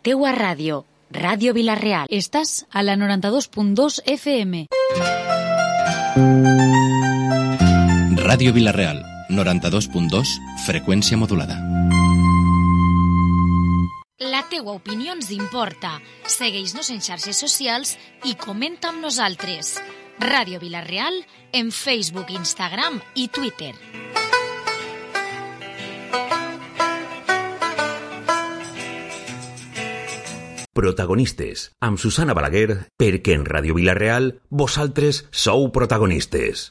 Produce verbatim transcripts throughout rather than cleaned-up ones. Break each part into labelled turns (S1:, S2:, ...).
S1: Teua ràdio, Ràdio Vila-real.
S2: Estàs a la noranta-dos punt dos F M.
S3: Ràdio Vila-real, noranta-dos punt dos, freqüència modulada.
S1: La teua opinió ens importa. Segueix-nos en xarxes socials i comenta amb nosaltres. Ràdio Vila-real en Facebook, Instagram i Twitter.
S4: Protagonistes, amb Susana Balaguer, perquè en Ràdio Vila-real vosaltres sou protagonistes.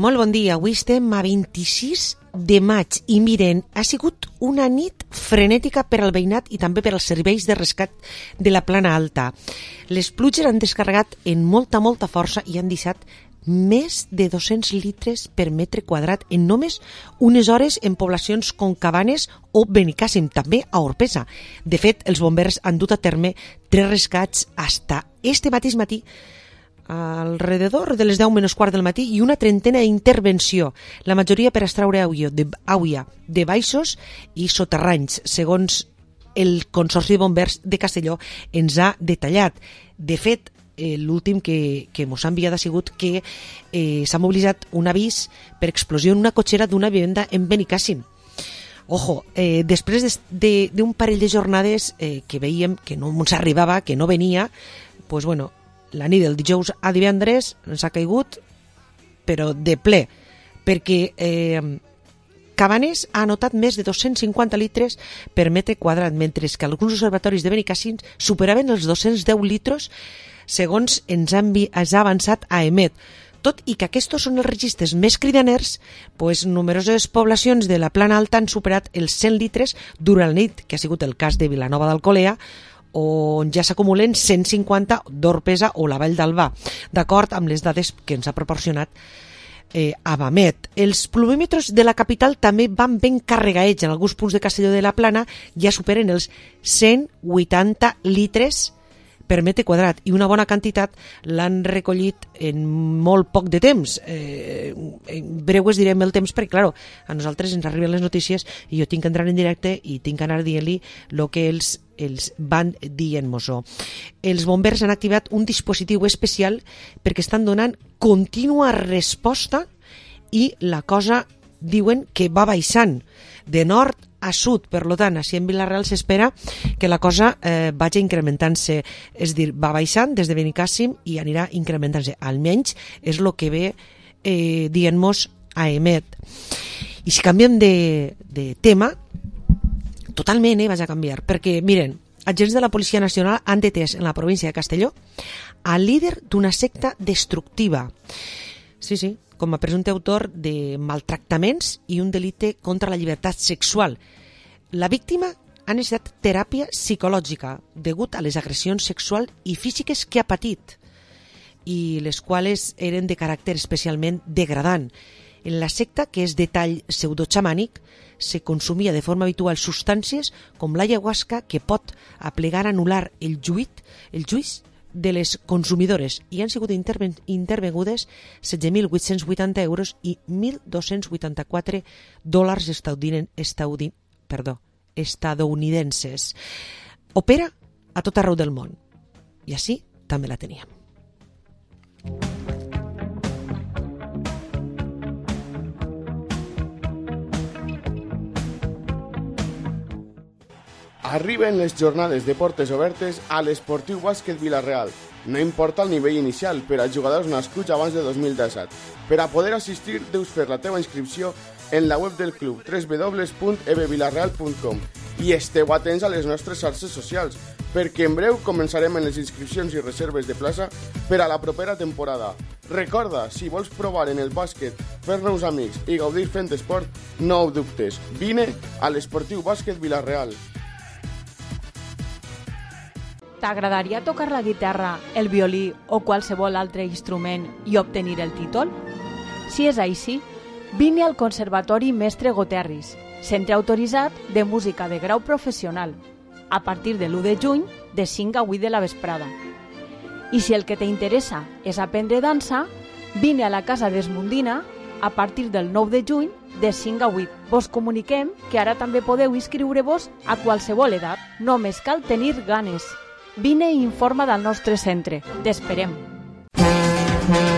S5: Molt bon dia, avui estem a vint-i-sis de maig i miren, ha sigut una nit frenètica per al veïnat i també per als serveis de rescat de la Plana Alta. Les pluges han descarregat en molta, molta força i han deixat més de dos-cents litres per metre quadrat en només unes hores en poblacions com Cabanes o Benicàssim, també a Orpesa. De fet, els bombers han dut a terme tres rescats hasta este mateix matí, alrededor de les deu menys quart del matí, i una trentena d'intervenció, la majoria per extraure aigua de, aigua de baixos i soterranys, segons el Consorci de Bombers de Castelló ens ha detallat. De fet, eh, l'últim que, que mos ha enviat ha sigut que eh, s'ha mobilitzat un avís per explosió en una cotxera d'una vivenda en Benicàssim. Ojo, eh, després de, d'un de, parell de jornades eh, que veiem que no ens arribava, que no venia, pues bueno, la nit del dijous a divendres ens ha caigut, però de ple, perquè eh, Cabanes ha anotat més de dos-cents cinquanta litres per metre quadrat, mentre que alguns observatoris de Benicàssim superaven els dos-cents deu litres, segons ens ha, ens ha avançat a Emet. Tot i que aquests són els registres més cridaners, pues, numeroses poblacions de la Plana Alta han superat els cent litres durant la nit, que ha sigut el cas de Vilanova d'Alcolea, on ja s'acumulen cent cinquanta d'Orpesa o la Vall d'Albà, d'acord amb les dades que ens ha proporcionat eh, Abamet. Els pluvímetres de la capital també van ben carregats. En alguns punts de Castelló de la Plana ja superen els cent vuitanta litres per metre quadrat, i una bona quantitat l'han recollit en molt poc de temps. Eh, en breu es direm el temps perquè, clar, a nosaltres ens arriben les notícies i jo tinc que entrar en directe i tinc que anar dient-li el que els, els van dient-nos. Els bombers han activat un dispositiu especial perquè estan donant contínua resposta i la cosa diuen que va baixant de nord a sud. Per tant, així en Vila-real s'espera que la cosa eh, vagi incrementant-se, és a dir, va baixant des de Benicàssim i anirà incrementant-se, almenys és el que ve eh, dient-nos a Emet. I si canviem de, de tema, totalment eh, vaig a canviar, perquè miren, agents de la Policia Nacional han detès en la província de Castelló al líder d'una secta destructiva. Sí, sí, com a presumpte autor de maltractaments i un delicte contra la llibertat sexual. La víctima ha necessitat teràpia psicològica degut a les agressions sexuals i físiques que ha patit, i les quals eren de caràcter especialment degradant. En la secta, que és de tall pseudoxamànic, se consumia de forma habitual substàncies com l'ayahuasca, que pot aplegar a anul·lar el juït, el juís de les consumidores, i han sigut interven intervengudes setze mil vuit-cents vuitanta euros i mil dos-cents vuitanta-quatre dòlars estadounid estadounid perdó, estadounidenses. Opera a tot arreu del món. I així també la teníem.
S6: Arriben les jornades de portes obertes a l'Esportiu Bàsquet Vila-real. No importa el nivell inicial per als jugadors nascuts abans de dos mil disset. Per a poder assistir, deus fer la teva inscripció en la web del club, w w w punt e b vilarreal punt com, i esteu atents a les nostres xarxes socials. perquè en breu començarem en les inscripcions i reserves de plaça per a la propera temporada. Recorda, si vols provar en el bàsquet, fer nous amics i gaudir fent esport, no ho dubtes. Vine a l'Esportiu Bàsquet Vila-real.
S7: T'agradaria tocar la guitarra, el violí o qualsevol altre instrument i obtenir el títol? Si és així, vine al Conservatori Mestre Goterris, centre autoritzat de música de grau professional, a partir de l'u de juny, de cinc a vuit de la vesprada. I si el que t'interessa és aprendre dansa, vine a la Casa d'Esmundina a partir del nou de juny, de cinc a vuit. Vos comuniquem que ara també podeu inscriure-vos a qualsevol edat. Només cal tenir ganes. Vine i informa del nostre centre. T'esperem.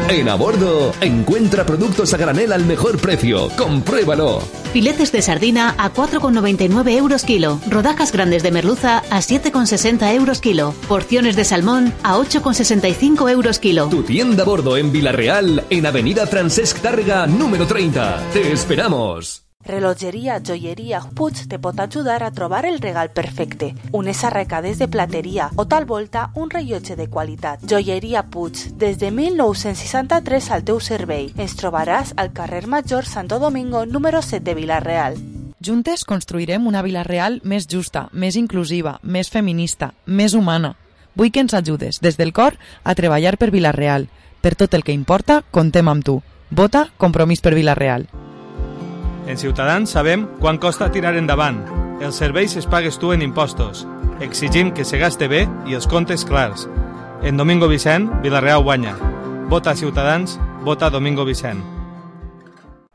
S8: En Abordo, encuentra productos a granel al mejor precio. ¡Compruébalo!
S9: Filetes de sardina a cuatro con noventa y nueve euros kilo. Rodajas grandes de merluza a siete con sesenta euros kilo. Porciones de salmón a ocho con sesenta y cinco euros kilo.
S8: Tu tienda Abordo en Vila-real, en Avenida Francesc Tàrrega, número treinta. ¡Te esperamos!
S10: Relojeria Joieria Puig te pot ajudar a trobar el regal perfecte. Unes arracades de plateria o tal volta un rellotge de qualitat. Joieria Puig, des de mil nou-cents seixanta-tres al teu servei. Ens trobaràs al carrer Major Santo Domingo, número set de Vila-real.
S11: Juntes construirem una Vila-real més justa, més inclusiva, més feminista, més humana. Vull que ens ajudes, des del cor, a treballar per Vila-real. Per tot el que importa, contem amb tu. Vota Compromís per Vila-real.
S12: En Ciutadans sabem quan costa tirar endavant. Els serveis es pagues tu en impostos. Exigim que se gaste bé i els comptes clars. En Domingo Vicent, Vila-real guanya. Vota Ciutadans, vota Domingo Vicent.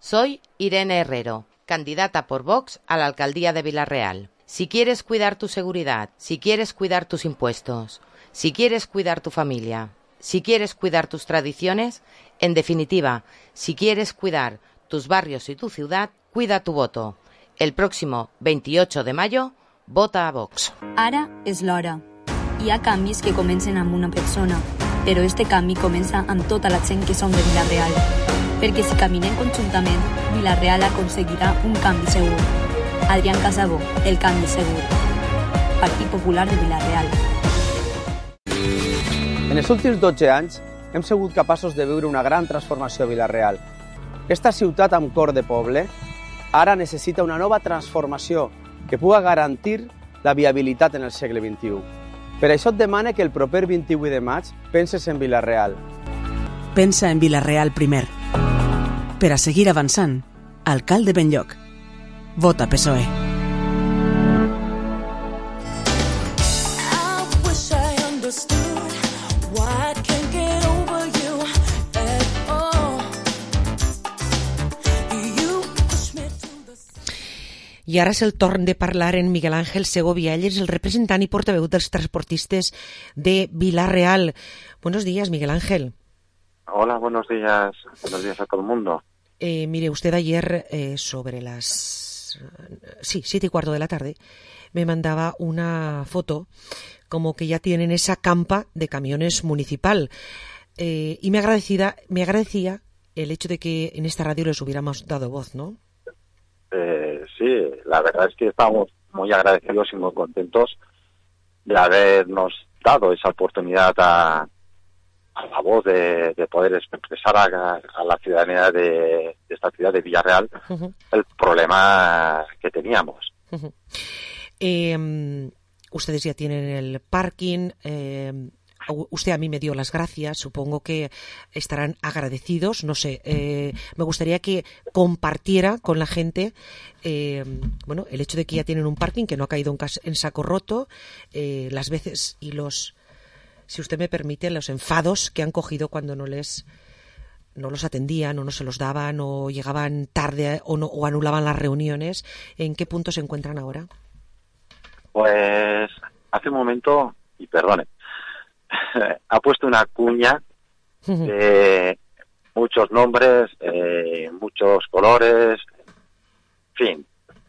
S13: Soy Irene Herrero, candidata por Vox a la alcaldía de Vila-real. Si quieres cuidar tu seguridad, si quieres cuidar tus impuestos, si quieres cuidar tu familia, si quieres cuidar tus tradiciones, en definitiva, si quieres cuidar tus barrios y tu ciudad, cuida tu voto. El próximo veintiocho de mayo, vota a Vox.
S14: Ara és l'hora. Hi ha canvis que comencen amb una persona, però este canvi comença amb tota la gent que som de Vila-real. Perquè si caminem conjuntament, Vila-real aconseguirà un canvi segur. Adrián Casabó, el canvi segur. Partit Popular de Vila-real.
S15: En els últims dotze anys hem sigut capaços de viure una gran transformació a Vila-real. Esta ciutat amb cor de poble ara necessita una nova transformació que puga garantir la viabilitat en el segle vint-i-u. Per això et demane que el proper vint-i-vuit de maig penses en Vila-real.
S16: Pensa en Vila-real primer. Per a seguir avançant, alcalde Benlloc. Vota P S O E.
S5: I ara és el torn de parlar en Miguel Ángel Segovia. Ell és el representant i portaveu dels transportistes de Vila-real. Buenos días, Miguel Ángel.
S17: Hola, buenos días. Buenos días a todo el mundo.
S5: Eh, mire, usted ayer eh, sobre las... Sí, siete y cuarto de la tarde me mandaba una foto como que ya tienen esa campa de camiones municipal. Eh, y me agradecida, me agradecía el hecho de que en esta radio les hubiéramos dado voz, ¿no?
S17: Eh, sí, la verdad es que estamos muy agradecidos y muy contentos de habernos dado esa oportunidad a, a la voz de, de poder expresar a, a la ciudadanía de, de esta ciudad de Vila-real uh-huh. el problema que teníamos.
S5: Uh-huh. Eh, ustedes ya tienen el parking. Eh, usted a mí me dio las gracias, supongo que estarán agradecidos, no sé, eh, me gustaría que compartiera con la gente eh, bueno, el hecho de que ya tienen un parking que no ha caído en, cas- en saco roto, eh, las veces y los, si usted me permite, los enfados que han cogido cuando no les no los atendían o no se los daban o llegaban tarde o, no, o anulaban las reuniones. ¿En qué punto se encuentran ahora?
S17: Pues hace un momento, y perdone, ha puesto una cuña de muchos nombres, eh, muchos colores, en fin,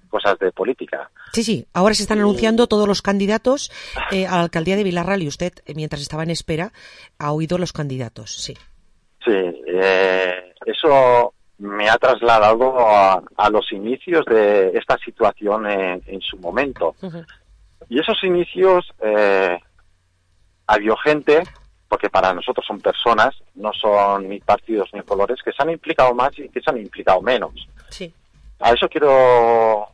S17: cosas de política.
S5: Sí, sí, ahora se están anunciando todos los candidatos eh, a la alcaldía de Vila-real y usted, eh, mientras estaba en espera, ha oído los candidatos, sí.
S17: Sí, eh, eso me ha trasladado a, a los inicios de esta situación en, en su momento. Uh-huh. Y esos inicios... Eh, ha habido gente, porque para nosotros son personas, no son ni partidos ni colores, que se han implicado más y que se han implicado menos.
S5: Sí.
S17: A eso quiero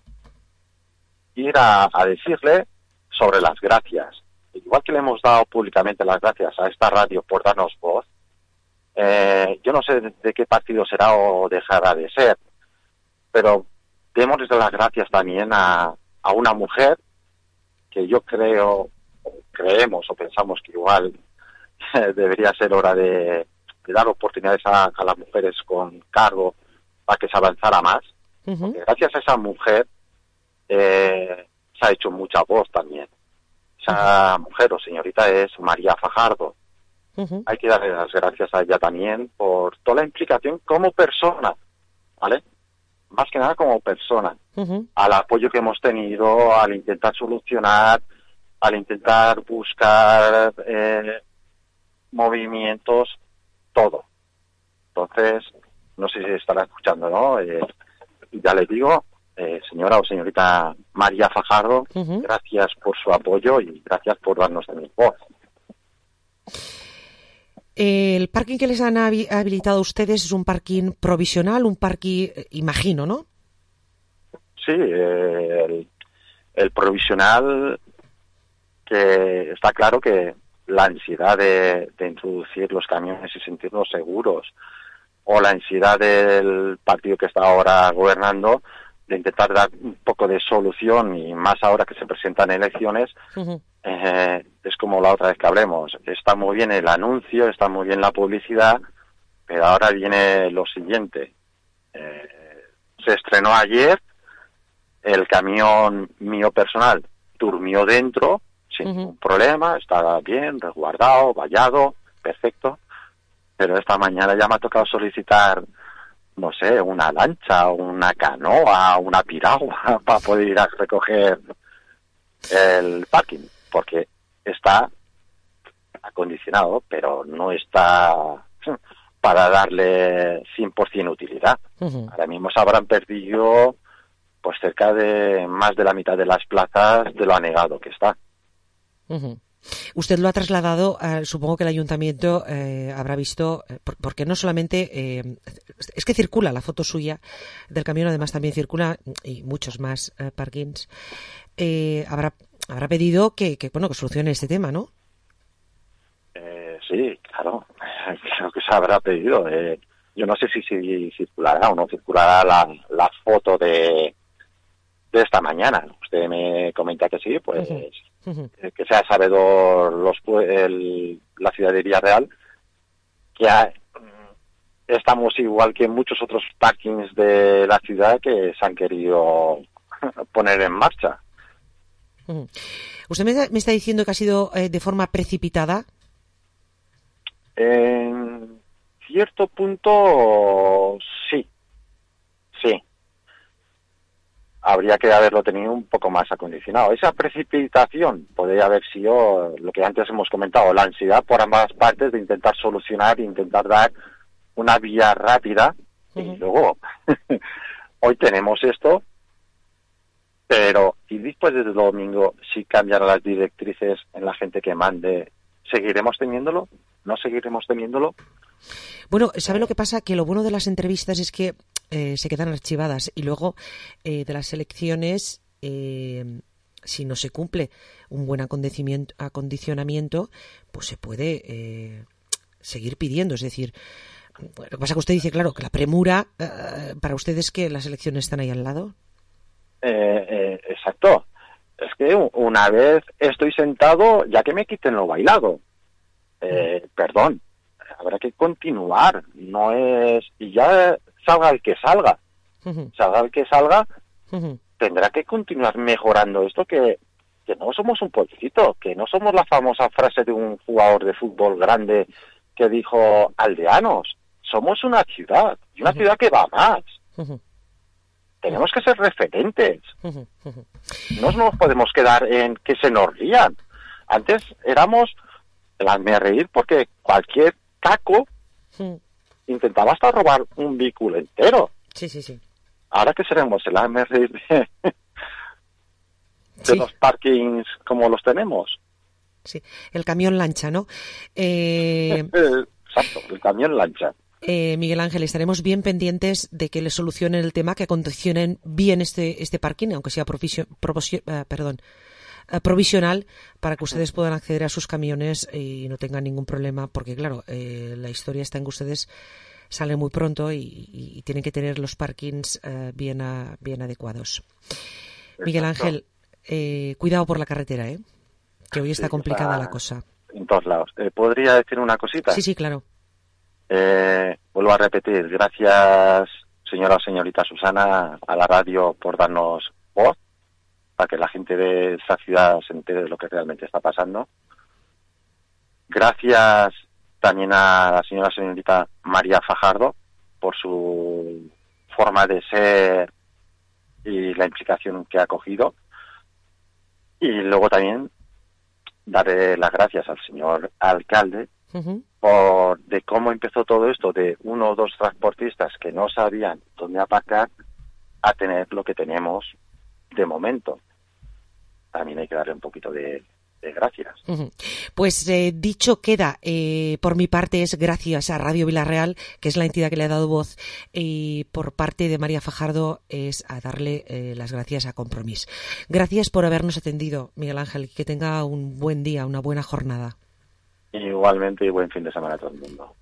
S17: ir a, a decirle sobre las gracias. Igual que le hemos dado públicamente las gracias a esta radio por darnos voz, eh, yo no sé de, de qué partido será o dejará de ser, pero démosles las gracias también a, a una mujer que yo creo, o creemos o pensamos que igual debería ser hora de, de dar oportunidades a, a las mujeres con cargo para que se avanzara más. Uh-huh. Porque gracias a esa mujer eh, se ha hecho mucha voz también. Esa uh-huh. mujer o señorita es María Fajardo. Uh-huh. Hay que darle las gracias a ella también por toda la implicación como persona, ¿vale? Más que nada como persona. Uh-huh. Al apoyo que hemos tenido, al intentar solucionar, al intentar buscar eh, movimientos, todo. Entonces, no sé si estará escuchando, ¿no? Eh, ya les digo, eh, señora o señorita María Fajardo, uh-huh. gracias por su apoyo y gracias por darnos también voz.
S5: El parking que les han habilitado a ustedes es un parking provisional, un parking, imagino, ¿no?
S17: Sí, eh, el, el provisional, que está claro que la ansiedad de, de introducir los camiones y sentirnos seguros, o la ansiedad del partido que está ahora gobernando de intentar dar un poco de solución, y más ahora que se presentan elecciones, uh-huh. eh, es como la otra vez que hablemos. Está muy bien el anuncio, está muy bien la publicidad, pero ahora viene lo siguiente. Eh, se estrenó ayer, el camión mío personal durmió dentro, sin uh-huh. ningún problema, estaba bien, resguardado, vallado, perfecto, pero esta mañana ya me ha tocado solicitar, no sé, una lancha, una canoa, una piragua para poder ir a recoger el parking, porque está acondicionado, pero no está para darle cien por ciento utilidad. Uh-huh. Ahora mismo se habrán perdido pues cerca de más de la mitad de las plazas de lo anegado que está.
S5: Uh-huh. Usted lo ha trasladado, eh, supongo que el ayuntamiento eh, habrá visto, eh, por, porque no solamente, eh, es que circula la foto suya del camión, además también circula, y muchos más eh, parkings, eh, habrá habrá pedido que, que, bueno, que solucione este tema, ¿no?
S17: Eh, sí, claro, creo que se habrá pedido. Eh, yo no sé si, si circulará o no circulará la, la foto de, de esta mañana. Usted me comenta que sí, pues... Uh-huh. Uh-huh. que sea sabedor los, el, la ciudad de Villarreal, que hay, estamos igual que muchos otros parkings de la ciudad que se han querido poner en marcha.
S5: Uh-huh. ¿Usted me, me está diciendo que ha sido eh, de forma precipitada?
S17: En cierto punto, sí. Sí. Habría que haberlo tenido un poco más acondicionado. Esa precipitación podría haber sido lo que antes hemos comentado, la ansiedad por ambas partes de intentar solucionar, intentar dar una vía rápida. Uh-huh. Y luego, hoy tenemos esto, pero y después del domingo, si cambian las directrices en la gente que mande, ¿seguiremos teniéndolo? ¿No seguiremos teniéndolo?
S5: Bueno, ¿sabe lo que pasa? Que lo bueno de las entrevistas es que eh, se quedan archivadas, y luego eh, de las elecciones, eh, si no se cumple un buen acondicionamiento, acondicionamiento pues se puede eh, seguir pidiendo. Es decir, lo que pasa es que usted dice, claro, que la premura eh, para ustedes es que las elecciones están ahí al lado.
S17: Eh, eh, exacto. Es que una vez estoy sentado, ya que me quiten lo bailado. Eh, perdón. Habrá que continuar, no es... Y ya salga el que salga, uh-huh. salga el que salga, uh-huh. tendrá que continuar mejorando esto, que, que no somos un pueblecito, que no somos la famosa frase de un jugador de fútbol grande que dijo aldeanos, somos una ciudad, y una uh-huh. ciudad que va más. Uh-huh. Tenemos que ser referentes. Uh-huh. Uh-huh. No nos podemos quedar en que se nos rían. Antes éramos el hazme reír porque cualquier caco sí. intentaba hasta robar un vehículo entero.
S5: Sí, sí, sí.
S17: Ahora que seremos el hazme reír de, de sí. los parkings como los tenemos.
S5: Sí, el camión lancha, ¿no? Eh...
S17: Exacto, el camión lancha.
S5: Eh, Miguel Ángel, estaremos bien pendientes de que le solucionen el tema, que acondicionen bien este este parking, aunque sea provisio, provisio, uh, perdón, uh, provisional, para que ustedes puedan acceder a sus camiones y no tengan ningún problema, porque claro, eh, la historia está en que ustedes salen muy pronto y, y, y tienen que tener los parkings uh, bien, a, bien adecuados. Exacto. Miguel Ángel, eh, cuidado por la carretera, ¿eh? Que hoy está sí, complicada está la cosa.
S17: En todos lados. Eh, ¿Podría decir una cosita?
S5: Sí, sí, claro.
S17: Eh, vuelvo a repetir, gracias señora o señorita Susana a la radio por darnos voz para que la gente de esta ciudad se entere de lo que realmente está pasando. Gracias también a la señora o señorita María Fajardo por su forma de ser y la implicación que ha cogido. Y luego también darle las gracias al señor alcalde Uh-huh. por de cómo empezó todo esto de uno o dos transportistas que no sabían dónde aparcar a tener lo que tenemos de momento. También hay que darle un poquito de, de gracias.
S5: Uh-huh. Pues eh, dicho queda, eh, por mi parte es gracias a Radio Vilarreal, que es la entidad que le ha dado voz, y por parte de María Fajardo es a darle eh, las gracias a Compromís. Gracias por habernos atendido, Miguel Ángel, que tenga un buen día, una buena jornada.
S17: Igualmente y buen fin de semana a todo el mundo.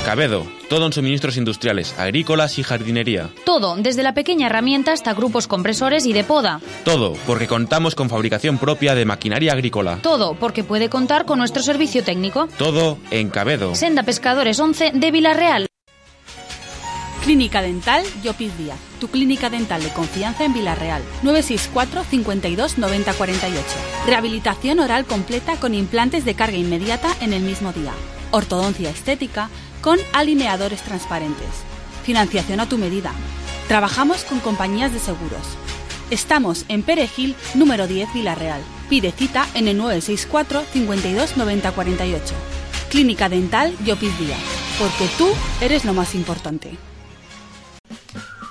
S18: Cabedo, todo en suministros industriales, agrícolas y jardinería.
S2: Todo, desde la pequeña herramienta hasta grupos compresores y de poda.
S18: Todo, porque contamos con fabricación propia de maquinaria agrícola.
S2: Todo, porque puede contar con nuestro servicio técnico.
S18: Todo en Cabedo.
S2: Senda Pescadores once de Vilarreal.
S19: Clínica Dental Llopis Díaz, tu clínica dental de confianza en Vilarreal. nueve seis cuatro, cincuenta y dos, noventa cuarenta y ocho. Rehabilitación oral completa con implantes de carga inmediata en el mismo día. Ortodoncia estética con alineadores transparentes. Financiación a tu medida. Trabajamos con compañías de seguros. Estamos en Perejil, número diez, Vilarreal. Pide cita en el nueve seis cuatro, cincuenta y dos, noventa cuarenta y ocho. Clínica Dental Llopis Díaz, porque tú eres lo más importante.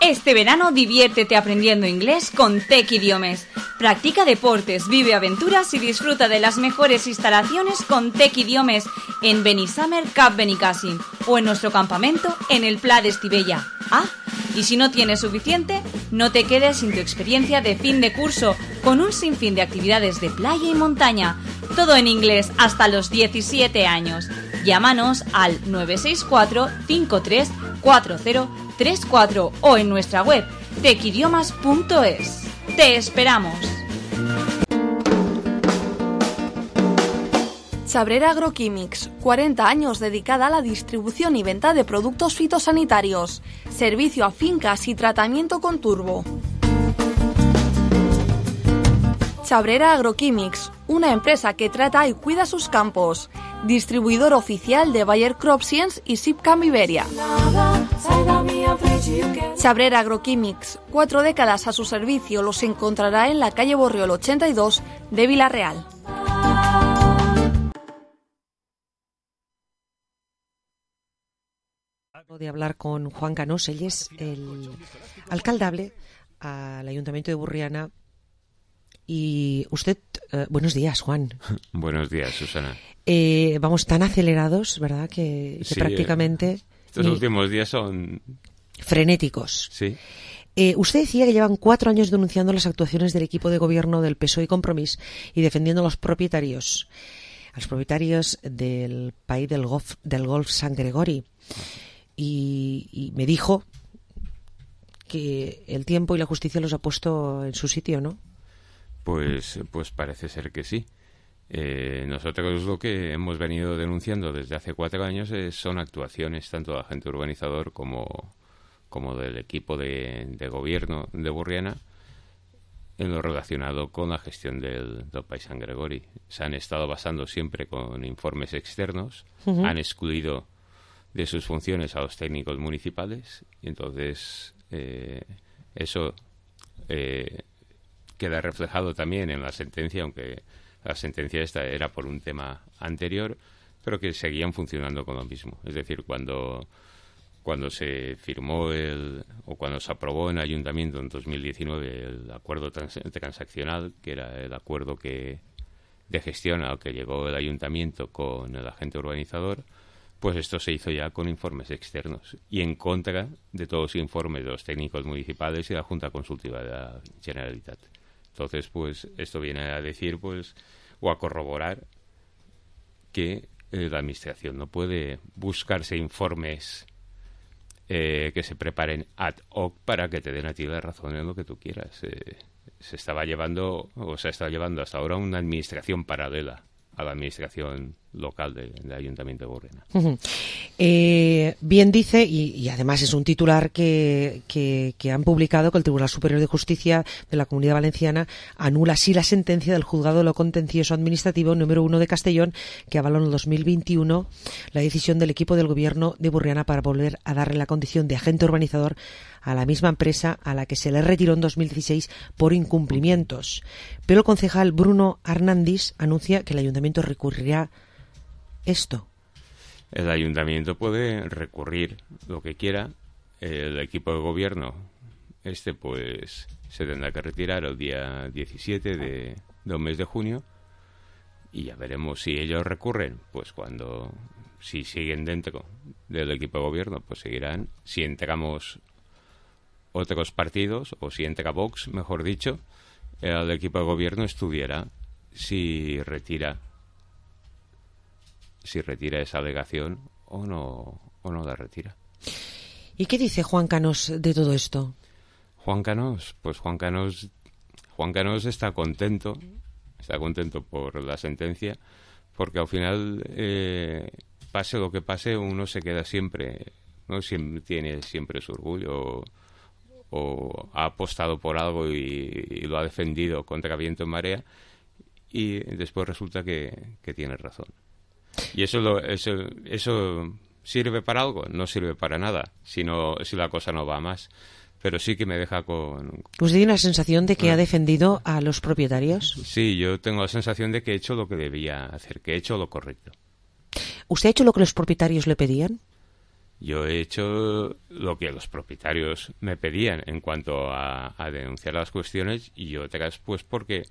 S20: Este verano diviértete aprendiendo inglés con Tec Idiomes. Practica deportes, vive aventuras y disfruta de las mejores instalaciones con Tec Idiomes en Benissamer Cap Benicàssim o en nuestro campamento en el Pla de Estivella. Ah, y si no tienes suficiente, no te quedes sin tu experiencia de fin de curso con un sinfín de actividades de playa y montaña. Todo en inglés hasta los diecisiete años. Llámanos al nueve seis cuatro, cinco tres, cuatro cero tres cuatro o en nuestra web tec idiomas punto es. ¡Te esperamos!
S21: Chabrera Agroquímics, cuarenta años dedicada a la distribución y venta de productos fitosanitarios, servicio a fincas y tratamiento con turbo. Chabrera Agroquímics, una empresa que trata y cuida sus campos. Distribuidor oficial de Bayer Crop Science y Sipcam Iberia. Chabrera Agroquímics, cuatro décadas a su servicio, los encontrará en la calle Borriol ochenta y dos de Vilarreal.
S5: De hablar con Juan Canós, él es el alcaldable al Ayuntamiento de Burriana. Y usted, eh, buenos días, Juan.
S22: Buenos días, Susana.
S5: Eh, vamos tan acelerados, ¿verdad? Que, que
S22: sí,
S5: prácticamente...
S22: Estos ni... últimos días son...
S5: frenéticos.
S22: Sí.
S5: Eh, usted decía que llevan cuatro años denunciando las actuaciones del equipo de gobierno del P S O E y Compromís y defendiendo a los propietarios, a los propietarios del país del Golf, del Golf San Gregori. Y, y me dijo que el tiempo y la justicia los ha puesto en su sitio, ¿no?
S3: Pues, pues parece ser que sí. Eh, nosotros lo que hemos venido denunciando desde hace cuatro años es, son actuaciones tanto del agente urbanizador como, como del equipo de, de gobierno de Burriana en lo relacionado con la gestión del, del país San Gregori. Se han estado basando siempre con informes externos, uh-huh. han excluido de sus funciones a los técnicos municipales y entonces eh, eso eh, queda reflejado también en la sentencia, aunque la sentencia esta era por un tema anterior, pero que seguían funcionando con lo mismo. Es decir, cuando, cuando se firmó el, o cuando se aprobó en el Ayuntamiento en dos mil diecinueve el acuerdo trans, transaccional, que era el acuerdo que de gestión al que llegó el Ayuntamiento con el agente urbanizador, pues esto se hizo ya con informes externos y en contra de todos los informes de los técnicos municipales y de la Junta Consultiva de la Generalitat. Entonces, pues, esto viene a decir, pues, o a corroborar que eh, la Administración no puede buscarse informes eh, que se preparen ad hoc para que te den a ti la razón en lo que tú quieras. Eh, se estaba llevando, o se ha estado llevando hasta ahora una Administración paralela a la Administración local del de Ayuntamiento de Burriana.
S5: Uh-huh. Eh, bien dice, y, y además es un titular que, que, que han publicado, que el Tribunal Superior de Justicia de la Comunidad Valenciana anula así la sentencia del Juzgado de lo Contencioso Administrativo número uno de Castellón, que avaló en el dos mil veintiuno la decisión del equipo del Gobierno de Burriana para volver a darle la condición de agente urbanizador a la misma empresa a la que se le retiró en dos mil dieciséis por incumplimientos. Pero el concejal Bruno Arnandis anuncia que el Ayuntamiento recurrirá esto.
S3: El Ayuntamiento puede recurrir lo que quiera. El equipo de gobierno este pues se tendrá que retirar el día diecisiete de, del mes de junio y ya veremos si ellos recurren. Pues cuando, si siguen dentro del equipo de gobierno, pues seguirán. Si entramos otros partidos, o si entra Vox, mejor dicho, el equipo de gobierno estudiará si retira si retira esa alegación o no o no la retira.
S5: ¿Y qué dice Juan Canós de todo esto?
S3: Juan Canós, pues Juan Canós Juan Canós está contento, está contento por la sentencia, porque al final eh, pase lo que pase, uno se queda siempre, ¿no? Siempre tiene siempre su orgullo, o, o ha apostado por algo y, y lo ha defendido contra viento en marea, y después resulta que, que tiene razón. Y eso, lo, eso eso sirve para algo, no sirve para nada, si, no, si la cosa no va más. Pero sí que me deja con...
S5: ¿Usted tiene la sensación de que bueno, ha defendido a los propietarios?
S3: Sí, yo tengo la sensación de que he hecho lo que debía hacer, que he hecho lo correcto.
S5: ¿Usted ha hecho lo que los propietarios le pedían?
S3: Yo he hecho lo que los propietarios me pedían en cuanto a, a denunciar las cuestiones, y otras pues porque...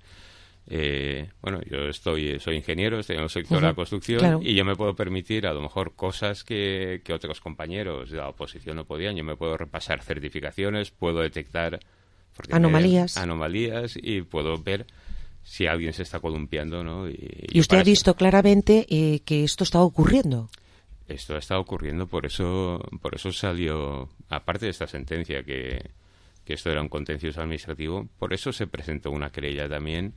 S3: Eh, bueno, yo estoy soy ingeniero, estoy en el sector uh-huh. de la construcción, claro. Y yo me puedo permitir a lo mejor cosas que, que otros compañeros de la oposición no podían. Yo me puedo repasar certificaciones, puedo detectar
S5: anomalías
S3: anomalías y puedo ver si alguien se está columpiando, ¿no? Y,
S5: y usted ha visto eso, claramente eh, que esto está ocurriendo.
S3: Esto está ocurriendo, por eso por eso salió, aparte de esta sentencia que, que esto era un contencioso administrativo, por eso se presentó una querella también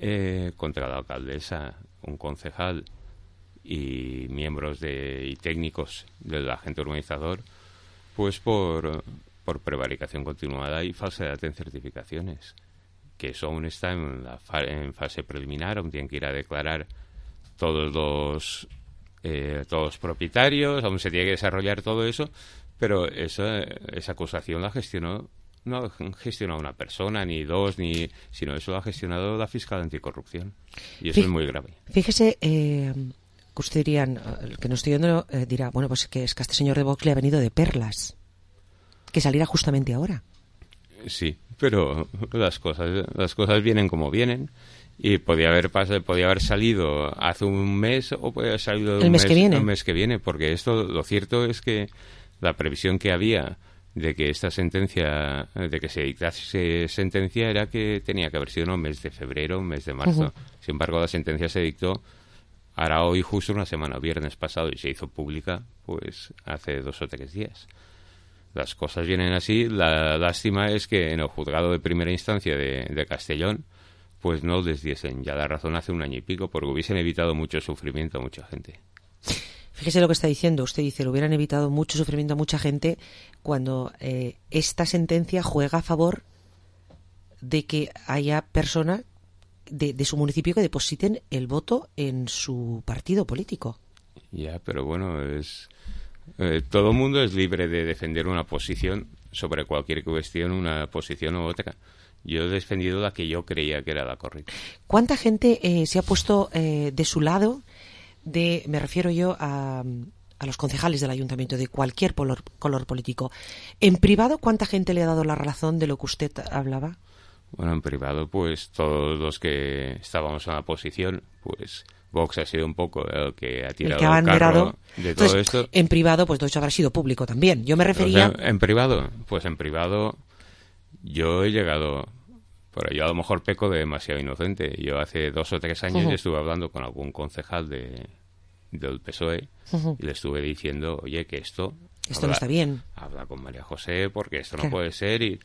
S3: Eh, contra la alcaldesa, un concejal y miembros de y técnicos del agente urbanizador, pues por, por prevaricación continuada y falsedad en certificaciones, que eso aún está en, la fa en fase preliminar, aún tienen que ir a declarar todos los eh, todos los propietarios, aún se tiene que desarrollar todo eso, pero esa, esa acusación la gestionó no ha gestionado una persona, ni dos, ni sino eso lo ha gestionado la fiscal anticorrupción. Y eso Fí- es muy grave.
S5: Fíjese, eh, que usted diría, el que no estoy viendo eh, dirá, bueno, pues que es que a este señor de Vox le ha venido de perlas que saliera justamente ahora.
S3: Sí, pero las cosas las cosas vienen como vienen, y podía haber pasado, podía haber salido hace un mes o podía haber salido
S5: el
S3: un
S5: mes, mes que viene.
S3: el mes que viene, porque esto lo cierto es que la previsión que había de que esta sentencia, de que se dictase sentencia era que tenía que haber sido en el mes de febrero, un mes de marzo. Uh-huh. Sin embargo, la sentencia se dictó ahora hoy justo una semana, viernes pasado, y se hizo pública pues hace dos o tres días. Las cosas vienen así. La lástima es que en el juzgado de primera instancia de, de Castellón pues no les diesen ya la razón hace un año y pico, porque hubiesen evitado mucho sufrimiento a mucha gente.
S5: Fíjese lo que está diciendo. Usted dice, lo hubieran evitado mucho sufrimiento a mucha gente cuando eh, esta sentencia juega a favor de que haya personas de, de su municipio que depositen el voto en su partido político.
S3: Ya, pero bueno, es eh, todo el mundo es libre de defender una posición sobre cualquier cuestión, una posición u otra. Yo he defendido la que yo creía que era la correcta.
S5: ¿Cuánta gente eh, se ha puesto eh, de su lado? De, me refiero yo a, a los concejales del ayuntamiento de cualquier color, color político. ¿En privado cuánta gente le ha dado la razón de lo que usted hablaba?
S3: Bueno, en privado, pues todos los que estábamos en la posición, pues Vox ha sido un poco el que ha tirado el, que ha el carro de todo
S5: Entonces,
S3: esto.
S5: En privado, pues todo eso habrá sido público también. Yo me refería...
S3: Entonces, en privado, pues en privado yo he llegado... Pero yo a lo mejor peco de demasiado inocente. Yo hace dos o tres años uh-huh. estuve hablando con algún concejal de, del P S O E uh-huh. y le estuve diciendo, oye, que esto...
S5: Esto
S3: habla,
S5: no está bien.
S3: Habla con María José porque esto
S5: claro.
S3: no puede ser y...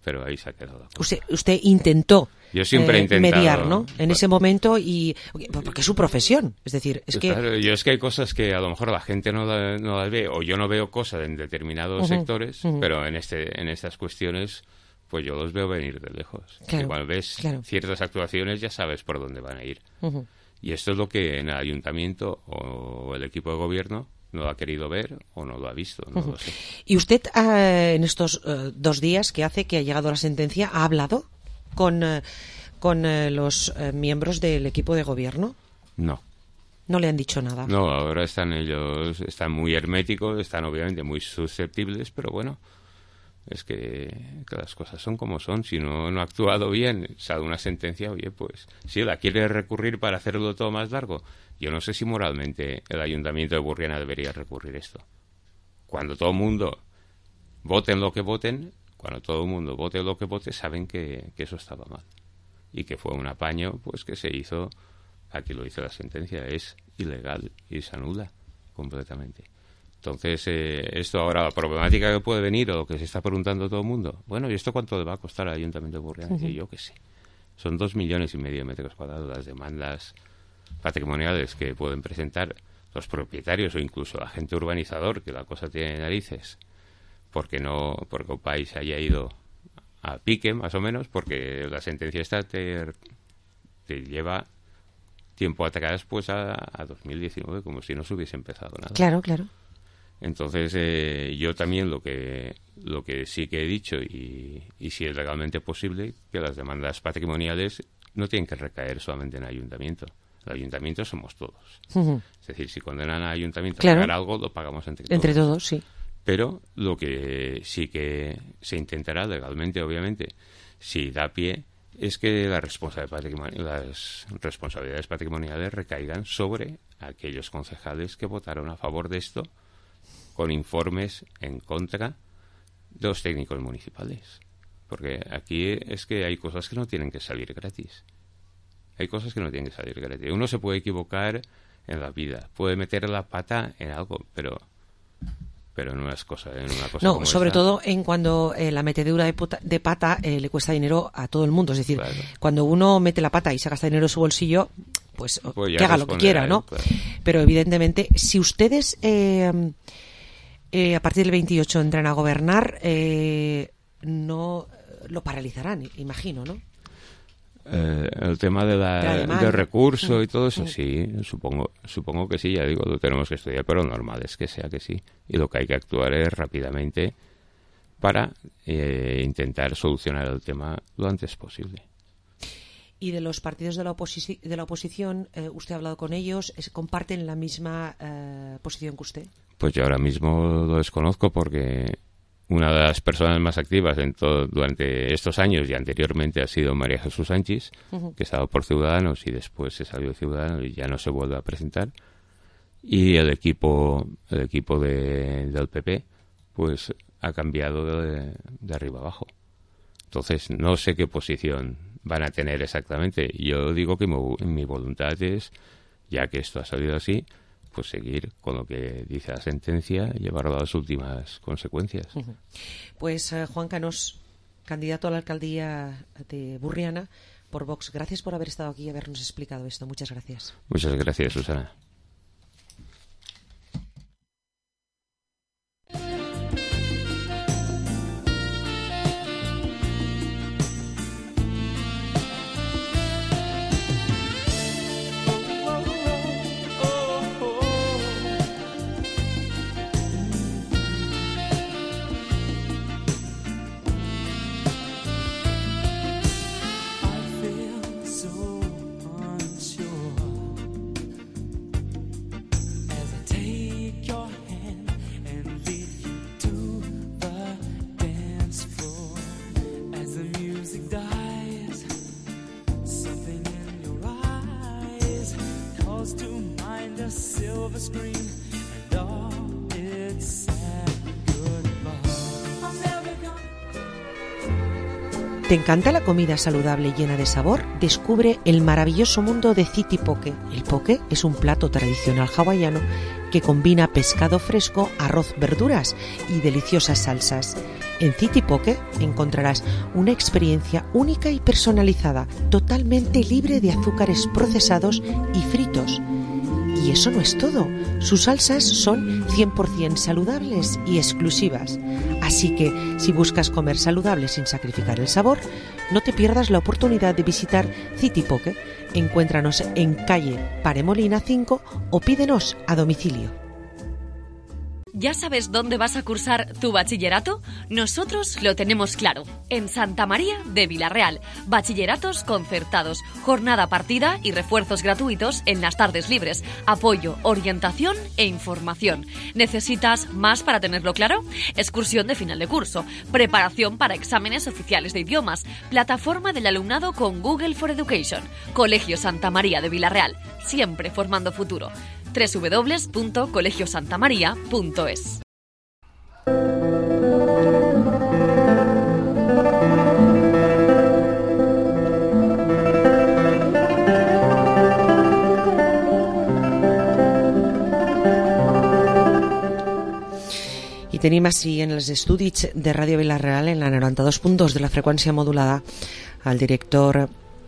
S3: Pero ahí se ha quedado.
S5: Usted, usted intentó
S3: yo siempre
S5: eh,
S3: he intentado,
S5: mediar, ¿no? En
S3: pues,
S5: ese momento y... Porque es su profesión. Es decir, es
S3: pues
S5: que...
S3: Claro, yo es que hay cosas que a lo mejor la gente no, la, no las ve o yo no veo cosas en determinados uh-huh. sectores, uh-huh. pero en este en estas cuestiones... pues yo los veo venir de lejos.
S5: Claro,
S3: Igual ves
S5: claro.
S3: ciertas actuaciones, ya sabes por dónde van a ir. Uh-huh. Y esto es lo que en el ayuntamiento o el equipo de gobierno no lo ha querido ver o no lo ha visto, no uh-huh. lo sé.
S5: ¿Y usted uh, en estos uh, dos días que hace que ha llegado la sentencia ha hablado con, uh, con uh, los uh, miembros del equipo de gobierno?
S3: No.
S5: ¿No le han dicho nada?
S3: No, ahora están ellos, están muy herméticos, están obviamente muy susceptibles, pero bueno... Es que, que las cosas son como son. Si no, no ha actuado bien, sale una sentencia, oye, pues si la quiere recurrir para hacerlo todo más largo. Yo no sé si moralmente el Ayuntamiento de Burriana debería recurrir esto. Cuando todo el mundo voten lo que voten, cuando todo el mundo vote lo que vote, saben que, que eso estaba mal. Y que fue un apaño pues que se hizo, aquí lo dice la sentencia, es ilegal y se anula completamente. Entonces, eh, esto ahora, la problemática que puede venir o lo que se está preguntando todo el mundo, bueno, ¿y esto cuánto le va a costar al Ayuntamiento de Burriana? Uh-huh. Y yo qué sé. Son dos millones y medio de metros cuadrados las demandas patrimoniales que pueden presentar los propietarios o incluso el agente urbanizador, que la cosa tiene narices, porque no, porque un país haya ido a pique, más o menos, porque la sentencia esta te, te lleva tiempo atrás pues a, a dos mil diecinueve, como si no se hubiese empezado nada.
S5: Claro, claro.
S3: Entonces, eh, yo también lo que lo que sí que he dicho, y, y si es legalmente posible, que las demandas patrimoniales no tienen que recaer solamente en el ayuntamiento. El ayuntamiento somos todos. Uh-huh. Es decir, si condenan al ayuntamiento
S5: claro.
S3: a pagar algo, lo pagamos entre todos.
S5: Entre todos, sí.
S3: Pero lo que sí que se intentará legalmente, obviamente, si da pie, es que las responsabilidades, patrimoni- las responsabilidades patrimoniales recaigan sobre aquellos concejales que votaron a favor de esto, con informes en contra de los técnicos municipales. Porque aquí es que hay cosas que no tienen que salir gratis. Hay cosas que no tienen que salir gratis. Uno se puede equivocar en la vida, puede meter la pata en algo, pero pero no es cosa, en una cosa
S5: no,
S3: como
S5: sobre
S3: esta.
S5: todo en cuando eh, la metedura de, puta, de pata eh, le cuesta dinero a todo el mundo. Es decir,
S3: claro.
S5: cuando uno mete la pata y se gasta dinero en su bolsillo, pues,
S3: pues
S5: que haga lo que quiera, ¿no?
S3: Claro.
S5: Pero evidentemente, si ustedes eh, eh, a partir del veintiocho entran a gobernar, eh, no lo paralizarán, imagino, ¿no?
S3: Eh, el tema de la,
S5: de la
S3: del recurso y todo eso, sí, supongo supongo que sí, ya digo, lo tenemos que estudiar, pero normal es que sea que sí. Y lo que hay que actuar es rápidamente para eh, intentar solucionar el tema lo antes posible.
S5: Y de los partidos de la, oposi- de la oposición, eh, ¿usted ha hablado con ellos? ¿Es, ¿Comparten la misma eh, posición que usted?
S3: Pues yo ahora mismo lo desconozco porque una de las personas más activas en todo, durante estos años y anteriormente ha sido María Jesús Sánchez, uh-huh. que estaba por Ciudadanos y después se salió de Ciudadanos y ya no se vuelve a presentar. Y el equipo el equipo de, del P P pues ha cambiado de, de arriba abajo. Entonces, no sé qué posición van a tener exactamente. Yo digo que mi, mi voluntad es, ya que esto ha salido así, pues seguir con lo que dice la sentencia y llevarlo a las últimas consecuencias.
S5: Uh-huh. Pues uh, Juan Canós, candidato a la alcaldía de Burriana por Vox, gracias por haber estado aquí y habernos explicado esto. Muchas gracias.
S3: Muchas gracias, Susana.
S5: ¿Te encanta la comida saludable llena de sabor? Descubre el maravilloso mundo de City Poke. El poke es un plato tradicional hawaiano que combina pescado fresco, arroz, verduras y deliciosas salsas. En City Poke encontrarás una experiencia única y personalizada, totalmente libre de azúcares procesados y fritos. Y eso no es todo. Sus salsas son cien por ciento saludables y exclusivas. Así que, si buscas comer saludable sin sacrificar el sabor, no te pierdas la oportunidad de visitar City Poke. Encuéntranos en calle Paremolina cinco o pídenos a domicilio.
S20: ¿Ya sabes dónde vas a cursar tu bachillerato? Nosotros lo tenemos claro. En Santa María de Vilarreal. Bachilleratos concertados, jornada partida y refuerzos gratuitos en las tardes libres. Apoyo, orientación e información. ¿Necesitas más para tenerlo claro? Excursión de final de curso. Preparación para exámenes oficiales de idiomas. Plataforma del alumnado con Google for Education. Colegio Santa María de Vilarreal. Siempre formando futuro. doble u doble u doble u punto colegio santa maría punto es.
S5: I tenim així en els estudis de Ràdio Vilarreal, en la noranta-dos punt dos de la freqüència modulada, al director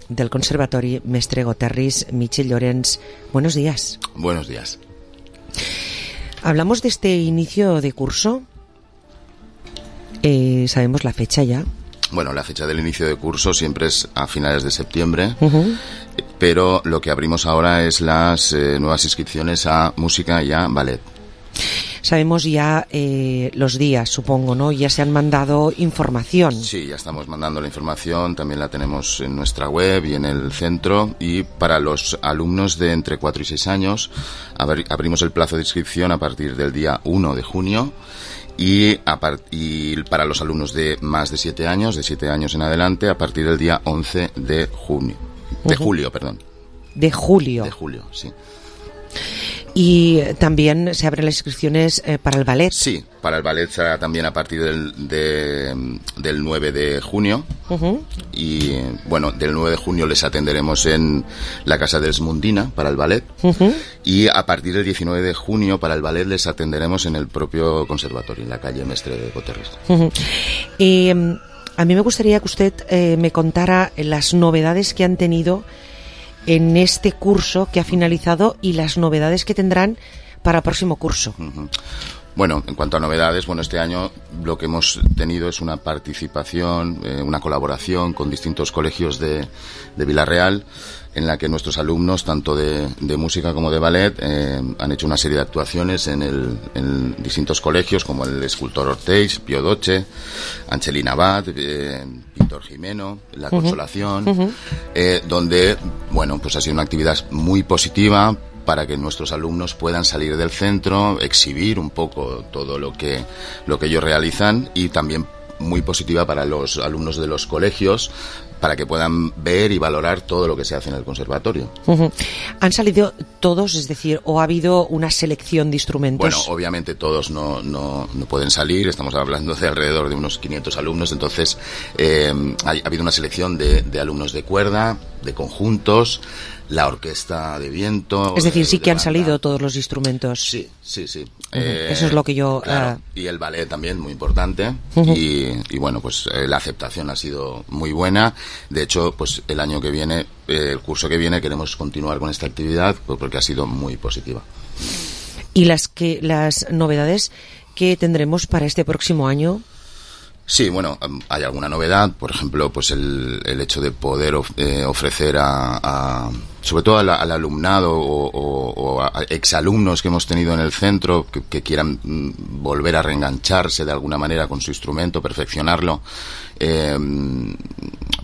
S5: del Conservatori, Mestre Goterris, Michel Llorens. Buenos días.
S1: Buenos días.
S5: Hablamos de este inicio de curso. Eh, sabemos la fecha ya.
S1: Bueno, la fecha del inicio de curso siempre es a finales de septiembre,
S5: uh-huh.
S1: pero lo que abrimos ahora es las eh, nuevas inscripciones a música y a ballet.
S5: Sabemos ya eh, los días, supongo, ¿no? Ya se han mandado información.
S1: Sí, ya estamos mandando la información, también la tenemos en nuestra web y en el centro. Y para los alumnos de entre cuatro y seis años, abri- abrimos el plazo de inscripción a partir del día uno de junio. Y, a part- y para los alumnos de más de siete años, de siete años en adelante, a partir del día once de junio. De
S5: Uh-huh.
S1: julio, perdón.
S5: De julio.
S1: De julio, sí.
S5: Y también se abren las inscripciones eh, para el ballet.
S1: Sí, para el ballet será también a partir del, de, del nueve de junio.
S5: Uh-huh.
S1: Y bueno, del nueve de junio les atenderemos en la Casa dels Mundina para el ballet.
S5: Uh-huh.
S1: Y a partir del diecinueve de junio para el ballet les atenderemos en el propio conservatorio, en la calle Mestre de Goterris.
S5: Uh-huh. Eh, a mí me gustaría que usted eh, me contara las novedades que han tenido en este curso que ha finalizado y las novedades que tendrán para el próximo curso.
S1: Uh-huh. Bueno, en cuanto a novedades, bueno, este año lo que hemos tenido es una participación, eh, una colaboración con distintos colegios de, de Vilarreal, en la que nuestros alumnos, tanto de, de música como de ballet, eh, han hecho una serie de actuaciones en, el, en distintos colegios, como el Escultor Orteix, Pio Doce, Angelina Abad, eh, Pintor Jimeno, La Consolación,
S5: Uh-huh.
S1: eh, donde, bueno, pues ha sido una actividad muy positiva para que nuestros alumnos puedan salir del centro, exhibir un poco todo lo que, lo que ellos realizan, y también muy positiva para los alumnos de los colegios, para que puedan ver y valorar todo lo que se hace en el conservatorio.
S5: Uh-huh. ¿Han salido todos, es decir, o ha habido una selección de instrumentos?
S1: Bueno, obviamente todos no, no, no pueden salir, estamos hablando de alrededor de unos quinientos alumnos, entonces eh, ha, ha habido una selección de, de alumnos de cuerda, de conjuntos, la orquesta de viento...
S5: Es decir, sí
S1: de
S5: que han
S1: banda.
S5: salido todos los instrumentos.
S1: Sí, sí, sí.
S5: Uh-huh.
S1: Eh,
S5: Eso es lo que yo...
S1: Claro,
S5: uh...
S1: y el ballet también, muy importante.
S5: Uh-huh.
S1: y, y bueno, pues eh, la aceptación ha sido muy buena. De hecho, pues el año que viene, eh, el curso que viene, queremos continuar con esta actividad pues, porque ha sido muy positiva.
S5: ¿Y las, que, las novedades que tendremos para este próximo año?
S1: Sí, bueno, hay alguna novedad, por ejemplo, pues el, el hecho de poder of, eh, ofrecer a, a, sobre todo al, al alumnado o, o, o a exalumnos que hemos tenido en el centro que, que quieran mm, volver a reengancharse de alguna manera con su instrumento, perfeccionarlo, eh,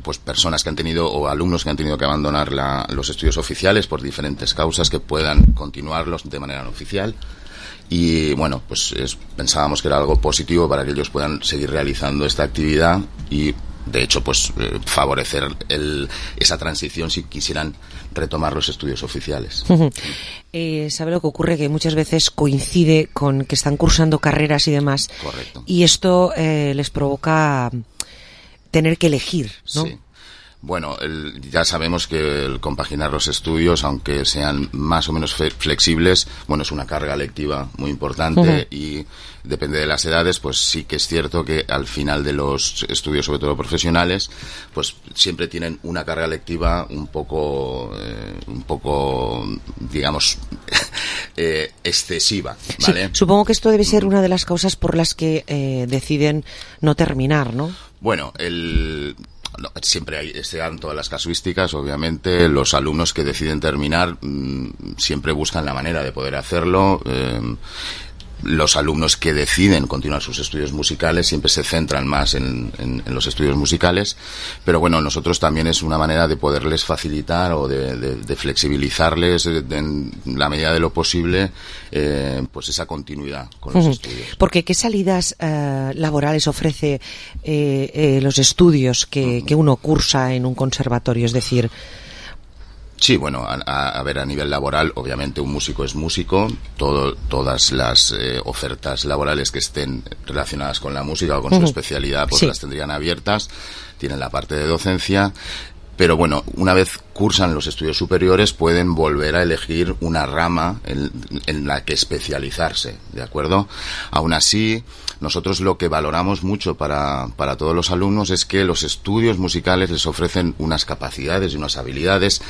S1: pues personas que han tenido o alumnos que han tenido que abandonar la, los estudios oficiales por diferentes causas que puedan continuarlos de manera no oficial. Y bueno, pues es, pensábamos que era algo positivo para que ellos puedan seguir realizando esta actividad y de hecho pues eh, favorecer el, esa transición si quisieran retomar los estudios oficiales.
S5: Uh-huh. Eh, ¿Sabe lo que ocurre? Que muchas veces coincide con que están cursando carreras y demás.
S1: Correcto.
S5: Y esto eh, les provoca tener que elegir, ¿no?
S1: Sí. Bueno, el, ya sabemos que el compaginar los estudios, aunque sean más o menos fe, flexibles, bueno, es una carga lectiva muy importante uh-huh. y depende de las edades, pues sí que es cierto que al final de los estudios, sobre todo profesionales, pues siempre tienen una carga lectiva un poco, eh, un poco, digamos, eh, excesiva, ¿vale?
S5: Sí, supongo que esto debe ser una de las causas por las que eh, deciden no terminar, ¿no?
S1: Bueno, el... No, siempre hay, se dan todas las casuísticas, obviamente. Los alumnos que deciden terminar mmm, siempre buscan la manera de poder hacerlo. Eh, los alumnos que deciden continuar sus estudios musicales siempre se centran más en, en, en los estudios musicales, pero bueno, nosotros también es una manera de poderles facilitar o de, de, de flexibilizarles de, de, en la medida de lo posible eh, pues esa continuidad con los uh-huh. estudios.
S5: Porque ¿qué salidas uh, laborales ofrece eh, eh, los estudios que, uh-huh. que uno cursa en un conservatorio? Es decir...
S1: Sí, bueno, a, a, a ver, a nivel laboral, obviamente un músico es músico, todo, todas las eh, ofertas laborales que estén relacionadas con la música o con uh-huh. su especialidad, pues sí. las tendrían abiertas, tienen la parte de docencia, pero bueno, una vez cursan los estudios superiores pueden volver a elegir una rama en, en la que especializarse, ¿de acuerdo? Aún así, nosotros lo que valoramos mucho para, para todos los alumnos es que los estudios musicales les ofrecen unas capacidades y unas habilidades,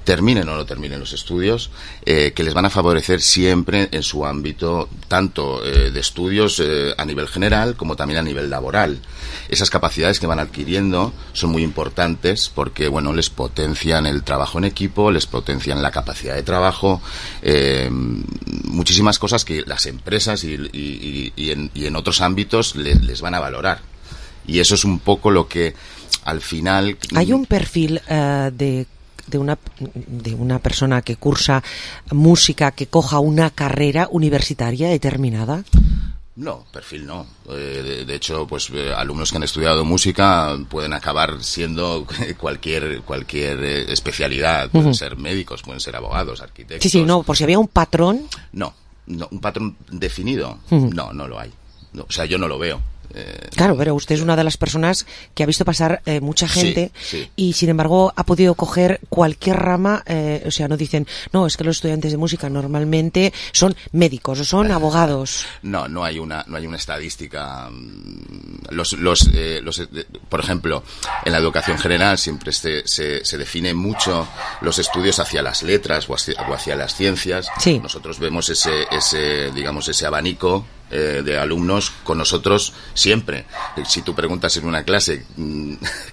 S1: terminen o no terminen los estudios, eh, que les van a favorecer siempre en su ámbito, tanto eh, de estudios eh, a nivel general como también a nivel laboral. Esas capacidades que van adquiriendo son muy importantes porque, bueno, les potencian el trabajo en equipo, les potencian la capacidad de trabajo, eh, muchísimas cosas que las empresas y, y, y, y, en, y en otros ámbitos les, les van a valorar. Y eso es un poco lo que al final...
S5: Hay un perfil uh, de... de una de una persona que cursa música que coja una carrera universitaria determinada?
S1: No, perfil no. Eh, de, de hecho, pues eh, alumnos que han estudiado música pueden acabar siendo cualquier cualquier eh, especialidad. Pueden uh-huh. ser médicos, pueden ser abogados, arquitectos.
S5: Sí, sí, no, por si había un patrón.
S1: No, no, un patrón definido.
S5: Uh-huh.
S1: No, no lo hay. No, o sea, yo no lo veo. Eh,
S5: claro, pero usted es una de las personas que ha visto pasar eh, mucha gente
S1: sí, sí.
S5: y sin embargo ha podido coger cualquier rama, eh, o sea, no dicen, no, es que los estudiantes de música normalmente son médicos o son abogados.
S1: No, no hay una no hay una estadística. Los los, eh, los eh, por ejemplo, en la educación general siempre se, se, se define mucho los estudios hacia las letras o hacia, o hacia las ciencias.
S5: Sí.
S1: Nosotros vemos ese ese digamos ese abanico Eh, de alumnos con nosotros siempre. Si tú preguntas en una clase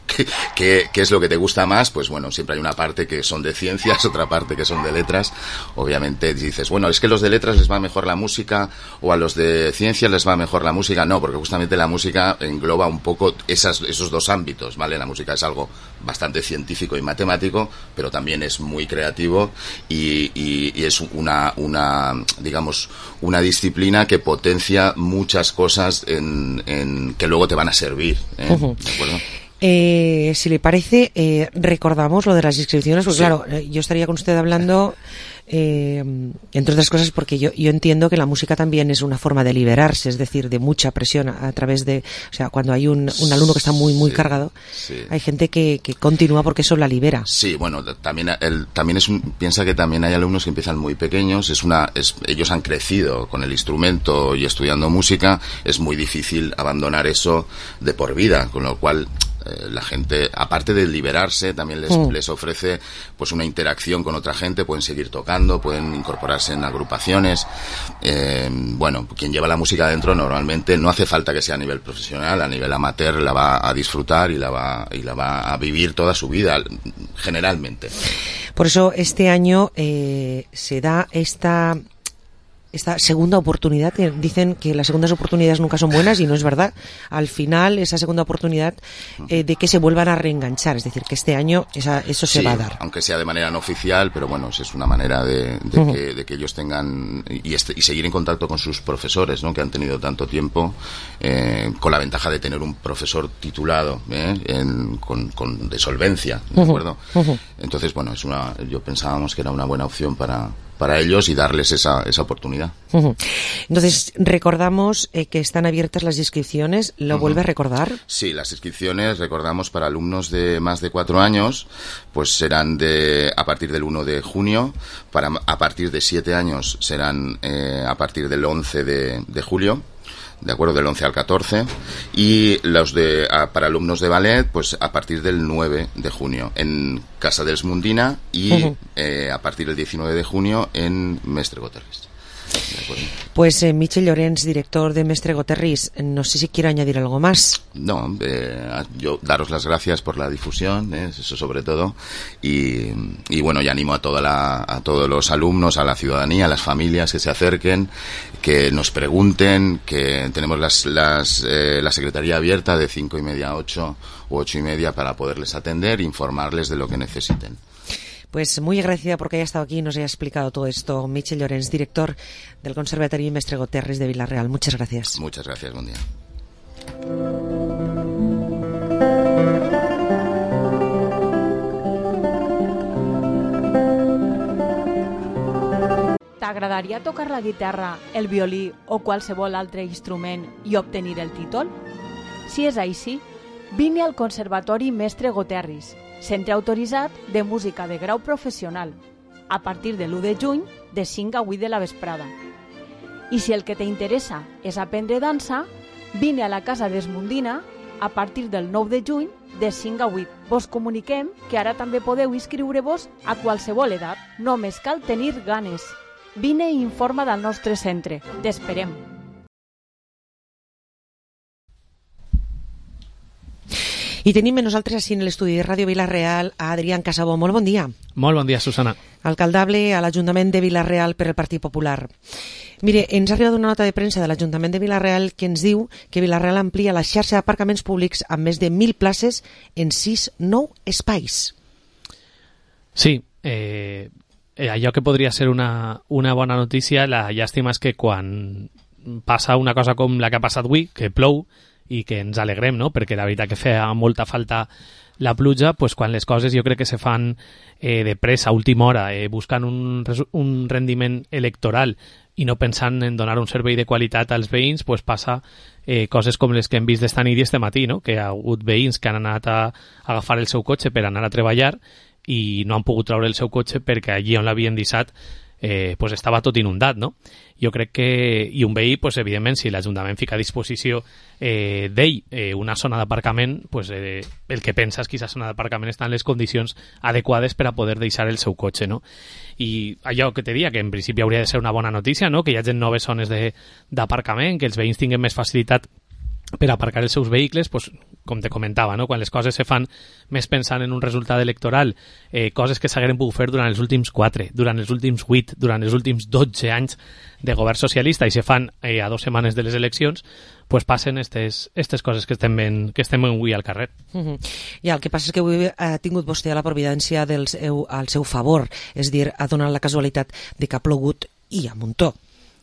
S1: ¿qué, qué, qué es lo que te gusta más, pues bueno, siempre hay una parte que son de ciencias, otra parte que son de letras. Obviamente dices, bueno, es que a los de letras les va mejor la música o a los de ciencias les va mejor la música. No, porque justamente la música engloba un poco esas, esos dos ámbitos, ¿vale? La música es algo bastante científico y matemático, pero también es muy creativo y, y, y es una, una, digamos, una disciplina que potencia muchas cosas en, en que luego te van a servir, ¿eh?
S5: Uh-huh.
S1: ¿De acuerdo?
S5: Eh, si le parece, eh, recordamos lo de las inscripciones, porque sí. claro, eh, yo estaría con usted hablando, eh, entre otras cosas, porque yo, yo entiendo que la música también es una forma de liberarse, es decir, de mucha presión a, a través de, o sea, cuando hay un, un alumno que está muy, muy sí, cargado, sí. hay gente que, que continúa porque eso la libera.
S1: Sí, bueno, también, el, también es un, piensa que también hay alumnos que empiezan muy pequeños, es una, es, ellos han crecido con el instrumento y estudiando música, es muy difícil abandonar eso de por vida, con lo cual la gente, aparte de liberarse, también les, mm. les ofrece pues una interacción con otra gente, pueden seguir tocando, pueden incorporarse en agrupaciones. Eh, bueno, quien lleva la música adentro normalmente no hace falta que sea a nivel profesional, a nivel amateur la va a disfrutar y la va, y la va a vivir toda su vida, generalmente.
S5: Por eso este año eh, se da esta... esta segunda oportunidad. Dicen que las segundas oportunidades nunca son buenas y no es verdad. Al final, esa segunda oportunidad eh, de que se vuelvan a reenganchar, es decir, que este año esa, eso se
S1: sí,
S5: va a dar.
S1: Aunque sea de manera no oficial, pero bueno, es una manera de, de, uh-huh. que, de que ellos tengan y, este, y seguir en contacto con sus profesores, ¿no? Que han tenido tanto tiempo, eh, con la ventaja de tener un profesor titulado, ¿eh? en, con, con de solvencia, ¿de uh-huh. acuerdo? Uh-huh. Entonces, bueno, es una, yo pensábamos que era una buena opción para para ellos y darles esa, esa oportunidad.
S5: Uh-huh. Entonces, recordamos eh, que están abiertas las inscripciones. ¿Lo uh-huh. vuelve a recordar?
S1: Sí, las inscripciones, recordamos, para alumnos de más de cuatro años, pues serán de a partir del uno de junio, para a partir de siete años serán eh, a partir del once de, de julio. De acuerdo, del once al catorce, y los de a, para alumnos de ballet, pues a partir del nueve de junio en Casa dels Mundina y uh-huh. eh, a partir del diecinueve de junio en Mestre Goterris.
S5: Pues eh, Michel Llorens, director de Mestre Goterris, no sé si quiere añadir algo más.
S1: No, eh, yo daros las gracias por la difusión, eh, eso sobre todo, y, y bueno, y animo a toda la, a todos los alumnos, a la ciudadanía, a las familias que se acerquen, que nos pregunten, que tenemos las, las, eh, la secretaría abierta de cinco y media a ocho u ocho y media para poderles atender e informarles de lo que necesiten.
S5: Pues muy agradecida porque haya estado aquí y nos haya explicado todo esto. Michel Llorens, director del Conservatorio Mestre Goterris de Vila-real. Muchas gracias.
S1: Muchas gracias, buen día.
S7: T'agradaria tocar la guitarra, el violí o qualsevol altre instrument i obtenir el títol? Si és així, vine al Conservatori Mestre Goterris, centre autoritzat de música de grau professional, a partir de l'u de juny, de cinc a vuit de la vesprada. I si el que t'interessa és aprendre dansa, vine a la Casa d'Esmundina a partir del nou de juny, de cinc a vuit. Vos comuniquem que ara també podeu inscriure-vos a qualsevol edat. Només cal tenir ganes. Vine i informa del nostre centre. T'esperem.
S5: I tenim nosaltres així en l'estudi de Ràdio Vila-real a Adrián Casabó. Molt bon dia.
S4: Molt bon dia, Susana.
S5: Alcaldable a l'Ajuntament de Vila-real per el Partit Popular. Mire, ens ha arribat una nota de premsa de l'Ajuntament de Vila-real que ens diu que Vila-real amplia la xarxa d'aparcaments públics amb més de mil places en sis nou espais.
S4: Sí, eh, allò que podria ser una, una bona notícia, la llàstima és que quan passa una cosa com la que ha passat avui, que plou, i que ens alegrem, no? Perquè la veritat que feia molta falta la pluja, pues quan les coses jo crec que se fan eh, de pressa, a última hora, eh, buscant un, un rendiment electoral i no pensant en donar un servei de qualitat als veïns, pues passa eh, coses com les que hem vist d'esta nit i este matí, no? Que hi ha hagut veïns que han anat a agafar el seu cotxe per anar a treballar i no han pogut treure el seu cotxe perquè allí on l'havien deixat Eh, pues estava tot inundat, no? Jo crec que, i un veí, pues evidentment, si l'Ajuntament fica a disposició eh, d'ell eh, una zona d'aparcament, pues eh, el que pensa és que aquesta zona d'aparcament està en les condicions adequades per a poder deixar el seu cotxe, no? I allò que te dia, que en principi hauria de ser una bona notícia, no? Que hi hagi noves zones d'aparcament, que els veïns tinguin més facilitat per aparcar els seus vehicles, pues, com te comentava, no? Quan les coses se fan més pensant en un resultat electoral, eh, coses que s'hagueren pogut fer durant els últims quatre, durant els últims vuit, durant els últims dotze anys de govern socialista i se fan eh, a dues setmanes de les eleccions, pues passen estes, estes coses que estem ben, que estem avui al carrer.
S5: Uh-huh. Ja, el que passa és que avui ha tingut vostè la providència del seu, al seu favor, és dir, ha donat la casualitat de que ha plogut i a muntó.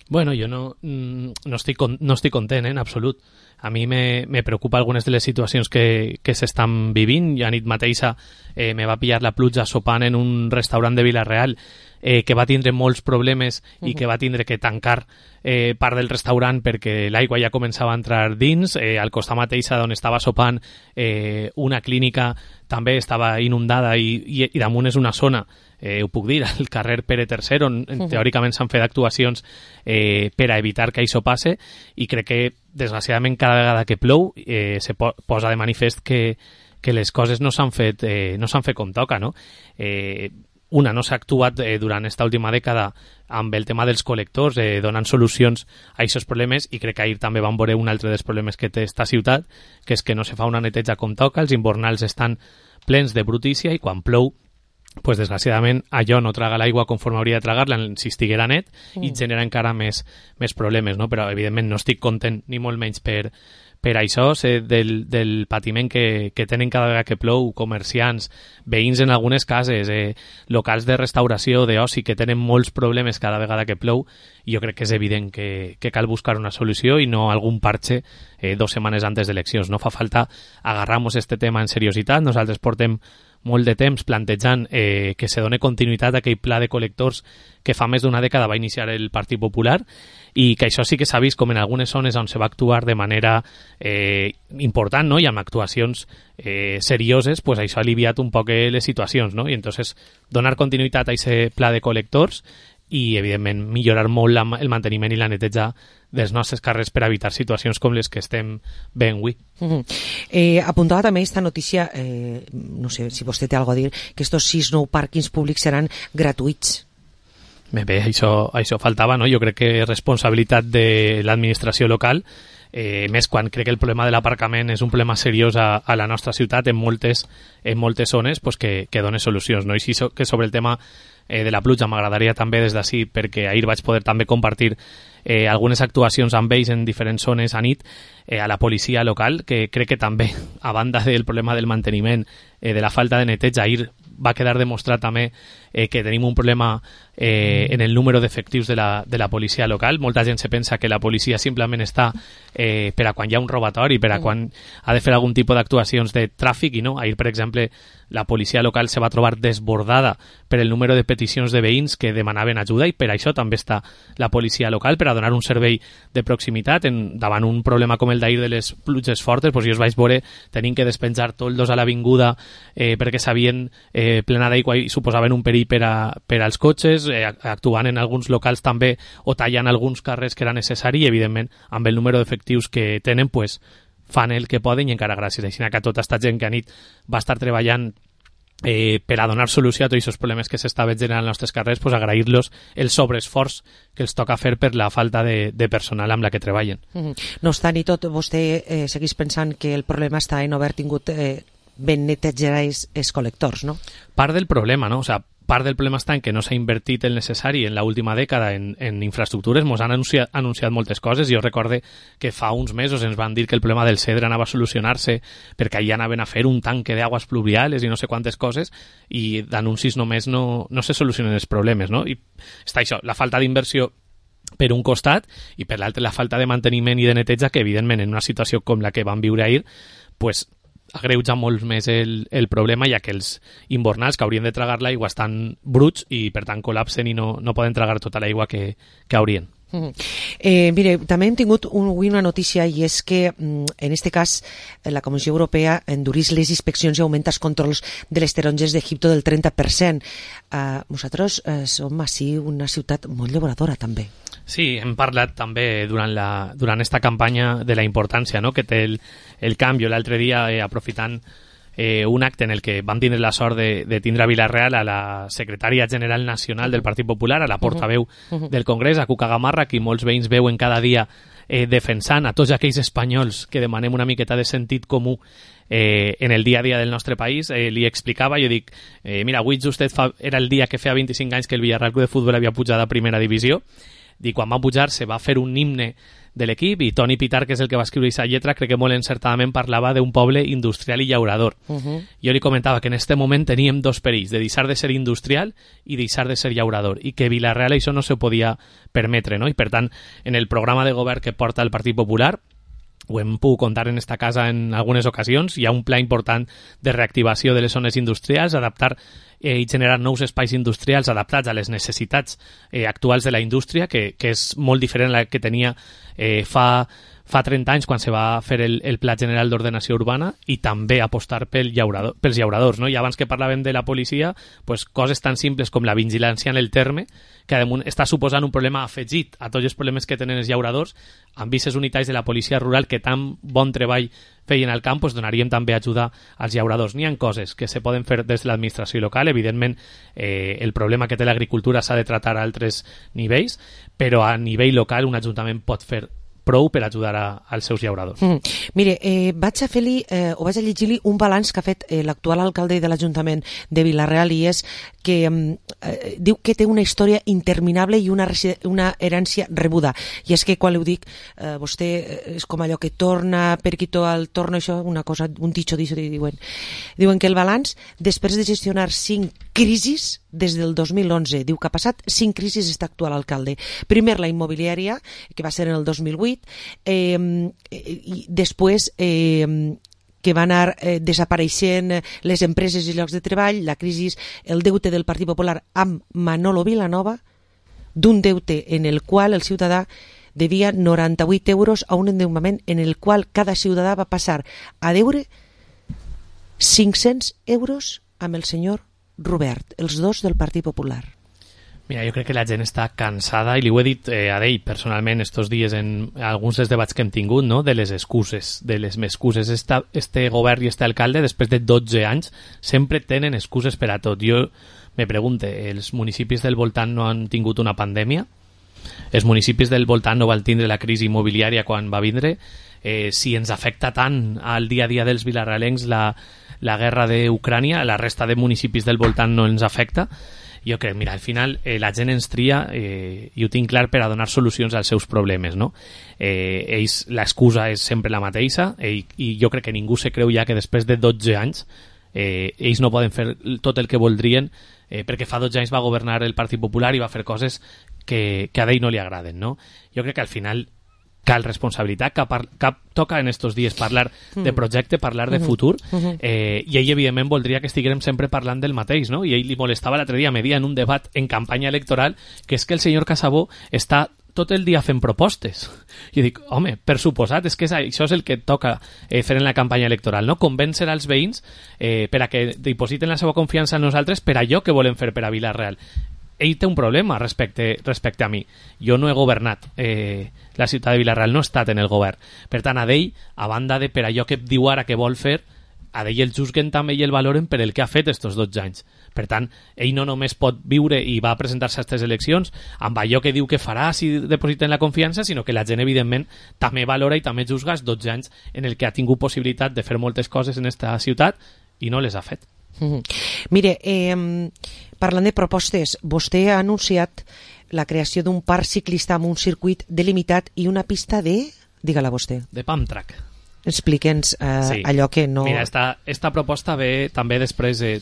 S4: Bueno, jo no, no, estic, no estic content, eh, en absolut. A mi me, me preocupa algunes de les situacions que, que s'estan vivint. Ja nit mateixa eh, me va pillar la pluja sopant en un restaurant de Vila-real eh, que va tindre molts problemes uh-huh. i que va tindre que tancar eh, part del restaurant perquè l'aigua ja començava a entrar dins. Eh, al costat mateixa d'on estava sopant eh, una clínica també estava inundada i, i, i damunt és una zona, eh, ho puc dir, al carrer Pere tercer, on uh-huh. teòricament s'han fet actuacions eh, per a evitar que això passe, i crec que desgraciadament cada vegada que plou eh, se po posa de manifest que, que les coses no s'han fet, eh, no s'han fet com toca, no? Eh, una, no s'ha actuat eh, durant aquesta última dècada amb el tema dels col·lectors, eh, donant solucions a aquests problemes, i crec que ahir també vam veure un altre dels problemes que té esta ciutat, que és que no se fa una neteja com toca, els invernals estan plens de brutícia i quan plou pues desgraciadament allò no traga l'aigua conforme hauria de tragar-la si estiguera net mm. i genera encara més, més problemes, no? Però evidentment no estic content ni molt menys per, per això, sé del, del patiment que, que tenen cada vegada que plou comerciants, veïns en algunes cases, eh, locals de restauració, d'oci, que tenen molts problemes cada vegada que plou, i jo crec que és evident que, que cal buscar una solució i no algun parche eh, dos setmanes antes d'eleccions. No fa falta agarrar-nos este tema en seriositat. Nosaltres portem molt de temps plantejant eh, que se doni continuïtat a aquell pla de col·lectors que fa més d'una dècada va iniciar el Partit Popular, i que això sí que s'ha vist com en algunes zones on se va actuar de manera eh, important, no? I amb actuacions eh, serioses, pues això ha aliviat un poc les situacions, no? I entonces donar continuïtat a aquest pla de col·lectors i, evidentment, millorar molt la, el manteniment i la neteja dels nostres carrers per evitar situacions com les que estem veient avui.
S5: Uh -huh. eh, apuntava també aquesta notícia, eh, no sé si vostè té alguna a dir, que estos sis nou pàrquings públics seran gratuïts.
S4: Bé, bé, això, això faltava, no? Jo crec que és responsabilitat de l'administració local, eh, més quan crec que el problema de l'aparcament és un problema seriós a, a la nostra ciutat en moltes, en moltes zones, pues que, que doni solucions, no? I sí que sobre el tema eh, de la pluja m'agradaria també des d'ací, perquè ahir vaig poder també compartir eh, algunes actuacions amb ells en diferents zones a nit, eh, a la policia local, que crec que també, a banda del problema del manteniment, eh, de la falta de neteja, ahir va quedar demostrat també eh, que tenim un problema eh, en el número d'efectius de, la, de la policia local. Molta gent se pensa que la policia simplement està eh, per a quan hi ha un robatori, per a quan ha de fer algun tipus d'actuacions de tràfic, i no. Ahir, per exemple, la policia local se va trobar desbordada per el número de peticions de veïns que demanaven ajuda, i per això també està la policia local, per a donar un servei de proximitat en, davant un problema com el d'ahir de les pluges fortes. Pues jo us vaig veure tenint que despenjar toldos a l'avinguda eh, perquè s'havien eh, plena d'aigua i suposaven un perill per, a, per als cotxes, eh, actuant en alguns locals també o tallant alguns carrers que era necessari, i evidentment amb el número d'efectius que tenen pues fan el que poden, i encara gràcies a això que tota aquesta gent que a nit va estar treballant eh, per a donar solució a tots aquests problemes que s'estaven generant als nostres carrers, pues agrair-los el sobreesforç que els toca fer per la falta de, de personal amb la que treballen.
S5: Mm-hmm. No obstant i tot, vostè eh, segueix pensant que el problema està en haver tingut eh, ben netejar els, els col·lectors, no?
S4: Part del problema, no? O sea, part del problema està en que no s'ha invertit el necessari en l'última dècada en, en infraestructures. Mos han anunciat, anunciat moltes coses. Jo recorde que fa uns mesos ens van dir que el problema del Cedre anava a solucionar-se perquè allà anaven a fer un tanque d'aigües pluviales i no sé quantes coses, i d'anuncis només no, no se solucionen els problemes, no? I està això, la falta d'inversió per un costat, i per l'altre la falta de manteniment i de neteja, que evidentment en una situació com la que vam viure ahir, pues agreuja molt més el, el problema, ja que els invernals que haurien de tragar l'aigua estan bruts i per tant col·lapsen i no, no poden tragar tota l'aigua que, que haurien.
S5: Mm. Eh, mire, també hem tingut un, una notícia, i és que en este cas la Comissió Europea endurís les inspeccions i augmenta els controls de les taronges d'Egipto del trenta per cent. Uh, nosaltres uh, som així una ciutat molt llauradora també.
S4: Sí, hem parlat també durant, la, durant esta campanya de la importància, no?, que té el, el canvi. L'altre dia, eh, aprofitant eh, un acte en el que vam tindre la sort de, de tindre a Vila-real a la secretària general nacional del Partit Popular, a la portaveu uh -huh. del Congrés, a Cuca Gamarra, que molts veïns veuen cada dia eh, defensant a tots aquells espanyols que demanem una miqueta de sentit comú eh, en el dia a dia del nostre país. Eh, li explicava, jo dic, eh, mira, avui justet fa, era el dia que feia vint-i-cinc anys que el Villarreal Club de Futbol havia pujat a primera divisió. I quan va pujar se va fer un himne de l'equip, i Toni Pitar, que és el que va escriure aquesta lletra, crec que molt encertadament parlava d'un poble industrial i llaurador.
S5: Uh -huh.
S4: Jo li comentava que en este moment teníem dos perills, de deixar de ser industrial i deixar de ser llaurador, i que Vila-real això no se podia permetre, no? I per tant, en el programa de govern que porta el Partit Popular, ho hem pogut contar en esta casa en algunes ocasions, hi ha un pla important de reactivació de les zones industrials, adaptar eh, i generar nous espais industrials adaptats a les necessitats eh, actuals de la indústria, que, que és molt diferent a la que tenia eh, fa, fa trenta anys quan se va fer el, el Pla General d'Ordenació Urbana, i també apostar pel llaurador, pels llauradors, no? I abans que parlàvem de la policia, pues, coses tan simples com la vigilància en el terme, que damunt està suposant un problema afegit a tots els problemes que tenen els llauradors. Amb vistes unitaris de la policia rural que tan bon treball feien al camp, pues donaríem també ajuda als llauradors. N'hi ha coses que se poden fer des de l'administració local, evidentment eh, el problema que té l'agricultura s'ha de tratar a altres nivells, però a nivell local un ajuntament pot fer prou per ajudar a, als seus llauradors.
S5: Mm. Mire, eh, vaig a fer-li, eh, o vaig a llegir-li un balanç que ha fet eh, l'actual alcalde de l'Ajuntament de Vila-real, i és que eh, diu que té una història interminable i una, una herència rebuda. I és que quan li ho dic, eh, vostè és com allò que torna, perquito al torno, això, una cosa, un dicho d'això, diuen. Diuen que el balanç, després de gestionar cinc crisis des del dos mil onze, diu que ha passat cinc crisis està actual alcalde. Primer la immobiliària, que va ser en el dos mil vuit, eh, i després eh, que van anar eh, desapareixent les empreses i llocs de treball, la crisi, el deute del Partit Popular amb Manolo Vilanova, d'un deute en el qual el ciutadà devia noranta-vuit euros a un endeutament en el qual cada ciutadà va passar a deure cinc-cents euros amb el senyor Robert, els dos del Partit Popular.
S4: Mira, jo crec que la gent està cansada, i li ho he dit eh, a ell personalment estos dies en alguns dels debats que hem tingut, no? De les excuses, de les excuses. Esta, este govern i este alcalde, després de dotze anys, sempre tenen excuses per a tot. Jo me pregunte, els municipis del voltant no han tingut una pandèmia? Els municipis del voltant no van tindre la crisi immobiliària quan va vindre? Eh, si ens afecta tant al dia a dia dels vilarrealencs la, la guerra d'Ucrània, la resta de municipis del voltant no ens afecta? Jo crec, mira, al final eh, la gent ens tria, eh, i ho tinc clar, per a donar solucions als seus problemes, no? Eh, ells, l'excusa és sempre la mateixa, eh, i jo crec que ningú se creu ja que després de dotze anys eh, ells no poden fer tot el que voldrien, eh, perquè fa dotze anys va governar el Partit Popular i va fer coses que, que a ell no li agraden, no? Jo crec que al final cal responsabilitat, que, par, que toca en estos dies parlar de projecte, parlar de futur, eh, i ell evidentment voldria que estiguérem sempre parlant del mateix, no? I ell li molestava l'altre dia, me dia en un debat en campanya electoral, que és que el senyor Casabó està tot el dia fent propostes. Jo dic, home, per suposat, és que és, això és el que toca eh, fer en la campanya electoral, no? Convèncer als veïns eh, per a que dipositen la seva confiança en nosaltres per allò que volem fer per a Vila-real. Ell té un problema respecte, respecte a mi. Jo no he governat. Eh, la ciutat de Vila-real no ha estat en el govern. Per tant, a d'ell, a banda de per allò que diu ara que vol fer, a d'ell el juzguen també i el valoren per el que ha fet estos dotze anys. Per tant, ell no només pot viure i va a presentar-se a aquestes eleccions amb allò que diu que farà si depositen la confiança, sinó que la gent, evidentment, també valora i també juzga els dotze anys en el que ha tingut possibilitat de fer moltes coses en esta ciutat i no les ha fet.
S5: Mm-hmm. Mire, eh, parlant de propostes, vostè ha anunciat la creació d'un parc ciclista amb un circuit delimitat i una pista de... Digue-la vostè.
S4: De pump track.
S5: Explique'ns eh, sí. allò que no...
S4: Mira, esta, esta proposta ve també després, eh,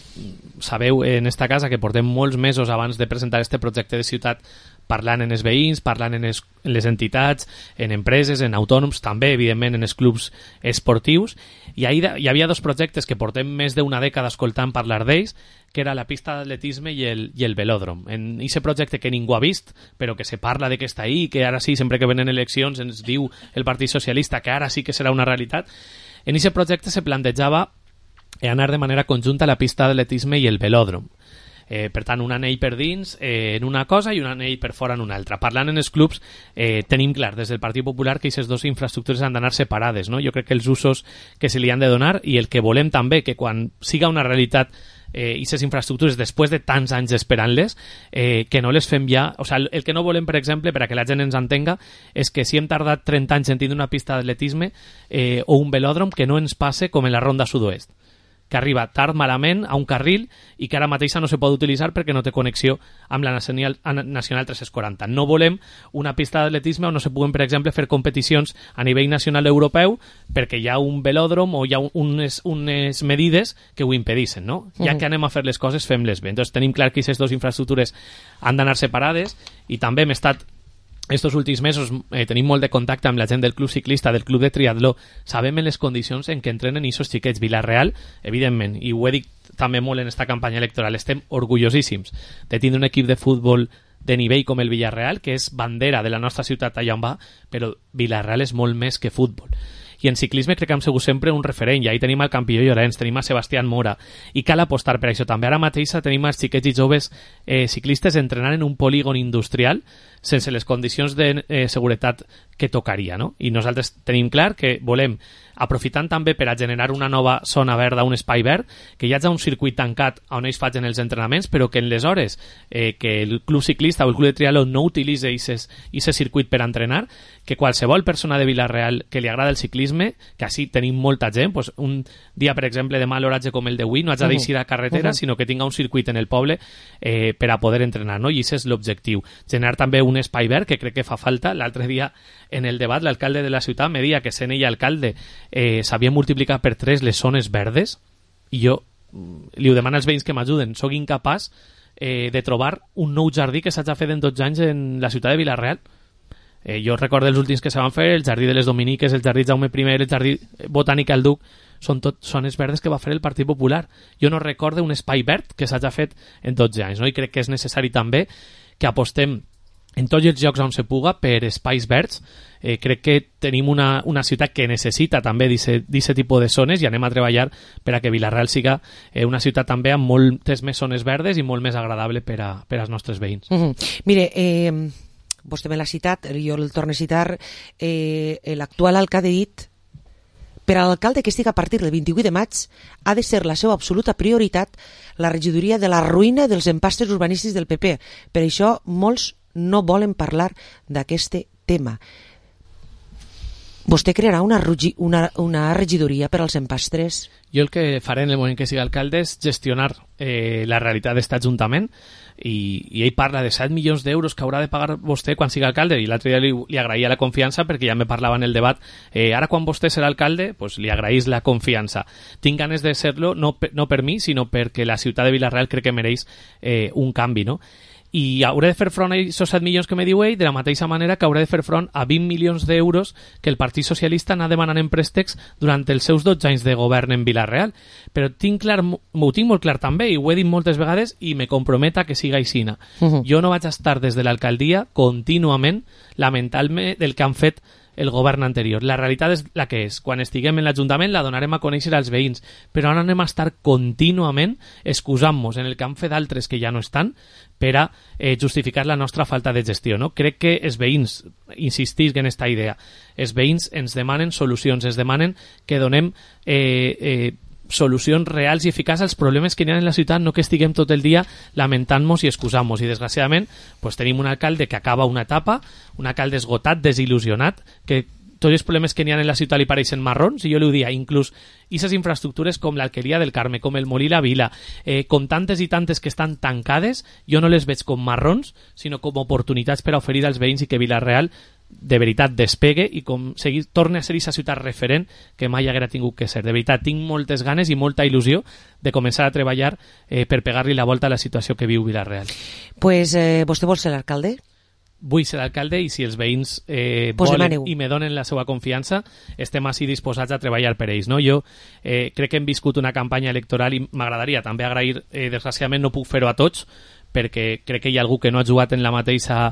S4: sabeu en esta casa que portem molts mesos abans de presentar este projecte de ciutat parlant en els veïns, parlant en, es, en les entitats, en empreses, en autònoms, també, evidentment, en els clubs esportius, i ahí hi havia dos projectes que portem més d'una dècada escoltant parlar d'ells, que era la pista d'atletisme i el, i el velòdrom. En aquest projecte que ningú ha vist, però que se parla de que està ahí, que ara sí, sempre que venen eleccions ens diu el Partit Socialista que ara sí que serà una realitat, en aquest projecte se plantejava anar de manera conjunta la pista d'atletisme i el velòdrom. Eh, per tant, un anell per dins eh, en una cosa i un anell per fora en una altra. Parlant en els clubs, eh, tenim clar des del Partit Popular que aquestes dues infraestructures han d'anar separades, no? Jo crec que els usos que se li han de donar i el que volem també, que quan siga una realitat eh, aquestes infraestructures després de tants anys esperant-les, eh, que no les fem ja... O sigui, el que no volem, per exemple, per a que la gent ens entenga, és que si hem tardat trenta anys en tindre una pista d'atletisme eh, o un velòdrom, que no ens passe com en la Ronda Sud-oest, que arriba tard malament a un carril i que ara mateixa no se pot utilitzar perquè no té connexió amb la Nacional, Nacional tres-cents quaranta. No volem una pista d'atletisme on no se puguen, per exemple, fer competicions a nivell nacional europeu perquè hi ha un velòdrom o hi ha unes, unes medides que ho impedissin, no? Ja que anem a fer les coses, fem-les bé. Entonces tenim clar que aquestes dues infraestructures han d'anar separades i també hem estat estos últims mesos eh, tenim molt de contacte amb la gent del club ciclista, del club de triatló. Sabem en les condicions en què entrenen aquests xiquets. Vilareal, evidentment, i ho he dit també molt en esta campanya electoral, estem orgullosíssims de tindre un equip de futbol de nivell com el Villarreal, que és bandera de la nostra ciutat allà on va, però Vilareal és molt més que futbol. I en ciclisme crec que hem sigut sempre un referent, i ahí tenim el campió Llorenç, tenim a Sebastián Mora, i cal apostar per això. També ara mateix tenim els xiquets i joves eh, ciclistes entrenant en un polígon industrial sense les condicions de eh, seguretat que tocaria, no? I nosaltres tenim clar que volem, aprofitant també per a generar una nova zona verda, un espai verd, que hi hagi un circuit tancat on ells facin els entrenaments, però que en les hores eh, que el club ciclista o el club de triatló no utilitzi aquest circuit per a entrenar, que qualsevol persona de Vilareal que li agrada el ciclisme, que així tenim molta gent, pues un dia, per exemple, de mal horatge com el d'avui, no haig de deixar a carretera, uh-huh. sinó que tinga un circuit en el poble eh, per a poder entrenar, no? I aquest és l'objectiu. Generar també un espai verd, que crec que fa falta. L'altre dia, en el debat, l'alcalde de la ciutat me deia que sent ell alcalde eh, s'havia multiplicat per tres les zones verdes, i jo li ho demano als veïns que m'ajuden. Soc incapaç eh, de trobar un nou jardí que s'hagi fet en dotze anys en la ciutat de Vilareal. Eh, jo recordo els últims que se van fer, el jardí de les Dominiques, el jardí Jaume I, el jardí Botànic al Duc, són tot zones verdes que va fer el Partit Popular. Jo no recordo un espai verd que s'hagi fet en dotze anys, no? I crec que és necessari també que apostem en tots els llocs on se puga per espais verds. Eh, crec que tenim una, una ciutat que necessita també d'aquest tipus de zones i anem a treballar per a que Vilareal siga eh, una ciutat també amb moltes més zones verdes i molt més agradable per, a, per als nostres veïns.
S5: Mm-hmm. Mire, eh, vostè me l'ha citat, jo el torno a citar, eh, l'actual alcalde ha dit: per a l'alcalde que estigui a partir del vint-i-vuit de maig ha de ser la seva absoluta prioritat la regidoria de la ruïna dels empastres urbanístics del P P. Per això molts no volen parlar d'aquest tema. Vostè crearà una, una, una regidoria per als empastres?
S4: Jo el que faré en el moment que sigui alcalde és gestionar eh, la realitat d'aquest ajuntament, i, i ell parla de set milions d'euros que haurà de pagar vostè quan sigui alcalde, i l'altre dia li, li agraïa la confiança perquè ja me parlava en el debat, eh, ara quan vostè serà alcalde pues li agraís la confiança. Tinc ganes de ser-lo no, no per mi, sinó perquè la ciutat de Vilareal crec que mereix eh, un canvi, no? I hauré de fer front a aquests set milions que me diu ell de la mateixa manera que hauré de fer front a vint milions d'euros que el Partit Socialista anà demanant en préstecs durant els seus dotze anys de govern en Vilareal. Però tinc clar, m'ho tinc molt clar també, i ho he dit moltes vegades i me comprometa que siga aixina. Uh-huh. Jo no vaig estar des de l'alcaldia contínuament lamentant-me del que han fet el govern anterior. La realitat és la que és. Quan estiguem en l'Ajuntament la donarem a conèixer als veïns, però ara anem a estar contínuament excusant-nos en el que han fet d'altres que ja no estan per a eh, justificar la nostra falta de gestió, no? Crec que els veïns, insistisc en aquesta idea, els veïns ens demanen solucions, ens demanen que donem eh, eh, solucions reals i eficaces als problemes que hi ha en la ciutat, no que estiguem tot el dia lamentant-nos i excusant-nos. I desgraciadament pues, tenim un alcalde que acaba una etapa, un alcalde esgotat, desil·lusionat, que tots els problemes que n'hi ha en la ciutat li pareixen marrons, i jo li ho dia, inclús aquestes infraestructures com l'Alqueria del Carme, com el Molí la Vila, eh, com tantes i tantes que estan tancades, jo no les veig com marrons, sinó com oportunitats per a oferir als veïns i que Vilareal de veritat despegue i com seguir, torni a ser aquesta ciutat referent que mai haguera tingut que ser. De veritat, tinc moltes ganes i molta il·lusió de començar a treballar eh, per pegar-li la volta a la situació que viu Vilareal.
S5: Pues, eh, vostè vol ser l'alcalde?
S4: Vull ser alcalde, i si els veïns eh,
S5: pues
S4: volen i me donen la seva confiança, estem així disposats a treballar per ells, no? Jo eh, crec que hem viscut una campanya electoral i m'agradaria també agrair, eh, desgraciadament no puc fer-ho a tots, perquè crec que hi ha algú que no ha jugat en la mateixa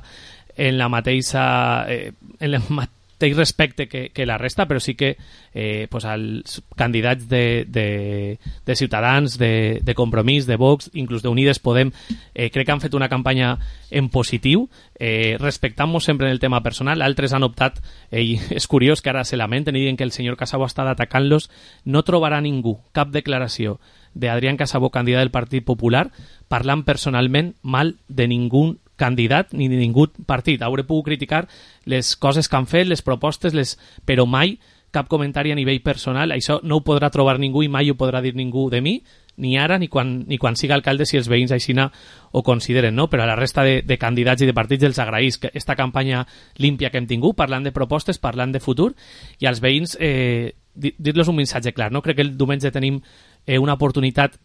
S4: en la mateixa eh, en el mateix respecte que, que la resta, però sí que eh, pues els candidats de, de, de Ciutadans, de, de Compromís, de Vox, inclús d'Unides Podem, eh, crec que han fet una campanya en positiu, eh, respectant-nos sempre en el tema personal. Altres han optat, eh, i és curiós que ara se lamenten i diuen que el senyor Casabó està atacant-los. No trobarà ningú cap declaració d'Adrián Casabó, candidat del Partit Popular, parlant personalment mal de ningú candidat ni de ningú partit. Hauré pogut criticar les coses que han fet, les propostes, les... però mai cap comentari a nivell personal, això no ho podrà trobar ningú i mai ho podrà dir ningú de mi, ni ara ni quan, ni quan siga alcalde, si els veïns aixina ho consideren, no? Però a la resta de, de candidats i de partits els agraïs que esta campanya límpia que hem tingut, parlant de propostes, parlant de futur, i als veïns eh, dir-los un missatge clar, no? Crec que el diumenge tenim eh, una oportunitat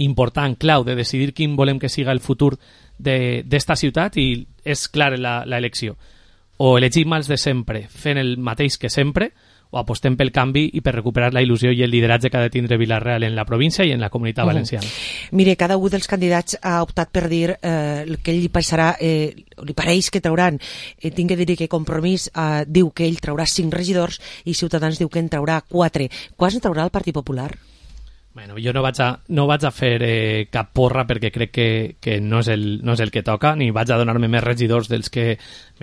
S4: important, clau, de decidir quin volem que siga el futur d'esta ciutat, i és clar l'elecció. O elegim els de sempre fent el mateix que sempre, o apostem pel canvi i per recuperar la il·lusió i el lideratge que ha de tindre Vila-real en la província i en la comunitat valenciana.
S5: Uh-huh. Mire, cada un dels candidats ha optat per dir eh, el que ell li passarà, eh, li pareix que trauran. Eh, tinc que dir que Compromís eh, diu que ell traurà cinc regidors i Ciutadans diu que en traurà quatre. Quants en traurà el Partit Popular?
S4: Bueno, jo no vaig a, no vaig a fer eh, cap porra perquè crec que, que no, és el, no és el que toca, ni vaig a donar-me més regidors dels que...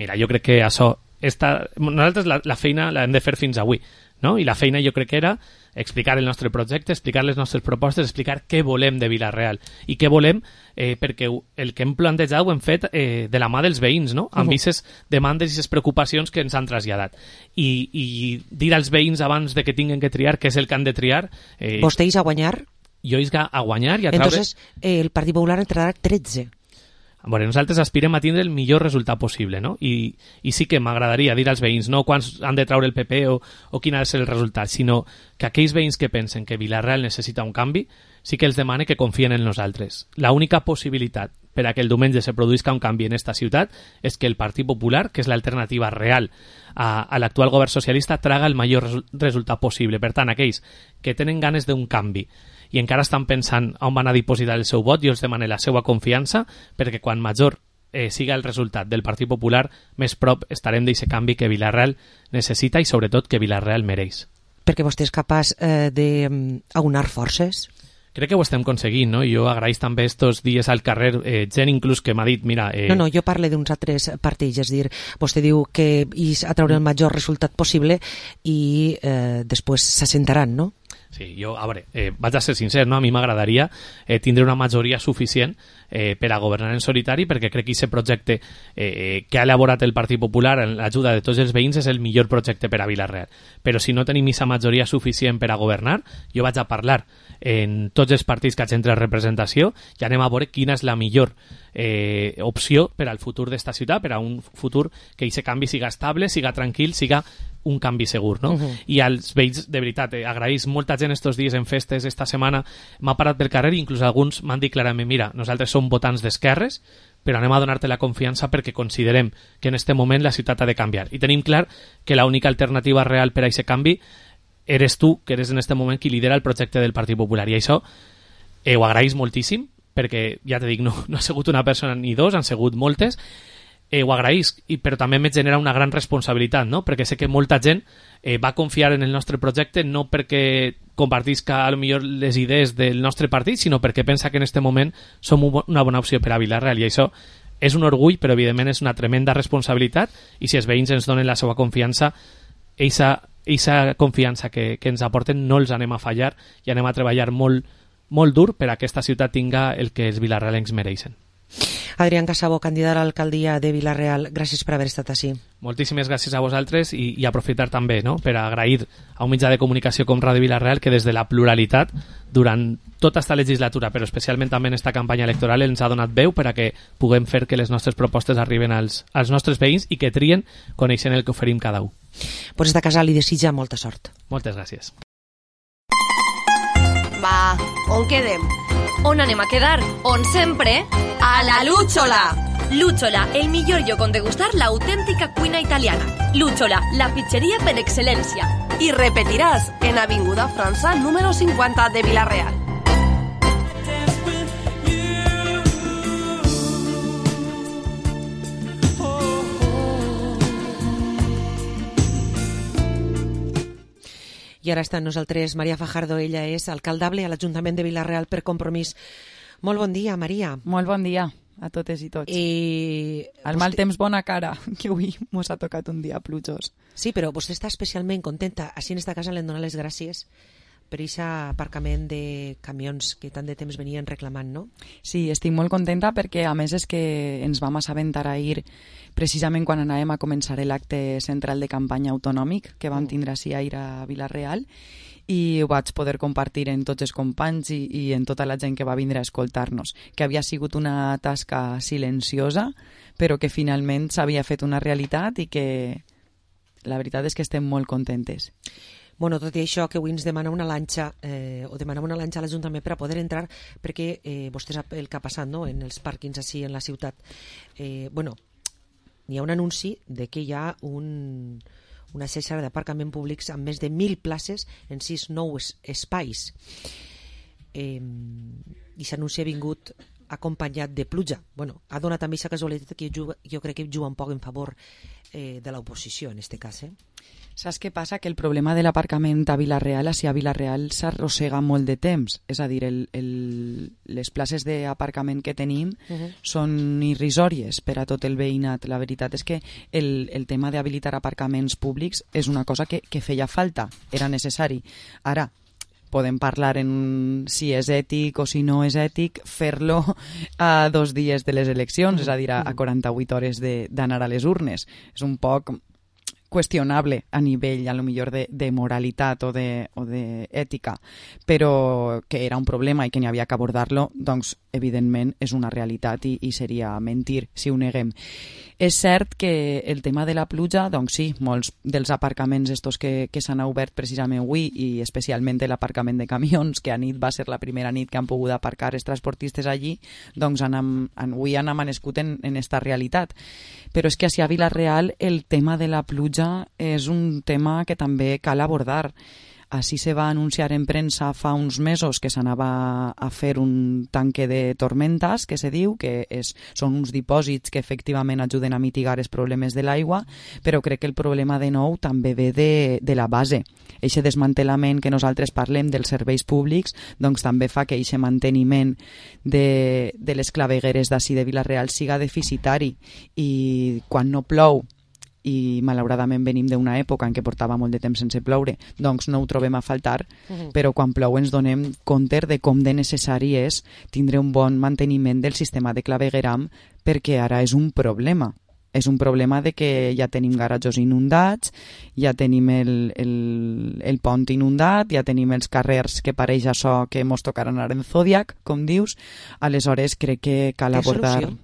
S4: Mira, jo crec que això... Esta, nosaltres la, la feina l'hem de fer fins avui, no? I la feina jo crec que era explicar el nostre projecte, explicar les nostres propostes, explicar què volem de Vila-real i què volem, eh, perquè el que hem plantejat ho hem fet eh, de la mà dels veïns, no? Amb aquestes demandes i aquestes preocupacions que ens han traslladat. I, i dir als veïns abans de que tinguin que triar què és el que han de triar... Eh,
S5: Vostè és a guanyar?
S4: Jo és a guanyar i a traure...
S5: Entonces, eh, el Partit Popular entrarà tretze.
S4: Bueno, nosaltres aspirem a tindre el millor resultat possible, no? I, i sí que m'agradaria dir als veïns no quants han de traure el P P o, o quin ha de ser el resultat, sinó que aquells veïns que pensen que Vila-real necessita un canvi, sí que els demane que confien en nosaltres. La única possibilitat per a que el diumenge se produïsca un canvi en esta ciutat és que el Partit Popular, que és l'alternativa real a, a l'actual govern socialista, traga el major resu resultat possible. Per tant, aquells que tenen ganes d'un canvi i encara estan pensant on van a dipositar el seu vot, jo els demane la seva confiança, perquè quan major eh, siga el resultat del Partit Popular, més prop estarem d'aquest canvi que Vila-real necessita i sobretot que Vila-real mereix.
S5: Perquè vostè és capaç eh, d'aunar forces?
S4: Crec que ho estem aconseguint, no? Jo agraïs també estos dies al carrer, eh, gent inclús que m'ha dit, mira... Eh...
S5: No, no, jo parlo d'uns altres partits, és dir, vostè diu que és a treure el major resultat possible i eh, després s'assentaran, no?
S4: Sí, jo, a veure, eh, vaig a ser sincer, no? A mi m'agradaria eh, tindre una majoria suficient eh, per a governar en solitari, perquè crec que aquest projecte eh, que ha elaborat el Partit Popular amb l'ajuda de tots els veïns és el millor projecte per a Vila-real. Però si no tenim aquesta majoria suficient per a governar, jo vaig a parlar en tots els partits que hagin representació i anem a veure quina és la millor eh, opció per al futur d'esta ciutat, per a un futur que aquest canvi siga estable, siga tranquil, siga un canvi segur, no? Uh-huh. I als veïns, de veritat, eh, agraïs molta gent estos dies en festes, esta setmana m'ha parat pel carrer i inclús alguns m'han dit clarament, mira, nosaltres som votants d'esquerres, però anem a donar-te la confiança perquè considerem que en este moment la ciutat ha de canviar. I tenim clar que l'única alternativa real per a aquest canvi eres tu, que eres en este moment qui lidera el projecte del Partit Popular. I això eh, ho agraïs moltíssim, perquè, ja te dic, no, no ha sigut una persona ni dos, han sigut moltes, Eh, ho agraïsc, i, però també me genera una gran responsabilitat, no? Perquè sé que molta gent eh, va confiar en el nostre projecte no perquè compartisca a lo millor les idees del nostre partit, sinó perquè pensa que en este moment som una bona opció per a Vila-real, i això és un orgull, però evidentment és una tremenda responsabilitat, i si els veïns ens donen la seva confiança, aquesta confiança que, que ens aporten no els anem a fallar i anem a treballar molt, molt dur per a que aquesta ciutat tinga el que els vilarrealencs mereixen.
S5: Adrián Casabo, candidat a l'alcaldia de Vila-real, gràcies per haver estat així.
S4: Moltíssimes gràcies a vosaltres i, i aprofitar també, no?, per agrair a un mitjà de comunicació com Ràdio Vila-real que des de la pluralitat durant tota esta legislatura, però especialment també en esta campanya electoral, ens ha donat veu per a que puguem fer que les nostres propostes arriben als, als nostres veïns i que trien coneixent el que oferim cada un.
S5: Pues esta casa li desitja molta sort.
S4: Moltes gràcies.
S6: Va, on quedem? On anem a quedar? On sempre? A la Lúchola!
S22: Lúchola, el millor lloc on degustar l'autèntica cuina italiana. Lúchola, la pizzeria per excel·lència.
S6: I repetiràs en Avinguda França número cinquanta de Vila-real.
S5: I ara està amb nosaltres Maria Fajardo, ella és alcaldable a l'Ajuntament de Vila-real per Compromís. Molt bon dia, Maria.
S11: Molt bon dia a totes i tots.
S5: I...
S11: El mal temps, bona cara, que avui mos ha tocat un dia plujós.
S5: Sí, però vostè està especialment contenta. Així en esta casa l'hem donat les gràcies per aquest aparcament de camions que tant de temps venien reclamant, no?
S11: Sí, estic molt contenta perquè a més és que ens vam assabentar ahir precisament quan anàvem a començar l'acte central de campanya autonòmic que vam tindre així ahir a Vila-real i ho vaig poder compartir en tots els companys i, i en tota la gent que va vindre a escoltar-nos, que havia sigut una tasca silenciosa però que finalment s'havia fet una realitat i que la veritat és que estem molt contentes.
S5: Bueno, tot i això, que avui ens demana una lanxa, eh, o demanem una lanxa a l'Ajuntament per a poder entrar, perquè eh, vostè sap el que ha passat, no?, en els pàrquings així en la ciutat. Eh, bueno, hi ha un anunci de que hi ha un, una xarxa d'aparcament públics amb més de mil places en sis nous espais. Eh, I s'anunci ha vingut acompanyat de pluja. Bueno, ha donat també aquesta casualitat que jo, jo crec que juga un poc en favor eh, de l'oposició, en aquest cas, eh?
S11: Saps què passa? Que el problema de l'aparcament a Vila-real, així a Vila-real, s'arrossega molt de temps. És a dir, el, el, les places d'aparcament que tenim uh -huh. són irrisòries per a tot el veïnat. La veritat és que el, el tema d'habilitar aparcaments públics és una cosa que, que feia falta, era necessari. Ara, podem parlar en si és ètic o si no és ètic fer-lo a dos dies de les eleccions, és a dir, a, a quaranta-vuit hores d'anar a les urnes. És un poc qüestionable a nivell, a lo millor, de, de moralitat o de, o de ètica, però que era un problema i que n'hi havia que abordar-lo, doncs, evidentment, és una realitat i, i seria mentir si ho neguem. És cert que el tema de la pluja, doncs sí, molts dels aparcaments estos que, que s'han obert precisament avui i especialment l'aparcament de camions, que a nit va ser la primera nit que han pogut aparcar els transportistes allí, doncs han, avui han amanescut en, en esta realitat. Però és que a Vila-real el tema de la pluja és un tema que també cal abordar. Així se va anunciar en premsa fa uns mesos que s'anava a fer un tanque de tormentas, que se diu, que és, són uns dipòsits que efectivament ajuden a mitigar els problemes de l'aigua, però crec que el problema de nou també ve de, de la base. Eixe desmantelament que nosaltres parlem dels serveis públics doncs també fa que eixe manteniment de, de les clavegueres d'ací de Vila-real siga deficitari i quan no plou i malauradament venim d'una època en què portava molt de temps sense ploure, doncs no ho trobem a faltar, uh-huh. però quan plou ens donem compte de com de necessari és tindre un bon manteniment del sistema de clavegueram, perquè ara és un problema. És un problema de que ja tenim garatjos inundats, ja tenim el, el, el pont inundat, ja tenim els carrers que pareix això que mos tocarà anar en Zodiac, com dius. Aleshores crec que cal abordar... Solució?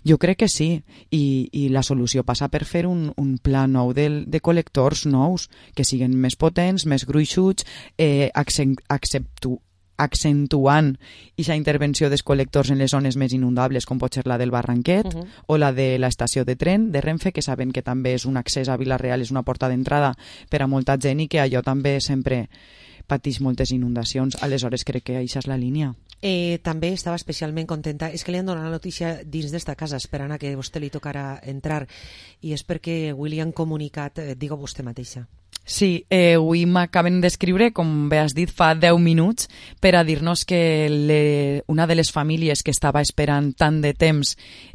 S11: Jo crec que sí, I, i la solució passa per fer un, un pla nou de, de col·lectors nous, que siguin més potents, més gruixuts, eh, acceptu, accentuant aquesta intervenció dels col·lectors en les zones més inundables, com pot ser la del Barranquet, uh-huh. o la de l'estació de tren de Renfe, que saben que també és un accés a Vila-real, és una porta d'entrada per a molta gent i que allò també sempre pateix moltes inundacions. Aleshores crec que això és la línia.
S5: Eh, també estava especialment contenta, és que li han donat la notícia dins d'esta casa, esperant a que a vostè li tocarà entrar, i és perquè avui li han comunicat, eh, digue vostè mateixa.
S11: Sí, eh, avui m'acaben d'escriure, com bé has dit, fa deu minuts, per a dir-nos que le, una de les famílies que estava esperant tant de temps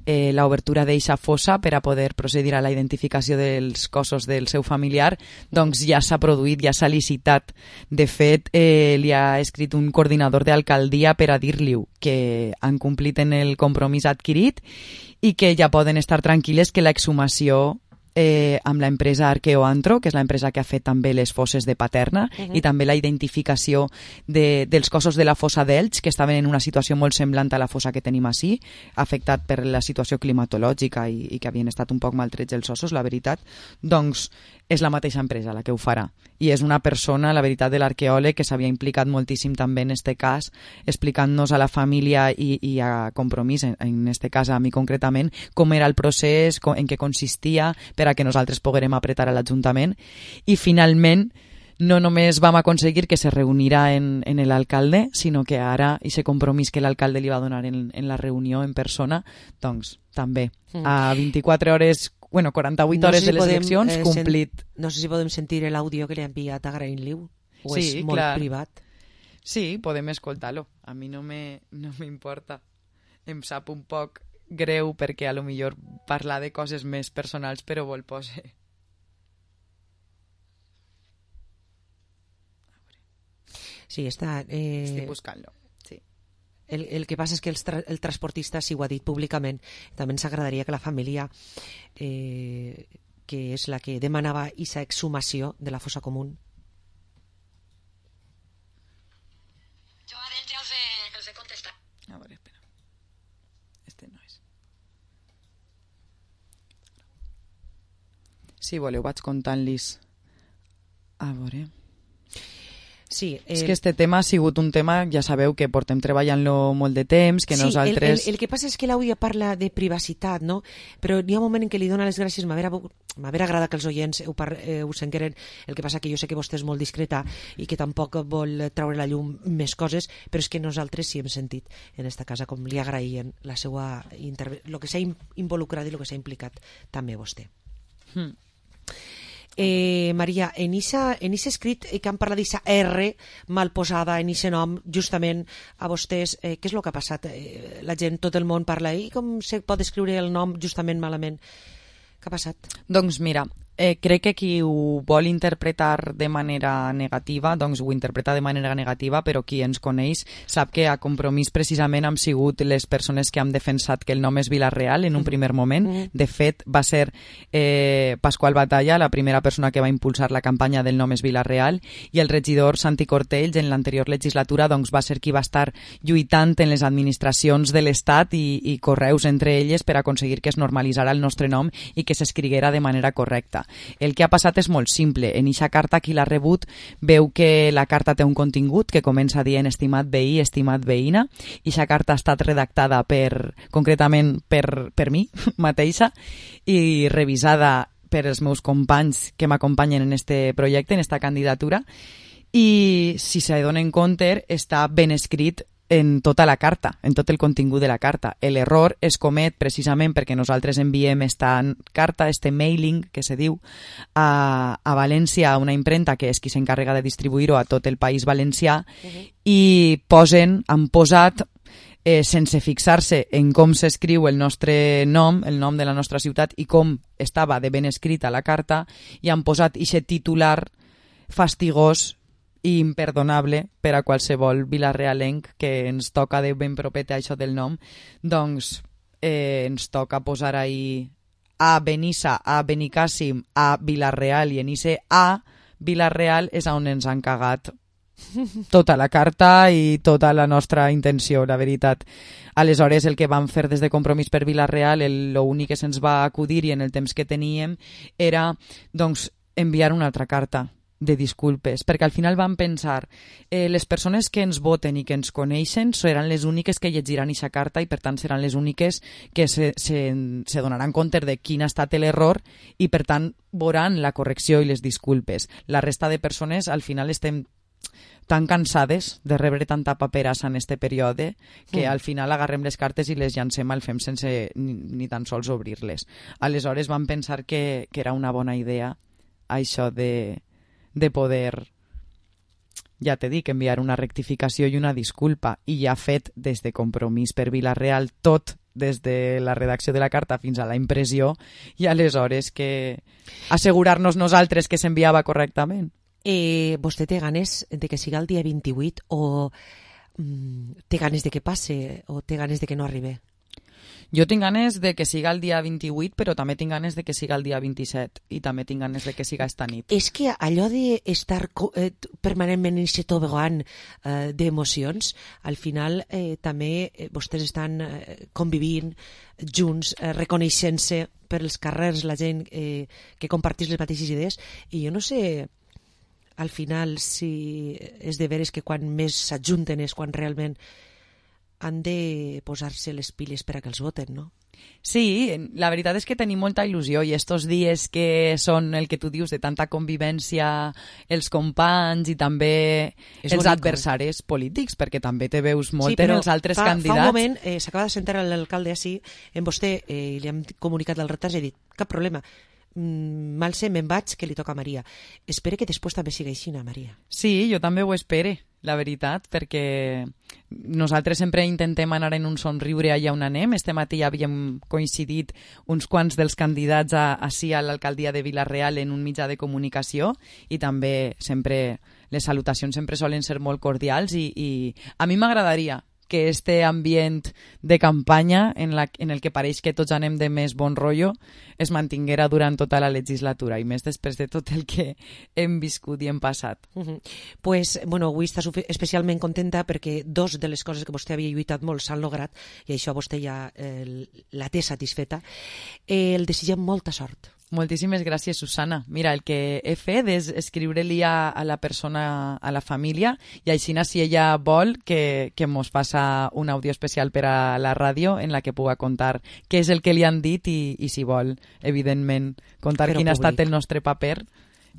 S11: eh, l'obertura d'eixa fossa per a poder procedir a la identificació dels cossos del seu familiar, doncs ja s'ha produït, ja s'ha licitat. De fet, eh, li ha escrit un coordinador d'alcaldia per a dir-li que han complit en el compromís adquirit i que ja poden estar tranquil·les que l'exhumació Eh, amb l'empresa Arqueoantro, que és l'empresa que ha fet també les fosses de Paterna, uh-huh. i també la identificació de, dels cossos de la fossa d'Elx, que estaven en una situació molt semblant a la fossa que tenim així, afectat per la situació climatològica i, i que havien estat un poc maltrets els ossos, la veritat, doncs és la mateixa empresa la que ho farà. I és una persona, la veritat, de l'arqueòleg que s'havia implicat moltíssim també en este cas, explicant-nos a la família i, i a Compromís, en, en este cas a mi concretament, com era el procés, com, en què consistia, per a que nosaltres poguérem apretar a l'Ajuntament. I finalment no només vam aconseguir que se reunirà en, en l'alcalde, sinó que ara aquest compromís que l'alcalde li va donar en, en la reunió en persona, doncs també mm. a vint-i-quatre hores, bueno, quaranta-vuit no hores sé si de les podem, eleccions, eh, complit.
S5: Sen, no sé si podem sentir l'àudio que li ha enviat agraint-li, o
S11: sí,
S5: és molt
S11: clar.
S5: privat.
S11: Sí, podem escoltar-lo. A mi no me, no m'importa. Em sap un poc greu perquè a lo millor parlar de coses més personals, però vol posar.
S5: Sí, està... Eh...
S11: Estic buscant-lo, sí.
S5: El, el que passa és que el, tra el transportista sí ho ha dit públicament. També ens agradaria que la família, eh, que és la que demanava aquesta exhumació de la fossa común.
S8: Jo a dintre els he, els he contestat.
S11: A veure, espera. Este no és. Si voleu vaig contant-los. A veure...
S5: Sí, eh...
S11: és que este tema ha sigut un tema, ja sabeu que portem treballant-lo molt de temps, que
S5: sí,
S11: nosaltres...
S5: el, el, el que passa és que l'àudia parla de privacitat, no? Però n'hi ha un moment en què li dona les gràcies, m'haver agradat que els oients ho, par, eh, ho sengueren, el que passa que jo sé que vostè és molt discreta i que tampoc vol treure la llum més coses, però és que nosaltres sí hem sentit en esta casa com li agraïen la seva intervenció, el que s'ha involucrat i el que s'ha implicat també vostè.
S11: Hmm.
S5: Eh, Maria, en aquest escrit que han parlat d'aquesta R mal posada en aquest nom, justament a vostès, eh, què és el que ha passat? Eh, la gent, tot el món parla, i com se pot escriure el nom justament malament? Què ha passat?
S11: Doncs mira, eh, crec que qui ho vol interpretar de manera negativa, doncs ho interpreta de manera negativa, però qui ens coneix sap que a Compromís precisament hem sigut les persones que hem defensat que el nom és Vila-real en un primer moment. De fet, va ser eh, Pasqual Batalla la primera persona que va impulsar la campanya del nom és Vila-real, i el regidor Santi Cortells en l'anterior legislatura doncs, va ser qui va estar lluitant en les administracions de l'Estat i, i correus entre elles per aconseguir que es normalitzara el nostre nom i que s'escriguera de manera correcta. El que ha passat és molt simple. En eixa carta, qui l'ha rebut veu que la carta té un contingut que comença dient estimat veí, estimat veïna. Eixa carta ha estat redactada per, concretament per, per mi mateixa i revisada per els meus companys que m'acompanyen en este projecte, en esta candidatura, i si se donen compte està ben escrit en tota la carta, en tot el contingut de la carta. L'error es comet precisament perquè nosaltres enviem esta carta, este mailing, que se diu, a, a València, a una impremta que és qui s'encarrega de distribuir-ho a tot el País Valencià, uh-huh. i posen, han posat, eh, sense fixar-se en com s'escriu el nostre nom, el nom de la nostra ciutat, i com estava de ben escrita la carta, i han posat ixe titular fastigós i imperdonable per a qualsevol vilarealenc que ens toca de ben propet a això del nom, doncs eh, ens toca posar ahí a Benissa, a Benicàssim, a Vila-real, i en ese a Vila-real és on ens han cagat tota la carta i tota la nostra intenció, la veritat. Aleshores, el que vam fer des de Compromís per Vila-real, l'únic que se'ns va acudir i en el temps que teníem era doncs, enviar una altra carta de disculpes, perquè al final vam pensar eh, les persones que ens voten i que ens coneixen seran les úniques que llegiran aquesta carta i per tant seran les úniques que se, se, se donaran compte de quin ha estat l'error i per tant veuran la correcció i les disculpes. La resta de persones al final estem tan cansades de rebre tanta paperassa en este període que mm. al final agarrem les cartes i les llancem al fem sense ni, ni tan sols obrir-les. Aleshores vam pensar que, que era una bona idea això de de poder, ja t'he dit, enviar una rectificació i una disculpa, i ja fet des de Compromís per Vila-real tot, des de la redacció de la carta fins a la impressió, i aleshores que assegurar-nos nosaltres que s'enviava correctament.
S5: Eh, vostè té ganes de que siga el dia vint-i-vuit o mm, té ganes de que passe o té ganes de que no arribi?
S11: Jo tinc ganes de que siga el dia vint-i-vuit, però també tinc ganes de que siga el dia vint-i-set i també tinc ganes de que siga esta nit.
S5: És que allò d'estar eh, permanentment en aquest tobogan eh, d'emocions, al final eh, també eh, vostès estan eh, convivint junts, eh, reconeixent-se per els carrers, la gent eh, que compartís les mateixes idees, i jo no sé al final si és de veres que quan més s'ajunten és quan realment han de posar-se les piles per a que els voten, no?
S11: Sí, la veritat és que tenim molta il·lusió i estos dies que són el que tu dius de tanta convivència, els companys i també és els bonic, adversaris eh? polítics, perquè també te veus molt sí, en els altres
S5: fa,
S11: candidats.
S5: Fa un moment eh, s'acaba de sentar l'alcalde així, en vostè eh, li hem comunicat el retard i he dit, cap problema, mm, mal sé, me'n vaig, que li toca a Maria. Espere que després també siga així, Maria.
S11: Sí, jo també ho espere, la veritat, perquè nosaltres sempre intentem anar en un somriure allà on anem. Este matí ja havíem coincidit uns quants dels candidats a, així a l'alcaldia de Vila-real en un mitjà de comunicació i també sempre les salutacions sempre solen ser molt cordials i, i a mi m'agradaria que este ambient de campanya en, la, en el que pareix que tots anem de més bon rotllo es mantinguera durant tota la legislatura i més després de tot el que hem viscut i hem passat.
S5: Uh-huh. Pues, bueno, avui està especialment contenta perquè dos de les coses que vostè havia lluitat molt s'han lograt i això vostè ja eh, la té satisfeta. Eh, el desitgem molta sort.
S11: Moltíssimes gràcies, Susana. Mira, el que he fet és escriure-li a, a la persona, a la família, i així, si ella vol, que, que mos passa un àudio especial per a la ràdio en la que puga contar què és el que li han dit i, i si vol, evidentment, contar
S5: Però
S11: quin ha
S5: públic.
S11: estat el nostre paper.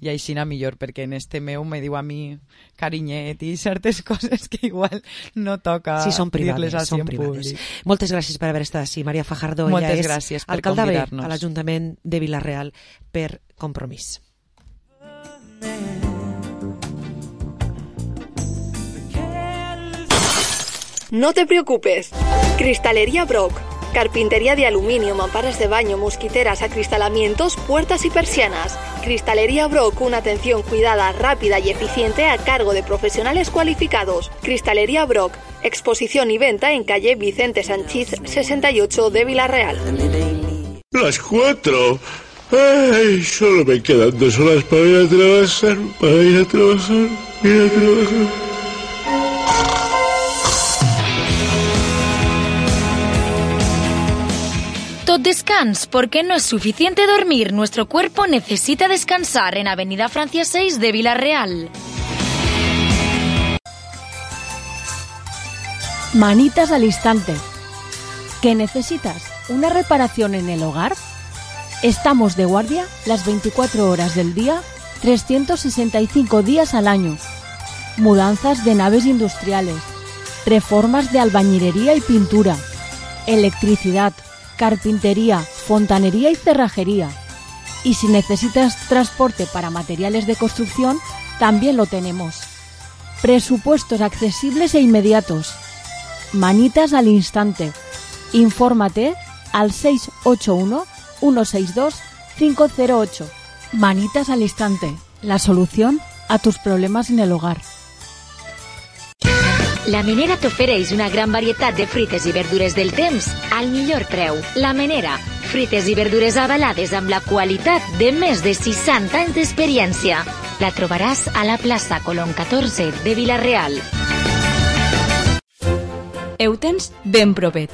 S11: I així anar millor, perquè en este meu me diu a mi carinyet i certes coses que igual no toca
S5: sí, són privades,
S11: dir-les així
S5: són
S11: en
S5: privades.
S11: públic.
S5: Moltes gràcies per haver estat així. Maria Fajardo,
S11: Moltes
S5: ella és
S11: gràcies per
S5: alcaldable
S11: convidar-nos.
S5: a l'Ajuntament de Vila-real per Compromís.
S21: No te preocupes. Cristalería Brock. Carpintería de aluminio, mamparas de baño, mosquiteras, acristalamientos, puertas y persianas. Cristalería Brock, una atención cuidada, rápida y eficiente a cargo de profesionales cualificados. Cristalería Brock, exposición y venta en calle Vicente Sanchís sesenta y ocho de Vila-real.
S9: Las cuatro. Ay, solo me quedan dos horas para ir a trabajar, para ir a trabajar, ir a trabajar.
S2: Tot descans, porque no es suficiente dormir. Nuestro cuerpo necesita descansar en Avenida Francia seis de Vila-real.
S7: Manitas al instante. ¿Qué necesitas? ¿Una reparación en el hogar? Estamos de guardia las veinticuatro horas del día, trescientos sesenta y cinco días al año. Mudanzas de naves industriales, reformas de albañilería y pintura, electricidad, carpintería, fontanería y cerrajería. Y si necesitas transporte para materiales de construcción, también lo tenemos. Presupuestos accesibles e inmediatos. Manitas al instante. Infórmate al seis ocho uno, uno seis dos, cinco cero ocho. Manitas al instante. La solución a tus problemas en el hogar.
S2: La Menera t'ofereix una gran varietat de fruites i verdures del temps al millor preu. La Menera, fruites i verdures avalades amb la qualitat de més de seixanta anys d'experiència. La trobaràs a la plaça Colón catorze de Vila-real.
S20: Heu tens ben propet.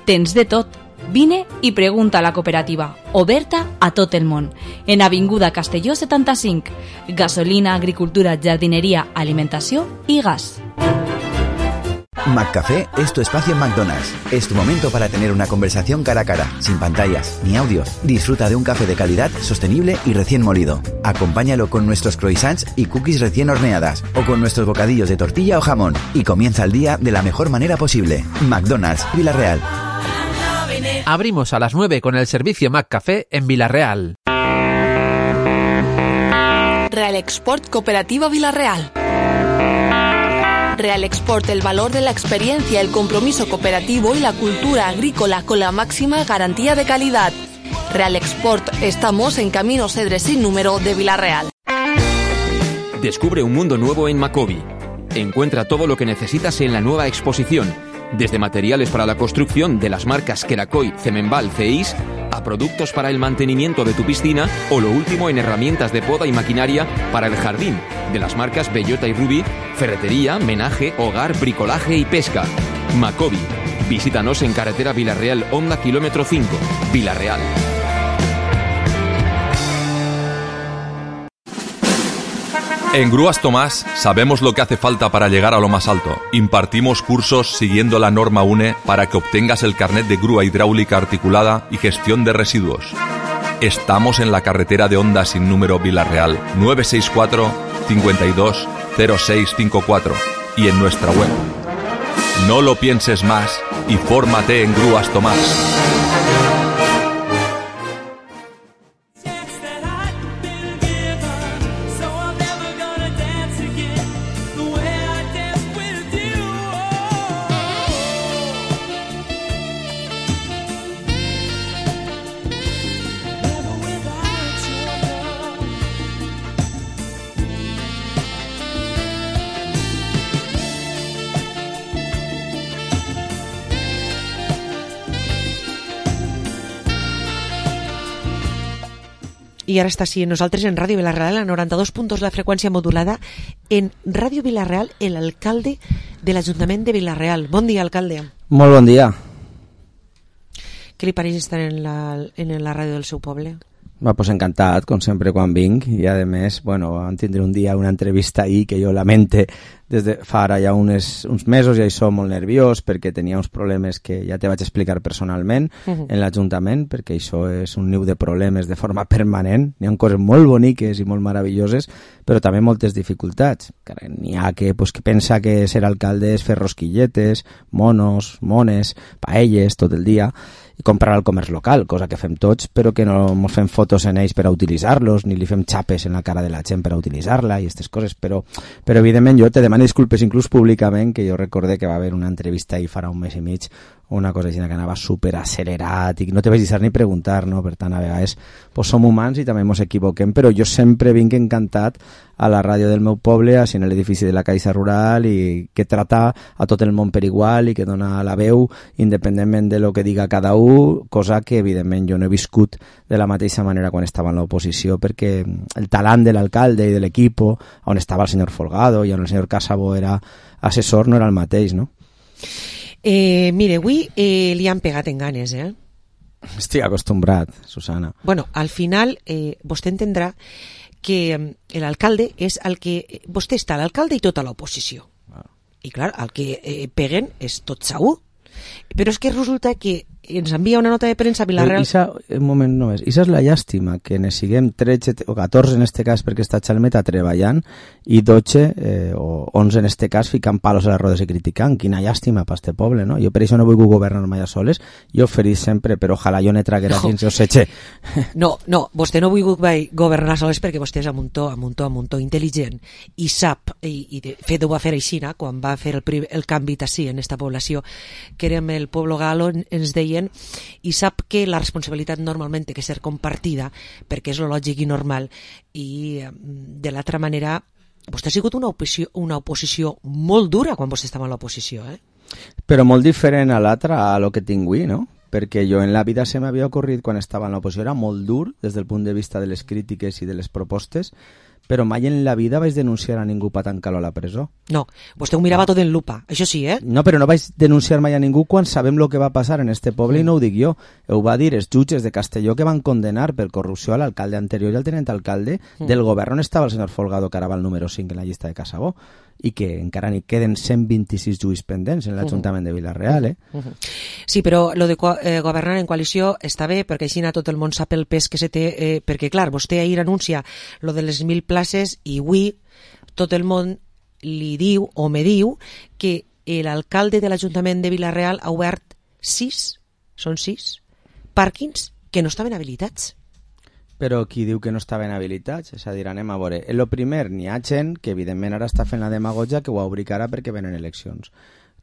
S20: Tens de tot. Vine i pregunta a la cooperativa, oberta a tot el món. En Avinguda Castelló setanta-cinc. Gasolina, agricultura, jardineria, alimentació i gas.
S10: McCafé es tu espacio en McDonald's. Es tu momento para tener una conversación cara a cara, sin pantallas ni audio. Disfruta de un café de calidad, sostenible y recién molido. Acompáñalo con nuestros croissants y cookies recién horneadas o con nuestros bocadillos de tortilla o jamón y comienza el día de la mejor manera posible. McDonald's, Vila-real.
S23: Abrimos a las nueve con el servicio McCafé en Vila-real.
S21: Real Export Cooperativa Vila-real. Real Export, el valor de la experiencia, el compromiso cooperativo y la cultura agrícola con la máxima garantía de calidad. Real Export, estamos en Camino Cedre sin número de Vila-real.
S24: Descubre un mundo nuevo en Macobi. Encuentra todo lo que necesitas en la nueva exposición, desde materiales para la construcción de las marcas Kerakoy, Cemenbal, Ceis, a productos para el mantenimiento de tu piscina o lo último en herramientas de poda y maquinaria para el jardín, de las marcas Bellota y Ruby, ferretería, menaje, hogar, bricolaje y pesca. Macobi. Visítanos en carretera Vila-real Honda kilómetro cinco, Vila-real.
S25: En Grúas Tomás sabemos lo que hace falta para llegar a lo más alto. Impartimos cursos siguiendo la norma U N E para que obtengas el carnet de grúa hidráulica articulada y gestión de residuos. Estamos en la carretera de Honda sin número Vila-real nueve seis cuatro, cinco dos, cero seis cinco cuatro y en nuestra web. No lo pienses más y fórmate en Grúas Tomás.
S5: I ara està així en nosaltres en Ràdio Vila-real, a noranta-dos punts la freqüència modulada. En Ràdio Vila-real, l'alcalde de l'Ajuntament de Vila-real. Bon dia, alcalde.
S12: Molt bon dia.
S5: Què li pareix estar en la, en la ràdio del seu poble?
S12: Va, pues encantat, com sempre quan vinc, i a més, bueno, vam tindre un dia una entrevista ahir que jo lamente des de fa ara ja unes, uns mesos i això molt nerviós perquè tenia uns problemes que ja te vaig explicar personalment uh-huh. en l'Ajuntament, perquè això és un niu de problemes de forma permanent, n'hi ha coses molt boniques i molt meravelloses, però també moltes dificultats. N'hi ha que, pues, que pensa que ser alcalde és fer rosquilletes, monos, mones, paelles tot el dia, i comprar al comerç local, cosa que fem tots, però que no ens fem fotos en ells per a utilitzar-los, ni li fem xapes en la cara de la gent per a utilitzar-la i aquestes coses, però, però evidentment jo te demano disculpes inclús públicament, que jo recordé que va haver una entrevista ahir farà un mes i mig, una cosa així que anava super accelerat i que no te vaig deixar ni preguntar, no? Per tant, a vegades pues, som humans i també ens equivoquem, però jo sempre vinc encantat a la ràdio del meu poble, així en l'edifici de la Caixa Rural, i que trata a tot el món per igual i que dona la veu independentment de lo que diga cada un, cosa que evidentment jo no he viscut de la mateixa manera quan estava en l'oposició, perquè el talent de l'alcalde i de l'equip on estava el senyor Folgado i on el senyor Casabó era assessor no era el mateix, no?
S5: Eh, mire, avui eh, li han pegat en ganes, eh?
S12: Estic acostumbrat, Susana.
S5: Bueno, al final eh, vostè entendrà que l'alcalde és el que... Vostè està l'alcalde i tota l'oposició. Ah. I clar, el que eh, peguen és tot segur. Però és que resulta que ens envia una nota de premsa a Vila-real...
S12: Isa, un moment només, Isa és la llàstima que ne siguem tretze o catorze en este cas perquè està Xalmeta treballant i dotze eh, o onze en este cas ficant palos a les rodes i criticant. Quina llàstima per este poble, no? Jo per això no vull governar mai a soles, jo oferís sempre, però ojalà jo ne traguera no. Dins o setge.
S5: No, no, vostè no vull governar soles perquè vostè és a muntó, a muntó, a muntó intel·ligent i sap, i, i de fet ho va fer així, quan va fer el, el canvi tassí en esta població, que érem el poble galo, ens deien i sap que la responsabilitat normalment té que ser compartida perquè és lo lògic i normal, i de l'altra manera vostè ha sigut una oposició, una oposició molt dura quan vostè estava en l'oposició, eh?
S12: Però molt diferent a l'altra, a lo que tinc avui, no? Perquè jo en la vida se m'havia ocorrit quan estava en l'oposició, era molt dur des del punt de vista de les crítiques i de les propostes, però mai en la vida vaig denunciar a ningú per tancar-lo a la presó.
S5: No, vostè ho mirava no. tot en lupa, això sí, eh?
S12: No, però no vaig denunciar mai a ningú quan sabem el que va passar en este poble, mm. i no ho dic jo. Ho va dir els jutges de Castelló que van condenar per corrupció a l'alcalde anterior i al tenent alcalde mm. del govern on estava el senyor Folgado, que ara va al número cinc en la llista de Casabó, i que encara n'hi queden cent vint-i-sis juïs pendents en l'Ajuntament de Vila-real, eh?
S5: Uh-huh. Sí, però lo de eh, governar en coalició està bé, perquè així tot el món sap el pes que se té, eh, perquè clar, vostè ahir anuncia lo de les mil places i avui tot el món li diu o me diu que l'alcalde de l'Ajuntament de Vila-real ha obert sis, són sis, pàrquings que no estaven habilitats.
S12: Però qui diu que no estaven habilitats? És a dir, anem a veure. En el primer, n'hi ha gent que evidentment ara està fent la demagogia que ho obri ara perquè venen eleccions.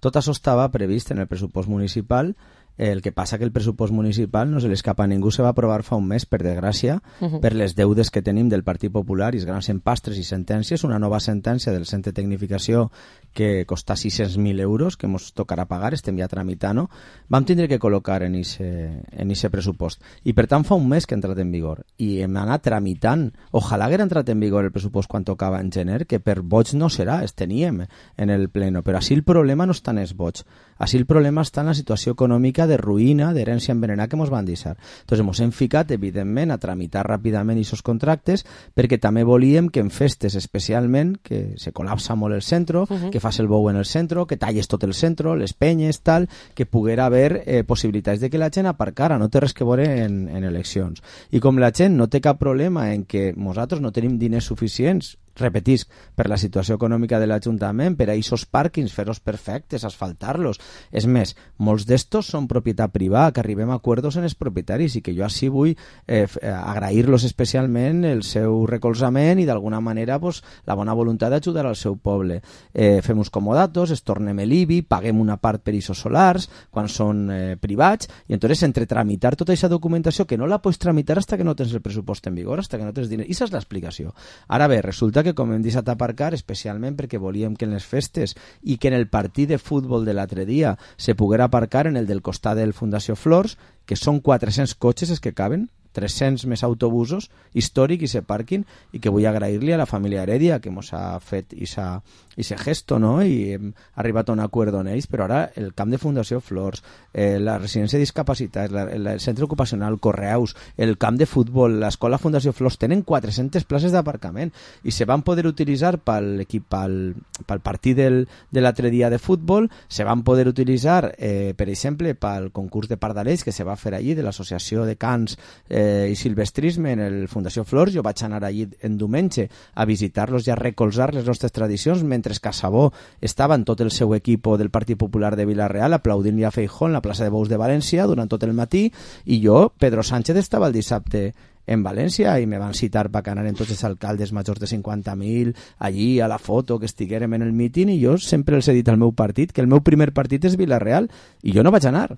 S12: Tot això estava previst en el pressupost municipal. El que passa que el pressupost municipal no se l'escapa a ningú, se va aprovar fa un mes, per desgràcia, uh-huh. per les deudes que tenim del Partit Popular i els grans empastres i sentències, una nova sentència del Centre de Tecnificació que costa sis-cents mil euros, que ens tocarà pagar, estem ja tramitant-ho, vam tindre que col·locar en aquest pressupost. I per tant fa un mes que ha entrat en vigor. I hem anat tramitant. Ojalà haguera entrat en vigor el pressupost quan tocava en gener, que per vots no serà, es teníem en el pleno. Però així el problema no està en els vots. Així el problema està en la situació econòmica de ruïna, d'herència envenenada que ens van deixar. Entonces ens hem ficat, evidentment, a tramitar ràpidament aquests contractes perquè també volíem que en festes especialment, que se col·lapsa molt el centre, uh-huh. que fas el bou en el centre, que talles tot el centre, les penyes, tal, que poguera haver eh, possibilitats de que la gent aparcara, no té res que veure en, en eleccions. I com la gent no té cap problema en que nosaltres no tenim diners suficients, repetisc, per la situació econòmica de l'Ajuntament, per a aquests pàrquings, fer-los perfectes, asfaltar-los. És més, molts d'estos són propietat privada, que arribem a acords en els propietaris i que jo així vull eh, agrair-los especialment el seu recolzament i d'alguna manera pues, la bona voluntat d'ajudar al seu poble. Eh, fem uns comodatos, es tornem l'I B I, paguem una part per aquests solars quan són eh, privats i entonces entre tramitar tota aquesta documentació que no la pots tramitar hasta que no tens el pressupost en vigor, hasta que no tens diners. I aquesta és l'explicació. Ara bé, resulta que com hem deixat aparcar, especialment perquè volíem que en les festes i que en el partit de futbol de l'altre dia se poguera aparcar en el del costat del Fundació Flors, que són quatre-cents cotxes els que caben, tres-cents més autobusos, històric i se parquin, i que vull agrair-li a la família Heredia que mos ha fet ese gesto, no? I hem arribat a un acord on ells, però ara el camp de Fundació Flors, eh, la residència de discapacitats, la, el centre ocupacional, Correus, el camp de futbol, l'escola Fundació Flors, tenen quatre-centes places d'aparcament i se van poder utilitzar pel, equip, pel, pel partit del, de l'altre dia de futbol, se van poder utilitzar, eh, per exemple, pel concurs de pardalets que se va fer allí de l'associació de cants eh, i silvestrisme en el Fundació Flors. Jo vaig anar allí en diumenge a visitar-los i a recolzar les nostres tradicions, mentre que Sabó estava en tot el seu equip del Partit Popular de Vila-real aplaudint-li a Feijóo en la plaça de Bous de València durant tot el matí, i jo, Pedro Sánchez, estava el dissabte en València i me van citar per anar en tots els alcaldes majors de cinquanta mil allí a la foto, que estiguérem en el míting, i jo sempre els he dit al meu partit que el meu primer partit és Vila-real i jo no vaig anar.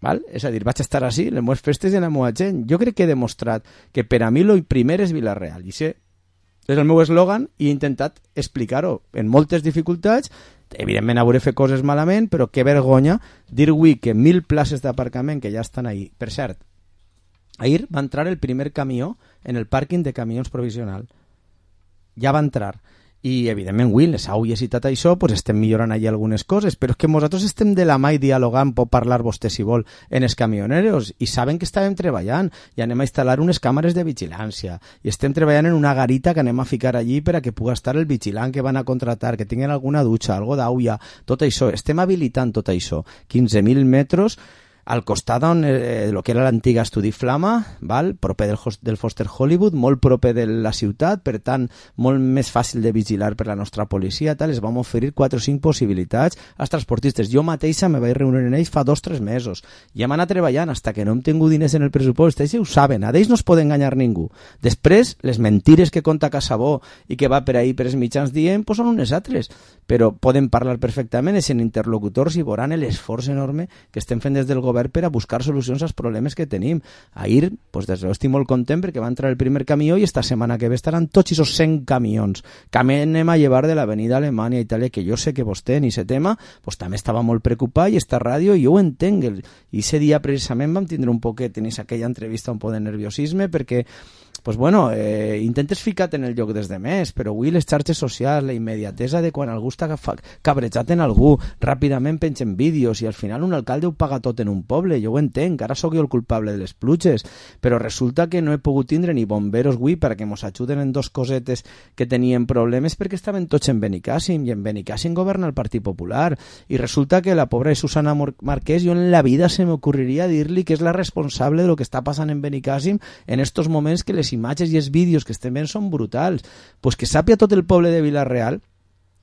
S12: Val? És a dir, vaig estar així, les meves festes i la meva gent. Jo crec que he demostrat que per a mi el primer és Vila-real, i sé, és el meu eslògan, i he intentat explicar-ho en moltes dificultats. Evidentment hauré fet coses malament, però que vergonya dir avui que mil places d'aparcament que ja estan ahí. Per cert, ahir va entrar el primer camió en el pàrquing de camions provisional. Ja va entrar. I, evidentment, avui, les aules i tot això, pues estem millorant allà algunes coses, però és que nosaltres estem de la mà i dialogant, pot parlar vostè, si vol, en els camioneros, i saben que estàvem treballant, i anem a instal·lar unes càmeres de vigilància, i estem treballant en una garita que anem a ficar allí per a que pugui estar el vigilant que van a contratar, que tinguin alguna dutxa, algo d'aulla, tot això. Estem habilitant tot això. quinze mil metres al costat on eh, el que era l'antiga Estudi Flama, val? Proper del, del Foster Hollywood, molt proper de la ciutat, per tant, molt més fàcil de vigilar per la nostra policia, tal. Es vam oferir quatre o cinc possibilitats als transportistes. Jo mateixa me vaig reunir en ells fa dos o tres mesos. I hem anat treballant hasta que no hem tingut diners en el pressupost. Ells ho saben, a ells no es pot enganyar ningú. Després, les mentires que conta Casabó i que va per ahí per els mitjans dient, pues són unes altres. Però poden parlar perfectament, és en interlocutors, i veuran l'esforç enorme que estem fent des del govern per a buscar solucions als problemes que tenim. Ahir, pues, des de estic molt content perquè va entrar el primer camió i esta setmana que ve estaran tots aquests cent camions que anem a llevar de l'avenida Alemanya i Itàlia, que jo sé que vostè en aquest tema pues, també estava molt preocupat, i esta ràdio, i jo ho entenc. I ese dia precisament vam tindre un poquet en aquella entrevista un poc de nerviosisme perquè pues bueno, eh, intentes ficar-te en el lloc des de més, però avui les xarxes socials, la immediatesa de quan algú està cabrejat en algú, ràpidament pengen vídeos, i al final un alcalde ho paga tot en un poble. Jo ho entenc, ara sóc jo el culpable de les pluges, però resulta que no he pogut tindre ni bomberos avui perquè mos ajuden en dos cosetes que tenien problemes perquè estaven tots en Benicàssim, i en Benicàssim governa el Partit Popular, i resulta que la pobra Susana Marquès, jo en la vida se m'ocorreria dir-li que és la responsable de lo que està passant en Benicàssim en estos moments, que les imatges i els vídeos que estem veient són brutals. Pues que sàpia tot el poble de Vila-real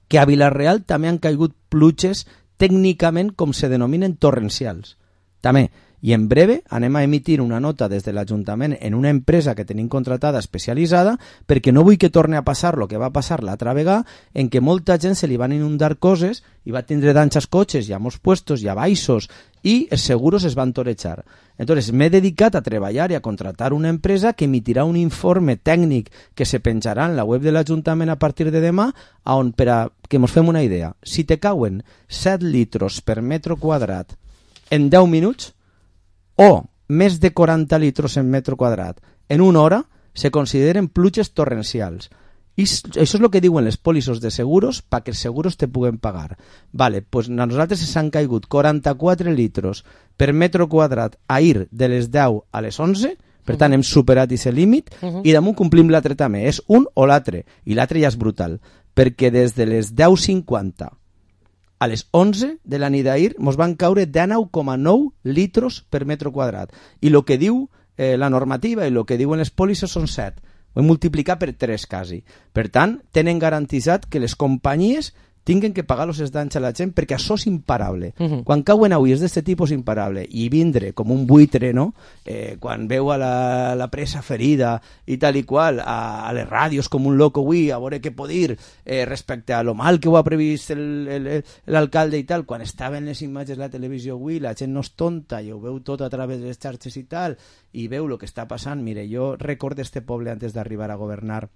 S12: que a Vila-real també han caigut pluges tècnicament com se denominen torrencials. També. I en breve anem a emitir una nota des de l'Ajuntament en una empresa que tenim contratada especialitzada, perquè no vull que torni a passar el que va passar l'altra vegada, en què molta gent se li van inundar coses i va tindre danys als cotxes i a molts puestos i a baixos, i els seguros es van torejar. Entonces m'he dedicat a treballar i a contratar una empresa que emitirà un informe tècnic que se penjarà en la web de l'Ajuntament a partir de demà, on, per a que ens fem una idea, si te cauen set litros per metro quadrat en deu minuts, o més de quaranta litros en metro quadrat en una hora, se consideren pluges torrencials. I això és el que diuen les pòlissos de seguros perquè els seguros te puguen pagar. Vale, pues a nosaltres s'han caigut quaranta-quatre litros per metro quadrat ahir de les deu a les onze, per tant hem superat aquest límit, uh-huh. I damunt complim l'altre també, és un o l'altre, i l'altre ja és brutal, perquè des de les deu cinquanta a les onze de la nit d'ahir mos van caure dinou coma nou litros per metro quadrat. I el que diu eh, la normativa i el que diuen les pòlisses són set. Ho hem multiplicat per tres quasi. Per tant, tenen garantitzat que les companyies tinguen que pagar els danys a la gent perquè això és imparable. Uh-huh. Quan cauen aules d'aquest tipus imparable i vindre com un buitre, no? Eh, quan veu a la, la presa ferida i tal i qual, a, a les ràdios com un loco avui, a veure què pot dir eh, respecte a lo mal que ho ha previst l'alcalde i tal, quan estaven les imatges de la televisió avui, la gent no és tonta i ho veu tot a través de les xarxes i tal, i veu el que està passant. Mire, jo recordo este poble antes d'arribar a governar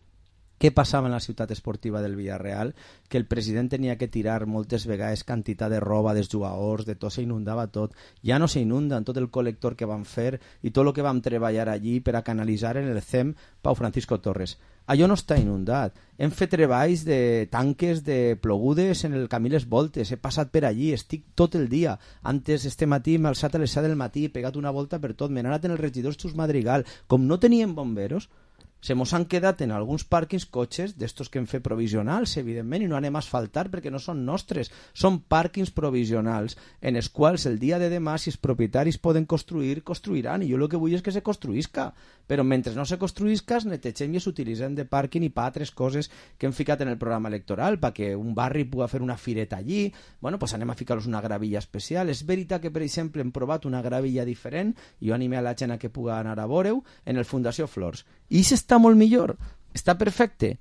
S12: què passava en la ciutat esportiva del Villarreal, que el president tenia que tirar moltes vegades quantitat de roba dels jugadors, de tot, s'inundava tot. Ja no s'inunda en tot el col·lector que van fer i tot el que vam treballar allí per a canalitzar en el C E M Pau Francisco Torres. Allò no està inundat. Hem fet treballs de tanques de plogudes en el camí Les Voltes, he passat per allí, estic tot el dia. Antes, este matí, m'he alçat a les set del matí, he pegat una volta per tot, m'he anat en el regidor Xus Madrigal. Com no teníem bomberos, se mos han quedat en alguns pàrquings cotxes d'estos que hem fet provisionals, evidentment, i no anem a asfaltar perquè no són nostres, són pàrquings provisionals en els quals el dia de demà, si els propietaris poden construir, construiran, i jo el que vull és que se construïsca, però mentre no se construïsca es netegem i s'utilitzem de pàrquing i per altres coses que hem ficat en el programa electoral, perquè un barri pugui fer una fireta allí, bueno, pues anem a ficar-los una gravilla especial. És veritat que, per exemple, hem provat una gravilla diferent, i jo animé a la gent a que pugui anar a veure-ho, en el Fundació Flors, i s'està molt millor, està perfecte.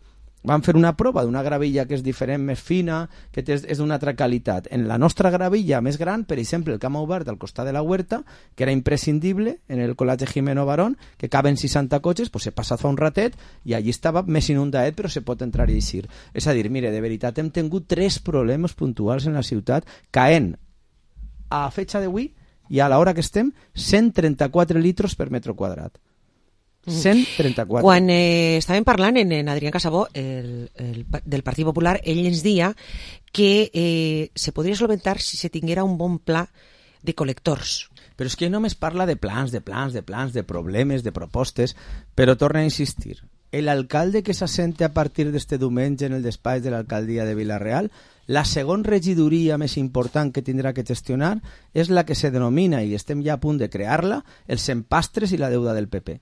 S12: Vam fer una prova d'una gravilla que és diferent, més fina, que és, és d'una altra qualitat. En la nostra gravilla més gran, per exemple, el camp obert al costat de la huerta, que era imprescindible en el col·legi Jimeno Barón, que caben seixanta cotxes, pues he passat fa un ratet i allí estava més inundat, però se pot entrar i eixir. És a dir, mire, de veritat, hem tingut tres problemes puntuals en la ciutat, caent a fetxa d'avui i a l'hora que estem cent trenta-quatre litros per metre quadrat. cent trenta-quatre.
S5: Quan eh, estàvem parlant en, en Adrián Casabó el, el, del Partit Popular, ell ens deia que eh, se podria solventar si se tinguera un bon pla de col·lectors.
S12: Però és que només parla de plans, de plans, de plans, de problemes, de propostes, però torna a insistir. L'alcalde que s'assente a partir d'este diumenge en el despatx de l'alcaldia de Vila-real, la segona regidoria més important que tindrà que gestionar és la que se denomina, i estem ja a punt de crear-la, els empastres i la deuda del P P.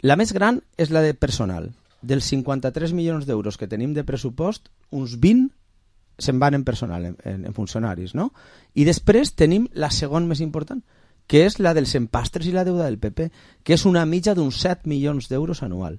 S12: La més gran és la de personal. Dels cinquanta-tres milions d'euros que tenim de pressupost, uns vint se'n van en personal, en, en, en funcionaris, no? I després tenim la segona més important, que és la dels empastres i la deuda del P P, que és una mitja d'uns set milions d'euros anual.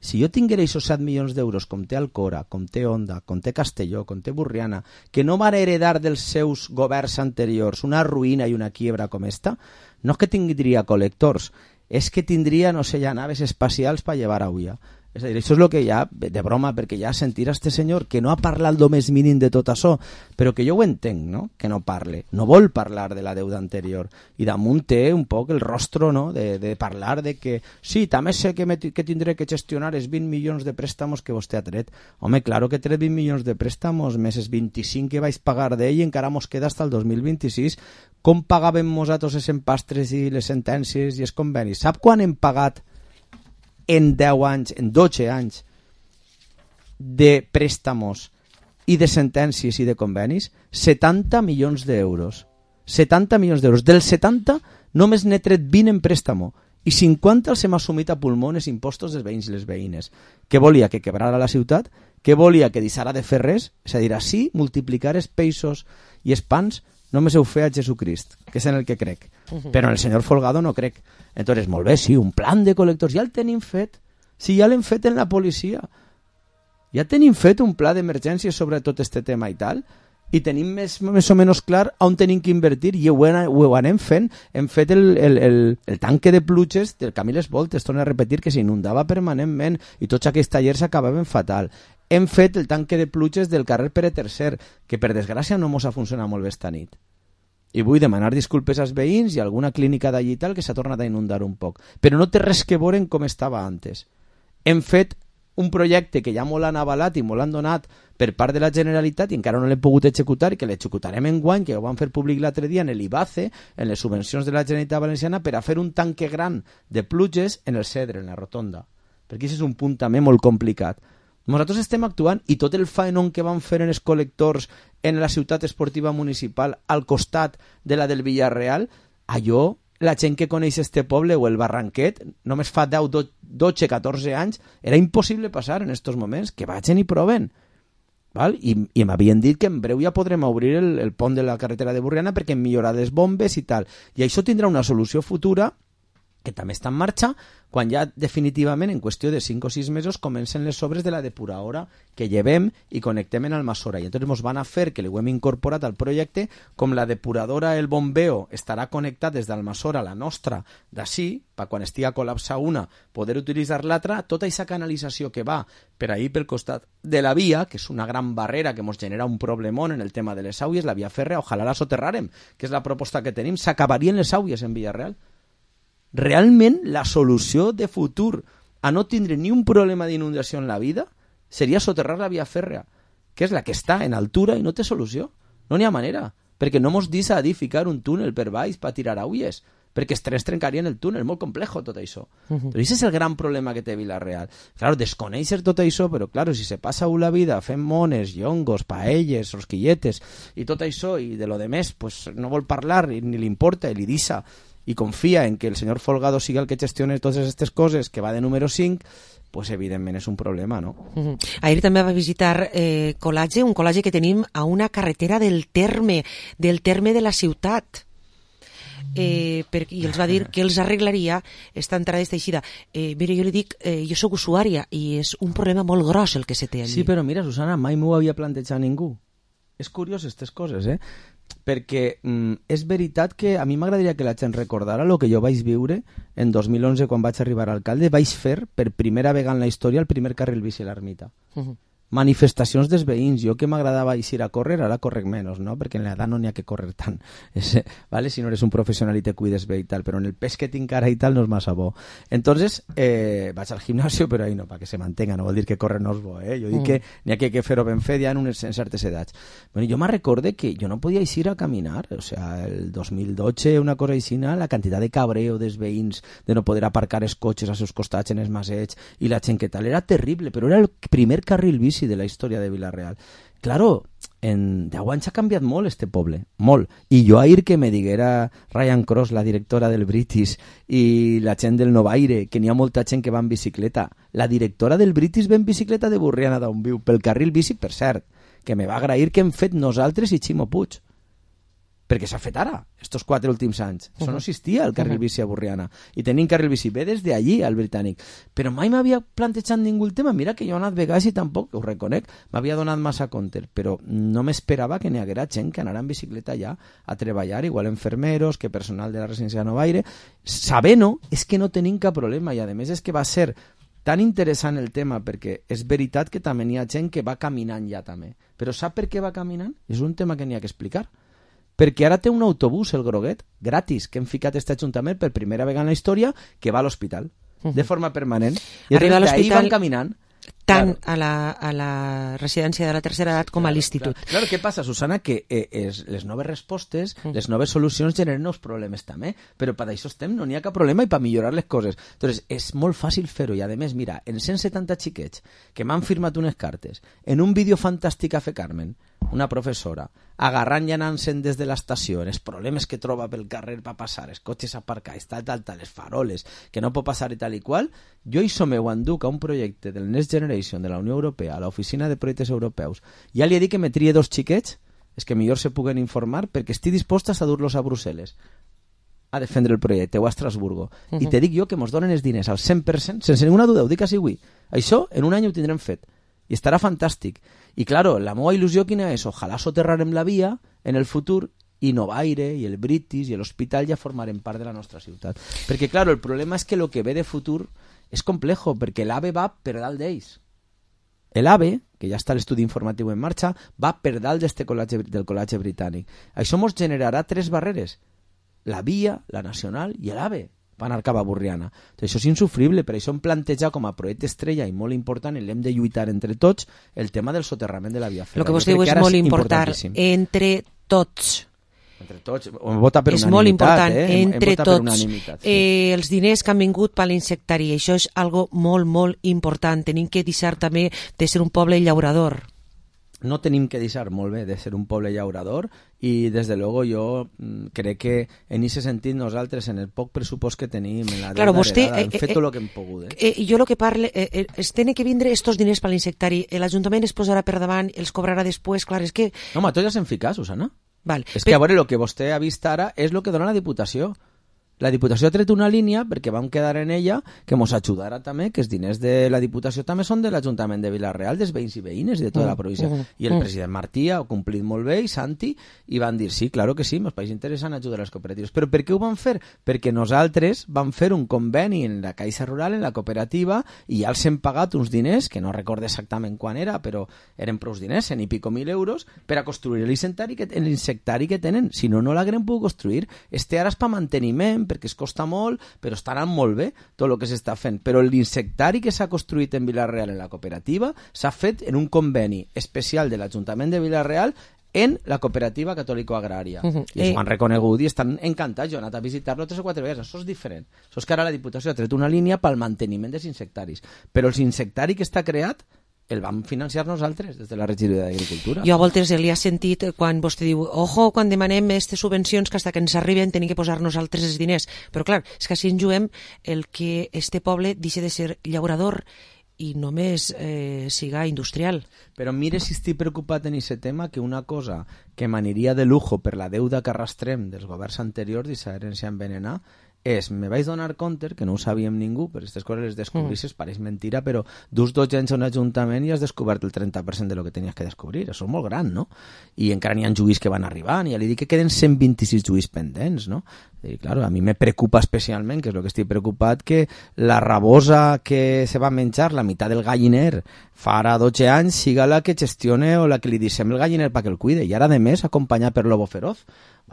S12: Si jo tinguera aquests set milions d'euros com té Alcora, com té Onda, com té Castelló, com té Burriana, que no van heredar dels seus governs anteriors una ruïna i una quiebra com esta, no és que tindria col·lectors, és que tindria, no sé, ja naves espacials per llevar a Ulla. És a dir, això és el que ja, de broma, perquè ja sentir a este senyor que no ha parlat el més mínim de tot això, però que jo ho entenc, no?, que no parle, no vol parlar de la deuda anterior, i damunt té un poc el rostro, no?, de, de parlar de que, sí, també sé que, me, que tindré que gestionar els vint milions de préstamos que vostè ha tret. Home, claro que tret vint milions de préstamos, més els vint-i-cinc que vaig pagar d'ell, i encara mos queda hasta el dos mil vint-i-sis. Com pagàvem nosaltres els empastres i les sentències i els convenis? Sap quan hem pagat en deu anys, en dotze anys de préstamos i de sentències i de convenis? setanta milions d'euros. setanta milions d'euros. Del setanta només n'he tret vint en préstamo i cinquanta els hem assumit a pulmones impostos dels veïns i les veïnes. Què volia? Que quebrara la ciutat? Què volia? Que deixara de fer res? És a dir, així multiplicar els peixos i els pans només heu fet a Jesucrist, que és en el que crec. Però en el senyor Folgado no crec. Entonces, molt bé, sí, un plan de col·lectors, ja el tenim fet. Sí, ja l'hem fet en la policia. Ja tenim fet un pla d'emergència sobre tot este tema i tal, i tenim més, més o menys clar on tenim que invertir, i ho, ho anem fent. Hem fet el, el, el, el tanque de pluges del camí Les Voltes, torno a repetir, que s'inundava permanentment, i tots aquells tallers acabaven fatal. Hem fet el tanque de pluges del carrer Pere tercer, que per desgràcia no mos ha funcionat molt bé esta nit. I vull demanar disculpes als veïns i a alguna clínica d'allí tal que s'ha tornat a inundar un poc. Però no té res que veure com estava antes. Hem fet un projecte que ja molt han avalat i molt han donat per part de la Generalitat i encara no l'hem pogut executar i que l'executarem en guany, que ho vam fer públic l'altre dia en l'IBACE, en les subvencions de la Generalitat Valenciana, per a fer un tanque gran de pluges en el Cedre, en la Rotonda. Perquè aquest és un punt també molt complicat. Nosaltres estem actuant i tot el faenon que van fer en els col·lectors en la ciutat esportiva municipal al costat de la del Villarreal, allò, la gent que coneix este poble o el Barranquet, només fa deu, dotze, catorze anys, era impossible passar en estos moments, que vagin i proven. Val? I, i m'havien dit que en breu ja podrem obrir el, el pont de la carretera de Burriana perquè hem millorat les bombes i tal. I això tindrà una solució futura que també està en marxa, quan ja definitivament en qüestió de cinc o sis mesos comencen les obres de la depuradora que llevem i connectem en Almassora. I entonces ens van a fer, que li ho hem incorporat al projecte, com la depuradora, el bombeo, estarà connectat des d'Almassora, la nostra, d'ací, per quan estigui col·lapsar una, poder utilitzar l'altra, tota aquesta canalització que va per ahir pel costat de la via, que és una gran barrera que ens genera un problemón en el tema de les aules, la via fèrrea, ojalà la soterrarem, que és la proposta que tenim, s'acabarien les aules en Villarreal. Realment la solució de futur a no tindre ni un problema d'inundació en la vida seria soterrar la via fèrrea, que és la que està en altura i no té solució. No n'hi ha manera, perquè no mos deixa edificar un túnel per baix per tirar aules, perquè els trens trencarien el túnel, molt complejo tot això. Uh -huh. Però aquest és el gran problema que té Vila-real. Claro, desconèixer tot això, però claro, si se passa la vida fent mones, llongos, paelles, rosquilletes i tot això, i de lo de més, pues no vol parlar, ni li importa, i li deixa i confia en que el senyor Folgado sigui el que gestione totes aquestes coses, que va de número cinc, pues evidentment és un problema, no?
S5: Uh-huh. Ahir també va visitar eh, Colatge, un col·legi que tenim a una carretera del terme, del terme de la ciutat. Eh, per, i els va dir que els arreglaria esta entrada i esta eixida. Eh, mira, jo li dic, eh, jo sóc usuària i és un problema molt gros el que se té allí.
S12: Sí, però mira, Susana, mai m'ho havia plantejat ningú. És curiós aquestes coses, eh? Perquè mm, és veritat que a mi m'agradaria que la gent recordara el que jo vaig viure en dos mil onze quan vaig arribar a alcalde. Vaig fer per primera vegada en la història el primer carril bici a l'Ermita. Uh-huh. Manifestacions dels veïns. Jo que m'agradava eixir a córrer, ara correc menys, no? Perquè en l'edat no n'hi ha que córrer tant. És, vale? Si no eres un professional i te cuides bé i tal, però en el pes que tinc ara i tal no és massa bo. Entonces, eh, vaig al gimnasio, però ahí no, para que se mantenga, no vol dir que córrer no és bo, eh? Jo dic mm. que n'hi ha que, que fer-ho ben fet ja en, unes, en certes edats. Bueno, jo me recorde que jo no podia eixir a caminar, o sea, el dos mil dotze, una cosa aixina, la quantitat de cabreo dels veïns, de no poder aparcar els cotxes als seus costats en els masets, i la gent que tal, era terrible, però era el primer carril bici de la història de Vila-real. Claro, en deu anys ha canviat molt este poble, molt. I jo ahir que me diguera Ryan Cross, la directora del British, i la gent del Novaire, que n'hi ha molta gent que va en bicicleta. La directora del British ve en bicicleta de Burriana d'on viu, pel carril bici, per cert, que me va agrair que hem fet nosaltres i Ximo Puig. Perquè s'ha fet ara, estos quatre últims anys. Això no existia, el carril bici a Burriana. I tenim carril bici bé des d'allí, al Britànic. Però mai m'havia plantejat ningú el tema. Mira que jo he anat vegades i tampoc, ho reconec, m'havia donat massa compte, però no m'esperava que n'hi haguera gent que anara en bicicleta allà a treballar, igual enfermeros, que personal de la residència de Novaire. Sabent-ho, és que no tenim cap problema, i a més és que va ser tan interessant el tema, perquè és veritat que també n'hi ha gent que va caminant ja també. Però sap per què va caminant? És un tema que n'hi ha que explicar. Perquè ara té un autobús, el Groguet, gratis, que hem ficat aquest ajuntament per primera vegada en la història, que va a l'hospital, uh-huh. de forma permanent. I
S5: arriba a l'hospital
S12: van caminant.
S5: Tant
S12: claro.
S5: a, la, a la residència de la tercera edat com
S12: claro,
S5: a l'institut.
S12: Claro. claro, què passa, Susana? Que eh, es, les noves respostes, uh-huh. les noves solucions generen nous problemes també, però per això estem, no n'hi ha cap problema i per millorar les coses. Entonces, és molt fàcil fer-ho, i a més, mira, en cent setanta xiquets que m'han firmat unes cartes, en un vídeo fantàstic a Fe Carmen, una professora, agarrant i anant-se'n des de l'estació, els problemes que troba pel carrer per passar, els cotxes aparcats, tal, tal, tal, les faroles, que no pot passar i tal i qual, jo hi som ho enduc a un projecte del Next Generation de la Unió Europea, a l'Oficina de Projectes Europeus. Ja li he dit que me trie dos xiquets, és que millor se puguen informar, perquè estic disposta a dur-los a Brussel·les a defendre el projecte, o a Estrasburgo. Uh-huh. I te dic jo que mos donen els diners al cent per cent, sense ninguna duda, ho dic així avui. Això en un any ho tindrem fet. I estarà fantàstic. I claro, la meva il·lusió quina és? Ojalà soterrarem la via en el futur i Novaire, i el British, i l'hospital ja formarem part de la nostra ciutat. Perquè, claro, el problema és que el que ve de futur és complejo, perquè l'AVE va per dalt d'ells. L'AVE, que ja està l'estudi informatiu en marxa, va per dalt d'este col·legi, del col·legi britànic. Això ens generarà tres barreres. La via, la nacional i l'AVE. Va anar cap a Burriana. Això és insufrible, per això hem plantejat com a projecte estrella i molt important, i l'hem de lluitar entre tots, el tema del soterrament de la via fèrria.
S5: El que vos diu és molt important, entre tots.
S12: Entre tots, vota per
S5: és
S12: unanimitat. És
S5: molt important,
S12: eh?
S5: entre
S12: hem
S5: tots.
S12: Sí.
S5: Eh, els diners que han vingut per l'insectari, això és algo molt, molt important. Tenim que deixar també de ser un poble llaurador.
S12: No tenim que deixar molt bé de ser un poble llaurador, i des de luego jo crec que en aquest sentit nosaltres, en el poc pressupost que tenim, en la
S5: claro, vostè,
S12: heredada, hem
S5: eh,
S12: fet
S5: eh,
S12: tot el que hem pogut. Eh?
S5: Eh, jo el que parle, eh, eh, es tenen que vindre estos diners per l'insectari, l'Ajuntament es posarà per davant, els cobrarà després, clar, és que...
S12: No, ma, tots ja s'hem ficat, Susana.
S5: Val.
S12: És que a veure, el que vostè ha vist ara és el que dona la Diputació. la Diputació ha tret una línia perquè vam quedar en ella que mos ajudara també, que els diners de la Diputació també són de l'Ajuntament de Vila-real, dels veïns i veïnes i de tota la província.
S5: Mm,
S12: I el
S5: mm.
S12: president Martí ha complit molt bé, i Santi, i van dir, sí, claro que sí, mos pareix interessant ajudar a les cooperatives. Però per què ho van fer? Perquè nosaltres vam fer un conveni en la Caixa Rural, en la cooperativa, i ja els hem pagat uns diners, que no recordo exactament quan era, però eren prou diners, cent i pico mil euros, per a construir l'insectari que, l'insectari que tenen. Si no, no l'haguem pogut construir. Este ara és per manteniment, perquè es costa molt, però està anant molt bé tot el que s'està fent. Però l'insectari que s'ha construït en Vila-real en la cooperativa s'ha fet en un conveni especial de l'Ajuntament de Vila-real en la cooperativa catòlico-agrària. Uh-huh. I això ho han reconegut i estan encantats. Jo he anat a visitar-lo tres o quatre vegades. Això és diferent. Això és que ara la Diputació ha tret una línia pel manteniment dels insectaris. Però el insectari que està creat el vam financiar nosaltres des de la regidoria d'Agricultura.
S5: Jo a voltes li ha sentit quan vostè diu, ojo, quan demanem aquestes subvencions que hasta que ens arriben tenim que posar nosaltres els diners. Però clar, és que així ens juguem el que este poble deixa de ser llaurador i només eh, siga industrial.
S12: Però mire si estic preocupat en aquest tema, que una cosa que m'aniria de lujo per la deuda que arrastrem dels governs anteriors d'aquesta herència envenenada és, me vaig donar compte, que no ho sabíem ningú, però aquestes coses les descobrisses, mm. pareix mentira, però dus dos anys a un ajuntament i has descobert el trenta per cent de lo que tenies que descobrir. Això és molt gran, no? I encara n'hi ha juís que van arribant, i ja li dic que queden cent vint-i-sis juís pendents, no? I, claro, a mi me preocupa especialment, que és el que estic preocupat, que la rabosa que se va menjar la meitat del galliner fa ara dotze anys siga la que gestione o la que li deixem el galliner perquè el cuide, i ara, de més, acompanyat per Lobo Feroz.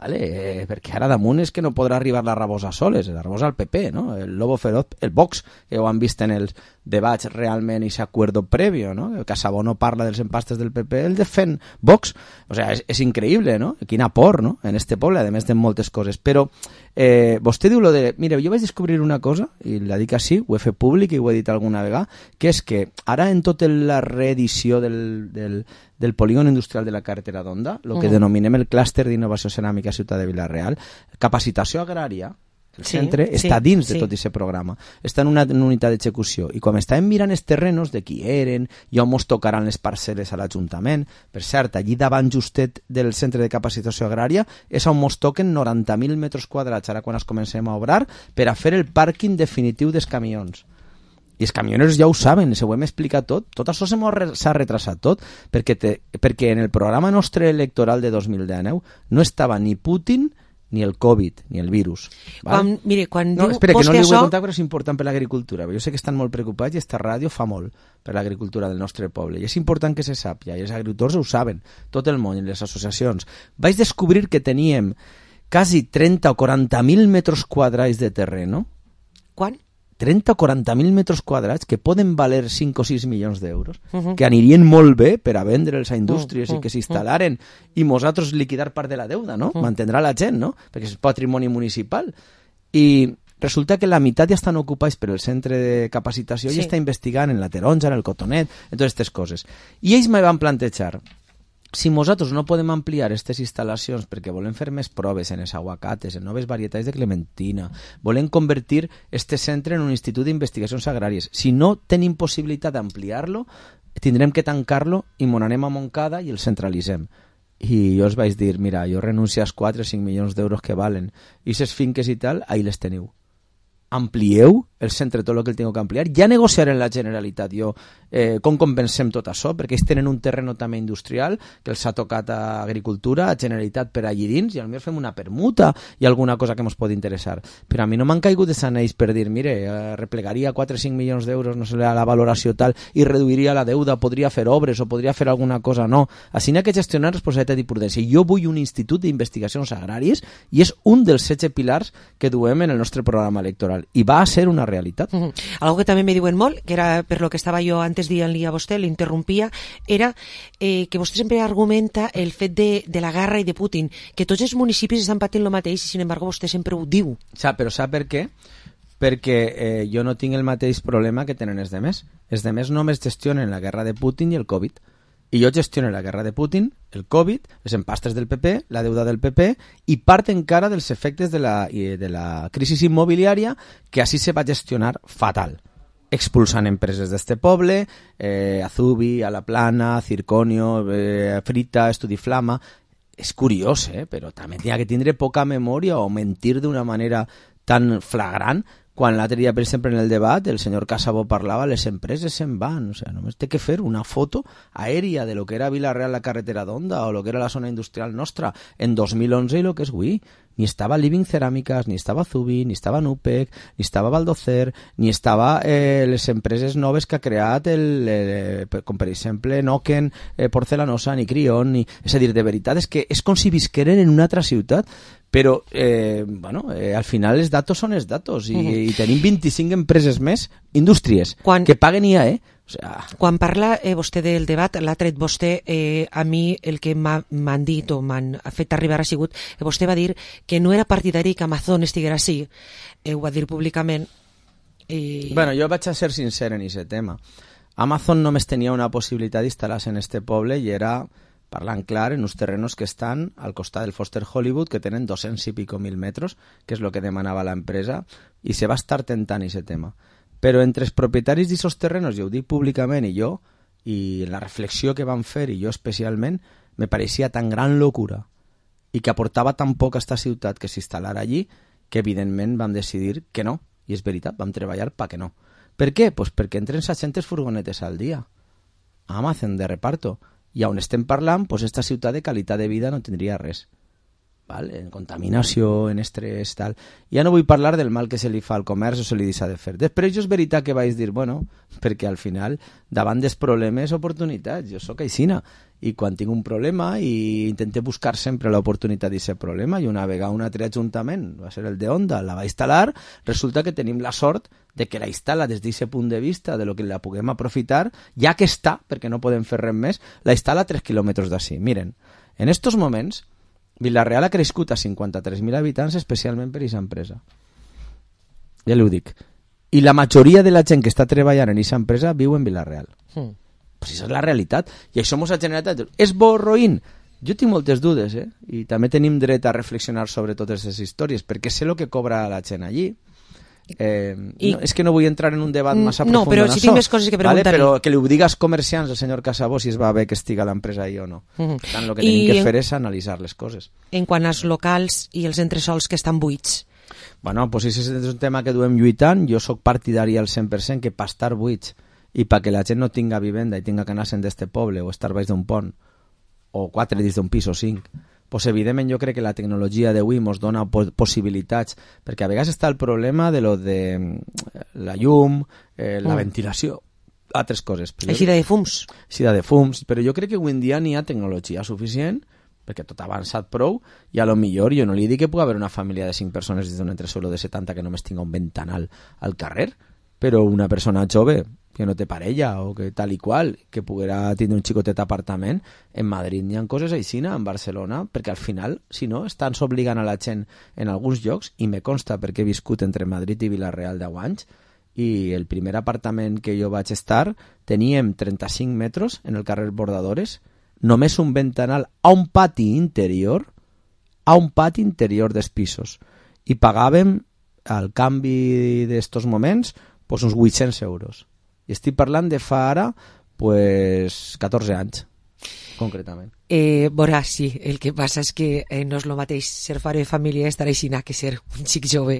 S12: Vale, eh, perquè ara damunt és que no podrà arribar la rabosa soles, la rabosa al P P, no? El Lobo Feroz, el Vox, que ho han vist en els debats realment i ese acuerdo previo, no? El Casabó no parla dels empastes del P P, el defen Vox. O sea, és, és increïble, no? Quin aport, no? En este poble, a més de moltes coses. Però eh, vostè diu lo de... Mira, jo vaig descobrir una cosa, i la dic així, ho he fet públic i ho he dit alguna vegada, que és que ara en tota la reedició del, del, del polígon industrial de la carretera d'Onda, el que mm. denominem el clúster d'innovació ceràmica Ciutat de Vila-real, capacitació agrària, el sí, centre, sí, està dins sí. de tot aquest programa. Està en una, en una unitat d'execució. I quan estàvem mirant els terrenos de qui eren i on mos tocaran les parcel·les a l'Ajuntament, per cert, allí davant justet del centre de capacitació agrària és on mos toquen noranta mil metres quadrats, ara quan es comencem a obrar, per a fer el pàrquing definitiu dels camions. I els camioners ja ho saben, se ho hem explicat tot. Tot això s'ha retrasat tot, perquè, te, perquè en el programa nostre electoral de dos mil dinou no estava ni Putin ni el Covid, ni el virus.
S5: Quan, mire, quan
S12: no,
S5: diu
S12: espera, que no li ho
S5: això...
S12: he contat, però és important per l'agricultura. Jo sé que estan molt preocupats i esta ràdio fa molt per l'agricultura del nostre poble. I és important que se sàpia, i els agricultors ho saben, tot el món i les associacions. Vaig descobrir que teníem quasi trenta o quaranta mil metres quadrats de terreno.
S5: Quan?
S12: trenta o quaranta mil metres quadrats que poden valer cinc o sis milions d'euros,
S5: uh-huh.
S12: que anirien molt bé per a vendre'ls a indústries uh-huh. i que s'instal·laren uh-huh. i nosaltres liquidar part de la deuda, no? Uh-huh. Mantindrà la gent, no? Perquè és patrimoni municipal. I resulta que la meitat ja estan ocupats per el centre de capacitació sí. i està investigant en la taronja, en el cotonet, en totes aquestes coses. I ells me van plantejar, si nosaltres no podem ampliar aquestes instal·lacions perquè volem fer més proves en els aguacates, en noves varietats de clementina, volem convertir este centre en un institut d'investigacions agràries, si no tenim possibilitat d'ampliar-lo, tindrem que tancar-lo i mon anem a Montcada i el centralitzem. I jo els vaig dir, mira, jo renuncio als quatre o cinc milions d'euros que valen, i aquestes finques i tal, ahí les teniu. Amplieu el centre tot el que el tinc que ampliar, ja negociaré en la Generalitat jo eh, com compensem tot això, perquè ells tenen un terreno també industrial que els ha tocat a Agricultura, a Generalitat per allí dins, i potser fem una permuta i alguna cosa que ens pot interessar. Però a mi no m'han caigut de sanells per dir, mire, eh, replegaria quatre o cinc milions d'euros, no sé, la valoració tal, i reduiria la deuda, podria fer obres o podria fer alguna cosa, no. Així n'hi ha que gestionar responsabilitat i prudència. Jo vull un institut d'investigacions agràries i és un dels setze pilars que duem en el nostre programa electoral. I va a ser una realitat.
S5: Uh-huh. Algo que també me diuen molt, que era per lo que estava jo antes dient-li a vostè, l'interrompia, era eh, que vostè sempre argumenta el fet de, de la guerra i de Putin, que tots els municipis estan patint el mateix i, sin embargo, vostè sempre ho diu.
S12: Sap, però sap per què? Perquè eh, jo no tinc el mateix problema que tenen els demés. Els demés només gestionen la guerra de Putin i el Covid. I jo gestiono la guerra de Putin, el Covid, les empastes del P P, la deuda del P P i part encara dels efectes de la, de la crisi immobiliària que així se va gestionar fatal. Expulsant empreses d'este poble, eh, Azubi, A la Plana, Circonio, eh, Frita, Estudiflama... És curiós, eh? Però també tenia que tindre poca memòria o mentir d'una manera tan flagrant, quan l'altre dia, per exemple, en el debat, el senyor Casabó parlava, les empreses se'n van, o sigui, només té que fer una foto aèria de lo que era Vila-real, la carretera d'Onda, o lo que era la zona industrial nostra en dos mil onze i lo que és avui. Ni estava Living Ceràmiques, ni estava Zubi, ni estava Nupec, ni estava Valdocer, ni estava eh, les empreses noves que ha creat, el, eh, com per exemple Noken, eh, Porcelanosa, ni Crion, ni... és a dir, de veritat és que és com si visqueren en una altra ciutat, però eh, bueno, eh, al final els datos són els datos i, uh-huh. i tenim vint-i-cinc empreses més, indústries, Quan... que paguen I A E. O sea...
S5: Quan parla eh, vostè del debat, l'ha tret vostè, eh, a mi el que m'han dit o m'han fet arribar ha sigut que vostè va dir que no era partidari que Amazon estiguera així, eh, ho va dir públicament.
S12: I... Bueno, jo vaig a ser sincer en aquest tema. Amazon només tenia una possibilitat d'instal·lar-se en este poble i era, parlant clar, en uns terrenos que estan al costat del Foster Hollywood, que tenen dos-cents i pico mil metres, que és el que demanava l'empresa, i se va estar tentant aquest tema. Però entre els propietaris d'aquests terrenos, jo ho dic públicament, i jo, i la reflexió que van fer, i jo especialment, me pareixia tan gran locura i que aportava tan poc a esta ciutat que s'instal·lara allí, que evidentment vam decidir que no, i és veritat, vam treballar pa que no. Per què? Pues perquè entren seixanta furgonetes al dia a Amazon de reparto, i on estem parlant, pues esta ciutat de qualitat de vida no tindria res. Val? En contaminació, en estrès, tal. Ja no vull parlar del mal que se li fa al comerç o se li deixa de fer. Després jo és veritat que vaig dir, bueno, perquè al final, davant dels problemes, oportunitats. Jo sóc aixina, i quan tinc un problema i intente buscar sempre l'oportunitat d'aquest problema, i una vegada un altre ajuntament, va ser el de Onda, la va instal·lar, resulta que tenim la sort de que la instal·la des d'aquest punt de vista, de lo que la puguem aprofitar, ja que està, perquè no podem fer res més, la instal·la a tres quilòmetres d'ací. Miren, en estos moments, Vila-real ha crescut a cinquanta-tres mil habitants especialment per aquesta empresa. Ja li ho dic. I la majoria de la gent que està treballant en aquesta empresa viu en Vila-real. Mm. Pues això és la realitat. I això ens ha generat... És bo o roïn? Jo tinc moltes dudes, eh? I també tenim dret a reflexionar sobre totes aquestes històries, perquè sé el que cobra la gent allí. Eh, I... no, és que no vull entrar en un debat massa
S5: no,
S12: profund
S5: però
S12: en
S5: si
S12: això,
S5: tinc més coses que preguntar-li.
S12: Vale? Però que li ho digues comerciants al senyor Casabó si es va bé que estiga l'empresa ahí o no. Uh-huh. Tant, el que tenim I... que fer és analitzar les coses.
S5: En quant als locals i els entresols que estan buits?
S12: Bueno, pues és un tema que duem lluitant. Jo sóc partidari al cent per cent que per estar buits i perquè la gent no tinga vivenda i tinga que anar-se'n d'este poble o estar baix d'un pont o quatre dins d'un pis o cinc, pues evidentment jo crec que la tecnologia d'avui ens dona possibilitats, perquè a vegades està el problema de lo de la llum, eh, la mm. ventilació, altres coses.
S5: Eixida de fums.
S12: Eixida de fums, però jo crec que avui en dia n'hi ha tecnologia suficient, perquè tot ha avançat prou, i a lo millor jo no li dic que pugui haver una família de cinc persones des d'un entresuelo de setanta que només tinga un ventanal al carrer, però una persona jove que no té parella o que tal i qual, que poguera tindre un xicotet apartament, en Madrid n'hi ha coses aixina, en Barcelona, perquè al final, si no, estan obligant a la gent en alguns llocs, i me consta perquè he viscut entre Madrid i Vila-real deu anys, i el primer apartament que jo vaig estar teníem trenta-cinc metres en el carrer Bordadores, només un ventanal a un pati interior, a un pati interior dels pisos, i pagàvem al canvi d'estos moments pues, uns vuit-cents euros. I estic parlant de fa ara pues, catorze anys, concretament.
S5: Eh, Borà, sí, el que passa és que eh, no és el mateix ser pare de família estar aixina que ser un xic jove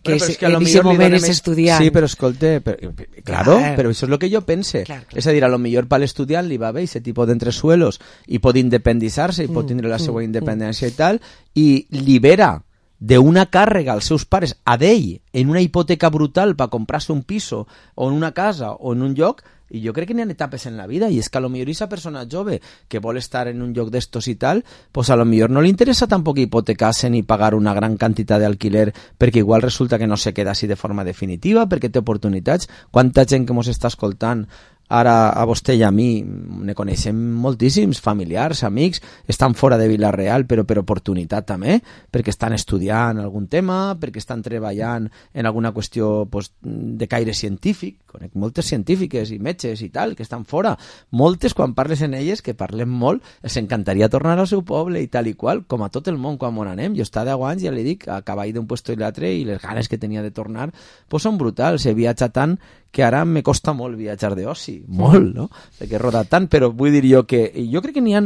S5: que, és, que en aquest moment és estudiant.
S12: Sí, però escolta, però, claro, ah, però això és el que jo pense. Clar, clar. És a dir, a lo millor per l'estudiant li va bé aquest tipus d'entresuelos i pot independitzar-se i pot tindre la seva independència i tal, i libera d'una càrrega als seus pares a d'ell en una hipoteca brutal per comprar-se un piso o en una casa o en un lloc. I jo crec que n'hi ha etapes en la vida, i és que a lo millor aquesta persona jove que vol estar en un lloc d'estos i tal, pues a lo millor no li interessa tampoc hipotecar-se ni pagar una gran quantitat d'alquiler, perquè igual resulta que no se queda així de forma definitiva, perquè té oportunitats. Quanta gent que mos està escoltant ara a vostè i a mi ne coneixem moltíssims, familiars, amics, estan fora de Vila-real, però per oportunitat també, perquè estan estudiant algun tema, perquè estan treballant en alguna qüestió pues, de caire científic. Conec moltes científiques i metges i tal, que estan fora. Moltes, quan parles en elles, que parlem molt, els encantaria tornar al seu poble i tal i qual, com a tot el món quan on anem. Jo està deu anys, ja li dic, a cavall d'un puesto i l'altre, i les ganes que tenia de tornar pues són brutals. He viatjat tant que ara me costa molt viatjar d'oci, molt, no? Perquè he rodat tant, però vull dir jo que jo crec que n'hi ha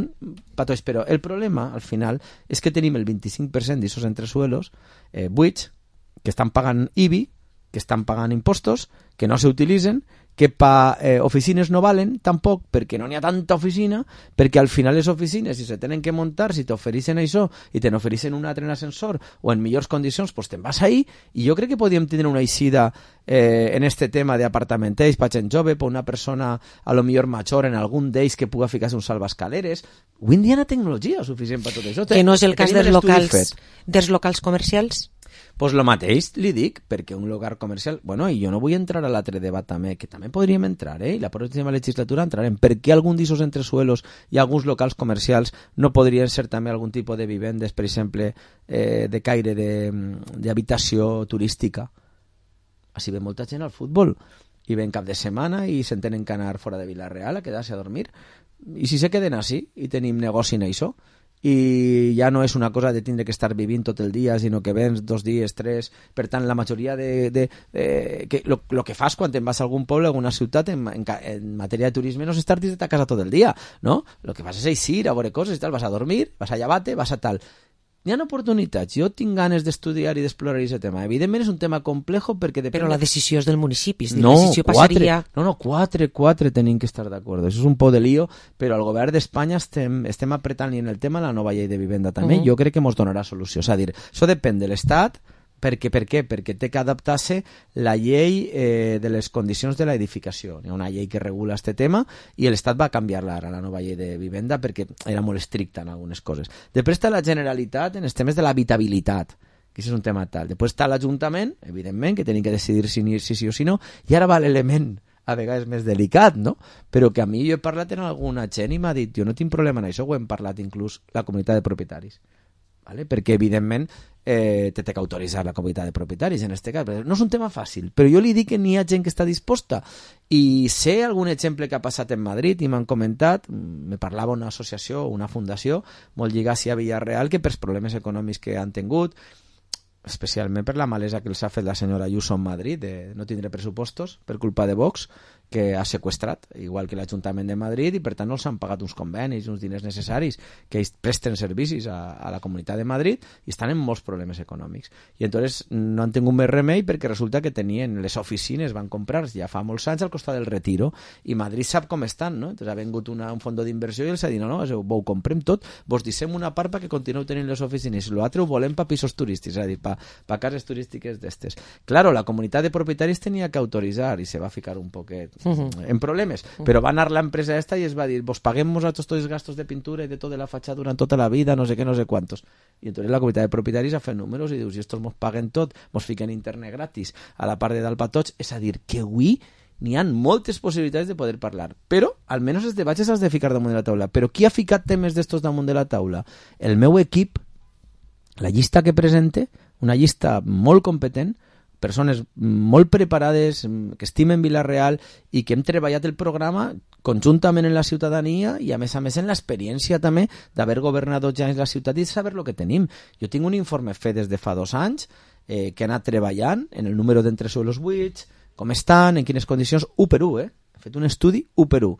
S12: patolls, però el problema, al final, és que tenim el vint-i-cinc per cent d'aquests entresuelos eh, buits, que estan pagant I B I, que estan pagant impostos, que no s'utilitzen, que pa eh, oficines no valen tampoc, perquè no n'hi ha tanta oficina, perquè al final les oficines, si se tenen que muntar, si t'ofereixen això i te n'ofereixen un altre en ascensor o en millors condicions, pues te'n vas ahí, i jo crec que podríem tenir una eixida eh, en este tema d'apartamentells per gent jove, per una persona a lo millor major en algun d'ells que puga ficar-se un salvascaleres. Avui en dia hi ha tecnologia suficient per tot això.
S5: Que no és el cas dels locals, dels locals comercials?
S12: Pues lo mateix li dic, perquè un local comercial... Bueno, i jo no vull entrar a l'altre debat també, que també podríem entrar, eh? I la pròxima legislatura entrarem. Per què algun d'ixos entresuelos i alguns locals comercials no podrien ser també algun tipus de vivendes, per exemple, eh, de caire d'habitació turística? Així ve molta gent al futbol i ven cap de setmana i se'n tenen que anar fora de Vila-real a quedar-se a dormir. I si se queden així i tenim negoci en això, i ja no és una cosa de tindre que estar vivint tot el dia, sinó que vens dos dies, tres. Per tant, la majoria de... de, de que, lo, lo que fas quan te'n vas a algun poble, a alguna ciutat, en, en, en matèria de turisme, no és estar dins de ta casa tot el dia, no? Lo que fas és eixir, a veure coses i tal, vas a dormir, vas a llevar-te, vas a tal... Hi ha oportunitats. Jo tinc ganes d'estudiar i d'explorar aquest tema. Evidentment és un tema complejo perquè depèn...
S5: Però la decisió és del municipi.
S12: No,
S5: la decisió passaria...
S12: quatre, no, no, quatre, quatre tenim que estar d'acord. Això és un po de lío, però al govern d'Espanya estem, estem apretant en el tema la nova llei de vivenda també. Uh -huh. Jo crec que ens donarà solució. És a dir, això depèn de l'Estat. Per què? Per què? Perquè té que adaptar-se la llei eh, de les condicions de l'edificació. Hi ha una llei que regula aquest tema i l'Estat va canviar-la ara, la nova llei de vivenda, perquè era molt estricta en algunes coses. Després està la Generalitat en els temes de l'habitabilitat, que és un tema tal. Després està l'Ajuntament, evidentment, que tenim que decidir si ni si sí o si no, i ara va l'element a vegades més delicat, no? Però que a mi jo he parlat amb alguna gent i m'ha dit, jo no tinc problema en això, ho hem parlat inclús la comunitat de propietaris. Vale? Perquè evidentment eh, te té que autoritzar la comunitat de propietaris en este cas. No és un tema fàcil, però jo li dic que n'hi ha gent que està disposta, i sé algun exemple que ha passat en Madrid i m'han comentat, me parlava una associació, una fundació molt lligada a Villarreal, que pels problemes econòmics que han tingut, especialment per la malesa que els ha fet la senyora Ayuso en Madrid de no tindre pressupostos per culpa de Vox, que ha seqüestrat, igual que l'Ajuntament de Madrid, i per tant no els han pagat uns convenis, uns diners necessaris, que ells presten servicis a, a la Comunitat de Madrid, i estan en molts problemes econòmics. I entonces no han tingut més remei perquè resulta que tenien les oficines, van comprar ja fa molts anys al costat del Retiro, i Madrid sap com estan, no? Entonces ha vingut una, un fons d'inversió i els ha dit, no, no, ho comprem tot, vos deixem una part perquè continueu tenint les oficines, i l'altre ho volem per pisos turístics, és a dir, per pa cases turístiques d'estes. Claro, la comunitat de propietaris tenia que autoritzar i se va ficar un poquet uh-huh. en problemes, uh-huh. però va anar l'empresa esta i es va dir, vos paguem nosaltres tots els gastos de pintura i de tot de la fatxada durant tota la vida, no sé què, no sé quantos. I entonces la comunitat de propietaris ha fet números i dius, si estos mos paguen tot, mos fiquen internet gratis a la part de dalt pa tots, és a dir, que avui n'hi ha moltes possibilitats de poder parlar, però almenys els debats has de ficar damunt de la taula. Però qui ha ficat temes d'estos damunt de la taula? El meu equip, la llista que presente, una llista molt competent, persones molt preparades, que estimen Vila-real i que hem treballat el programa conjuntament en la ciutadania i a més a més en l'experiència també d'haver governat dos anys la ciutat i saber el que tenim. Jo tinc un informe fet des de fa dos anys eh, que ha anat treballant en el número d'entresuelos buits, com estan, en quines condicions, u per u, eh? He fet un estudi u per u.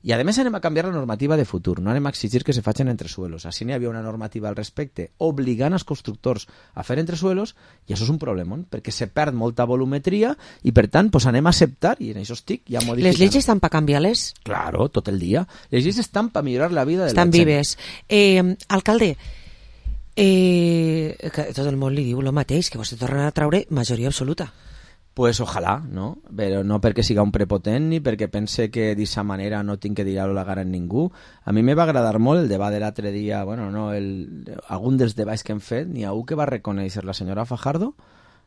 S12: I a més anem a canviar la normativa de futur, no anem a exigir que se facin entresuelos. Així n'hi havia una normativa al respecte obligant els constructors a fer entresuelos i això és un problema, perquè se perd molta volumetria i per tant pues, anem a acceptar, i en això estic ja modificant.
S5: Les lleis estan per canviar-les?
S12: Claro, tot el dia. Les lleis estan per millorar la vida de
S5: estan
S12: la gent.
S5: Estan vives. Eh, alcalde, eh, que tot el món li diu el mateix, que vostè torna a traure majoria absoluta.
S12: Pues ojalà, no? Però no perquè siga un prepotent ni perquè pense que d'aquesta manera no tinc que dir-ho la gara en ningú. A mi me va agradar molt el debat de l'altre dia, bueno, no, el, algun dels debats que hem fet, n'hi ha un que va reconèixer la senyora Fajardo,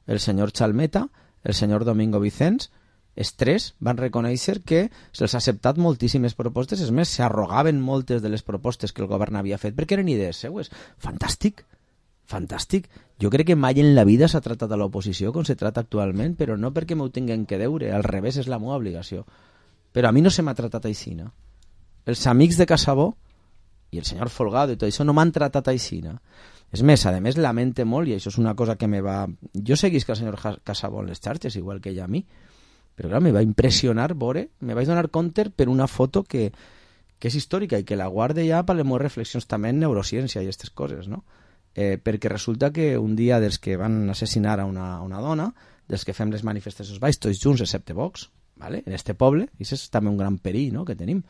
S12: el senyor Chalmeta, el senyor Domingo Vicens, els tres van reconèixer que se'ls ha acceptat moltíssimes propostes, és més, s'arrogaven moltes de les propostes que el govern havia fet perquè eren idees seues. Fantàstic! Fantàstic. Jo crec que mai en la vida s'ha tratat a l'oposició com se trata actualment, però no perquè m'ho tinguin que deure, al revés, és la meva obligació. Però a mi no se m'ha tratat aixina. Els amics de Casabó i el senyor Folgado i tot això no m'han tratat aixina. És més, a més, lamente molt, i això és una cosa que me va... Jo seguisc el senyor Casabó en les xarxes, igual que ella a mi, però clar, me va impressionar veure, me vaig donar compte per una foto que, que és històrica i que la guarde ja per les meves reflexions també en neurociència i aquestes coses, no? eh, perquè resulta que un dia dels que van assassinar a una, una dona, dels que fem les manifestacions baix, tots junts, excepte Vox, ¿vale? En este poble, i això és també un gran perill, no?, que tenim.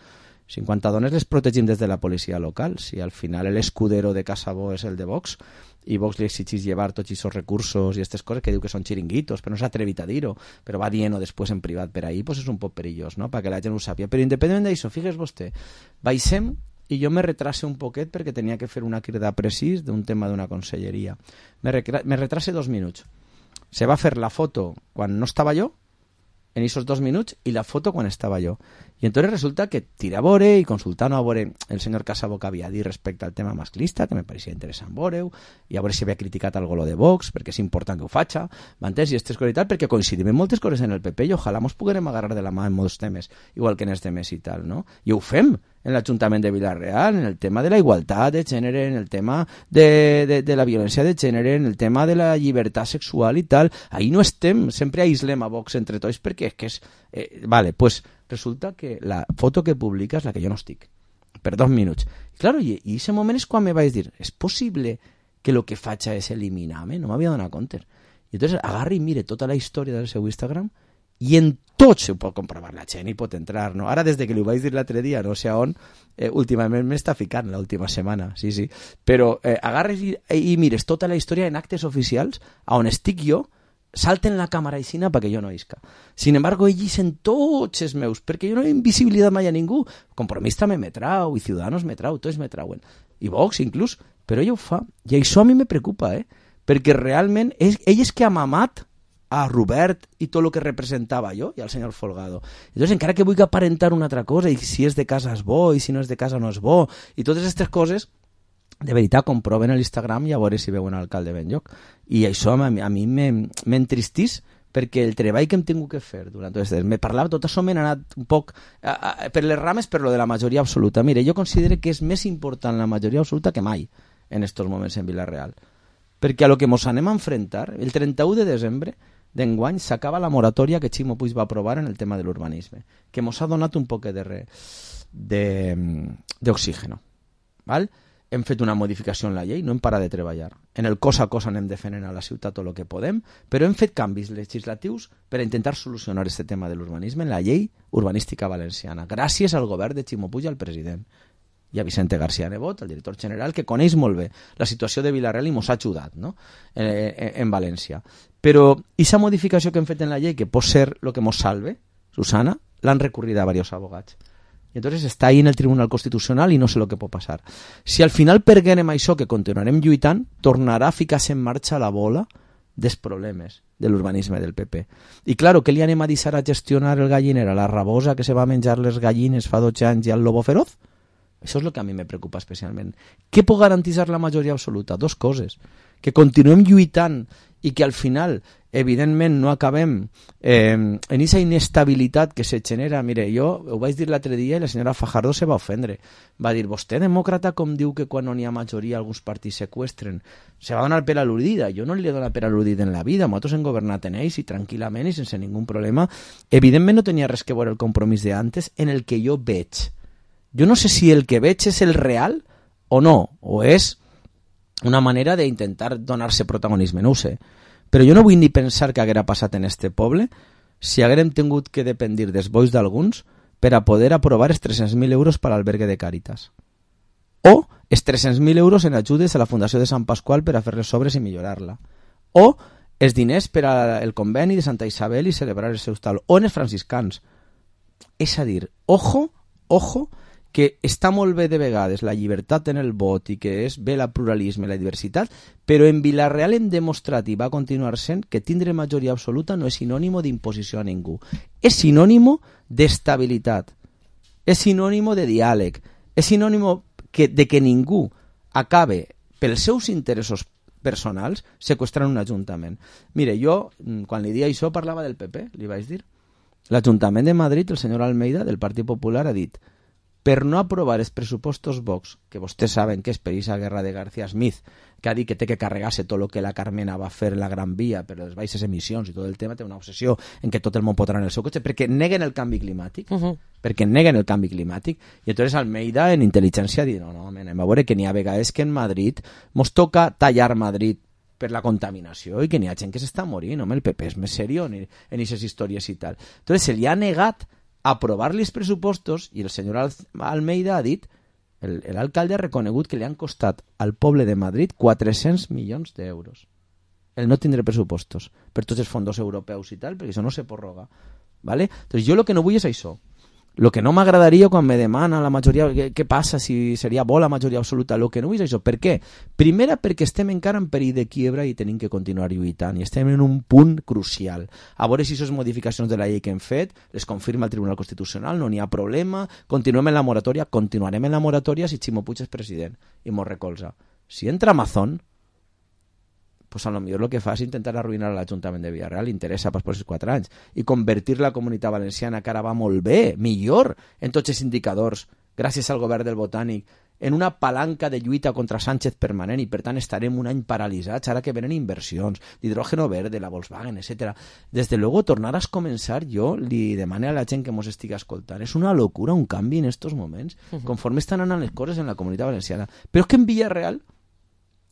S12: cinquanta dones les protegim des de la policia local. Si al final l'escudero de Casabó és el de Vox i Vox li exigís llevar tots aquests recursos i aquestes coses que diu que són xiringuitos, però no s'ha atrevit a dir-ho, però va dient-ho després en privat per ahí, pues és un poc perillós, no?, perquè la gent ho sàpia. Però independentment d'això, figues vostè, baixem i jo me retrase un poquet perquè tenia que fer una crida precís d'un tema d'una conselleria. Me, me retrase dos minuts. Se va fer la foto quan no estava jo, en esos dos minuts, i la foto quan estava jo. I entonces resulta que tira a veure i consultant a veure el senyor Casabó que havia dit respecte al tema masclista, que me pareixia interessant veure-ho, i a veure si havia criticat algo lo de Vox, perquè és important que ho faci, m'entens? I aquestes coses i tal, perquè coincidim en moltes coses en el P P i ojalà mos puguem agarrar de la mà en molts temes, igual que en els temes i tal, no? I ho fem en l'Ajuntament de Vila-real, en el tema de la igualtat de gènere, en el tema de, de, de la violència de gènere, en el tema de la llibertat sexual i tal. Ahí no estem, sempre aislem a Vox entre tots perquè és que és... Eh, vale, pues resulta que la foto que publica és la que jo no estic, per dos minuts. I claro, i en aquest moment és quan me vaig dir, és possible que el que faig és eliminar-me? No m'havia donat compte. I entonces agarra i mire tota la història del seu Instagram i en tot se ho pot comprovar, la gent hi pot entrar, no? Ara, des de que li ho vaig dir l'altre dia, no sé on, eh, últimament m'està ficant l'última setmana, sí, sí, però eh, agarres i, i mires tota la història en actes oficials, a on estic jo, salten la càmera aixina perquè jo no isca. Sin embargo, ells dicen tots els meus, perquè jo no he invisibilitat mai a ningú. Compromís també me trau, i Ciudadanos me trau, tots me trauen. I Vox, inclús, però ella ho fa. I això a mi me preocupa, eh? Perquè realment, és, ell és que ha mamat a Robert i tot el que representava jo i al senyor Folgado. Entonces, encara que vull aparentar una altra cosa, i si és de casa és bo, i si no és de casa no és bo, i totes aquestes coses, de veritat, comproven a l'Instagram i a veure si veuen l'alcalde ben lloc. I això a mi, a mi m'entristís perquè el treball que hem tingut que fer durant tot aquest... Me parlava, tot això m'he anat un poc a, a, per les rames per lo de la majoria absoluta. Mire, jo considero que és més important la majoria absoluta que mai en estos moments en Vila-real. Perquè a lo que mos anem a enfrentar, el trenta-u de desembre d'enguany s'acaba la moratòria que Ximo Puig va aprovar en el tema de l'urbanisme, que mos ha donat un poc d'oxígeno. Val? Hem fet una modificació en la llei, no hem parat de treballar. En el cos a cos anem defendent a la ciutat tot el que podem, però hem fet canvis legislatius per a intentar solucionar aquest tema de l'urbanisme en la llei urbanística valenciana, gràcies al govern de Ximo Puig i al president. I a Vicente García Nebot, el director general, que coneix molt bé la situació de Vila-real i mos ha ajudat, no?, en, en, en València. Però aquesta modificació que hem fet en la llei, que pot ser el que mos salve, Susana, l'han recorrida a diversos abogats. I entonces està ahí en el Tribunal Constitucional i no sé el que pot passar. Si al final perguem això, que continuarem lluitant, tornarà a ficar-se en marxa la bola dels problemes de l'urbanisme del P P. I claro, què li anem a deixar a gestionar el galliner a la rabosa que se va menjar les gallines fa dotze anys i al lobo feroz? Això és el que a mi me preocupa especialment. Què pot garantir la majoria absoluta? Dos coses. Que continuem lluitant i que al final, evidentment, no acabem eh, en aquesta inestabilitat que se genera. Mire, jo ho vaig dir l'altre dia i la senyora Fajardo se va ofendre. Va dir, vostè, demòcrata, com diu que quan no n'hi ha majoria alguns partits seqüestren? Se va donar per al·ludida. Jo no li he donat per al·ludida en la vida. Nosaltres hem governat en ells i tranquil·lament i sense ningú problema. Evidentment no tenia res que veure el compromís d'antes en el que jo veig. Jo no sé si el que veig és el real o no, o és una manera d'intentar donar-se protagonisme, no ho sé. Però jo no vull ni pensar que haguera passat en este poble si haguérem tingut que dependir dels bois d'alguns per a poder aprovar els tres-cents mil euros per a l'albergue de Càritas. O els tres-cents mil euros en ajudes a la Fundació de Sant Pasqual per a fer les obres i millorar-la. O els diners per al conveni de Santa Isabel i celebrar els seus tal. O en els franciscans. És a dir, ojo, ojo, que està molt bé de vegades la llibertat en el vot i que és bé el pluralisme i la diversitat, però en Vila-real hem demostrat i va continuar sent que tindre majoria absoluta no és sinònimo d'imposició a ningú. És sinònimo d'estabilitat, és sinònimo de diàleg, és sinònimo que, de que ningú acabe pels seus interessos personals seqüestrant un ajuntament. Mire, jo, quan li dia això, parlava del P P, li vaig dir. L'Ajuntament de Madrid, el senyor Almeida, del Partit Popular, ha dit per no aprovar els pressupostos Vox, que vostès saben que és per aquesta guerra de García Smith, que ha dit que té que carregar-se tot el que la Carmena va fer en la Gran Via per les baixes emissions i tot el tema, té una obsessió en que tot el món potrà en el seu cotxe, perquè neguen el canvi climàtic, uh -huh. perquè neguen el canvi climàtic, i entonces Almeida en intel·ligència diu, no, no, anem a veure que n'hi ha vegades que en Madrid mos toca tallar Madrid per la contaminació i que n'hi ha gent que s'està morint, home, el P P és més seriós en aquestes històries i tal. Entonces se li ha negat aprovar-li els pressupostos i el senyor Almeida ha dit, l'alcalde ha reconegut que li han costat al poble de Madrid quatre-cents milions d'euros el no tindre pressupostos per tots els fons europeus i tal, perquè això no se prorroga, ¿vale? Entonces jo el que no vull és això. El que no m'agradaria quan me demana la majoria, què, què passa si seria bo la majoria absoluta, el que no vull és això. Per què? Primera, perquè estem encara en perill de quiebra i tenim que continuar lluitant i estem en un punt crucial. A veure si aquestes modificacions de la llei que hem fet les confirma el Tribunal Constitucional, no n'hi ha problema, continuem en la moratòria, continuarem en la moratòria si Ximo Puig és president i mos recolza. Si entra Amazon, pues a lo millor el que fa és intentar arruïnar l'Ajuntament de Villarreal, interessa pas per aquests quatre anys, i convertir la Comunitat Valenciana, que ara va molt bé, millor, en tots els indicadors, gràcies al govern del Botànic, en una palanca de lluita contra Sánchez permanent, i per tant estarem un any paralitzats, ara que venen inversions, d'hidrògeno verde, la Volkswagen, etcètera. Des de luego, tornar a començar, jo li demane a la gent que mos estigui escoltant, és una locura, un canvi en estos moments, uh-huh. conforme estan anant les coses en la Comunitat Valenciana. Però és que en Villarreal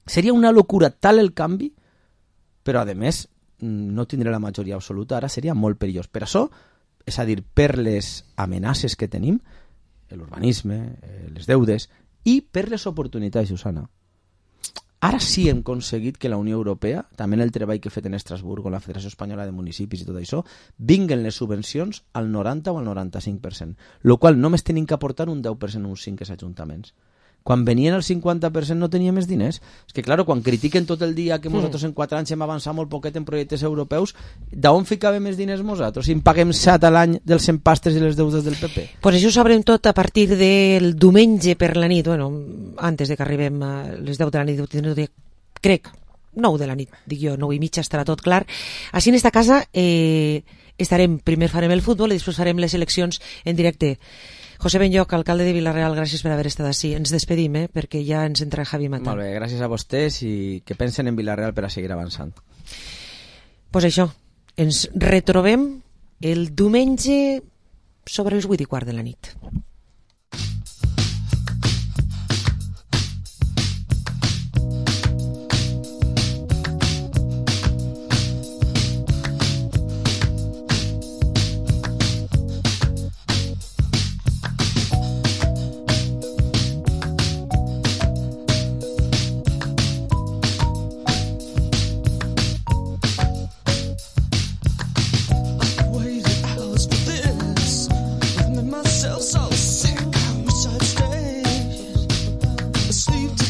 S12: seria una locura tal el canvi, però a més no tindrà la majoria absoluta, ara seria molt perillós. Per això, és a dir, per les amenaces que tenim, l'urbanisme, les deudes, i per les oportunitats, Susana. Ara sí hem aconseguit que la Unió Europea, també en el treball que he fet en Estrasburg o la Federació Espanyola de Municipis i tot això, vinguen les subvencions al noranta o al noranta-cinc per cent, el qual només tenim que aportar un deu per cent o un cinc per cent als ajuntaments. Quan venien el cinquanta per cent no tenia més diners. És que, clar, quan critiquen tot el dia que nosaltres en quatre anys hem avançat molt poquet en projectes europeus, d'on ficàvem més diners nosaltres? Si en paguem set a l'any dels empastres i les deudes del P P.
S5: Pues això ho sabrem tot a partir del diumenge per la nit, bueno, antes de que arribem a les deu de la nit, crec, nou de la nit, dic jo, nou i mitja estarà tot clar. Així en esta casa eh, estarem, primer farem el futbol i després farem les eleccions en directe. José Benlloch, alcalde de Vila-real, gràcies per haver estat així. Ens despedim, eh, perquè ja ens entra Javi Mata.
S12: Molt bé, gràcies a vostès i que pensen en Vila-real per a seguir avançant.
S5: Pues això, ens retrobem el diumenge sobre els vuit i quart de la nit.
S13: So sick, I wish I'd stay asleep.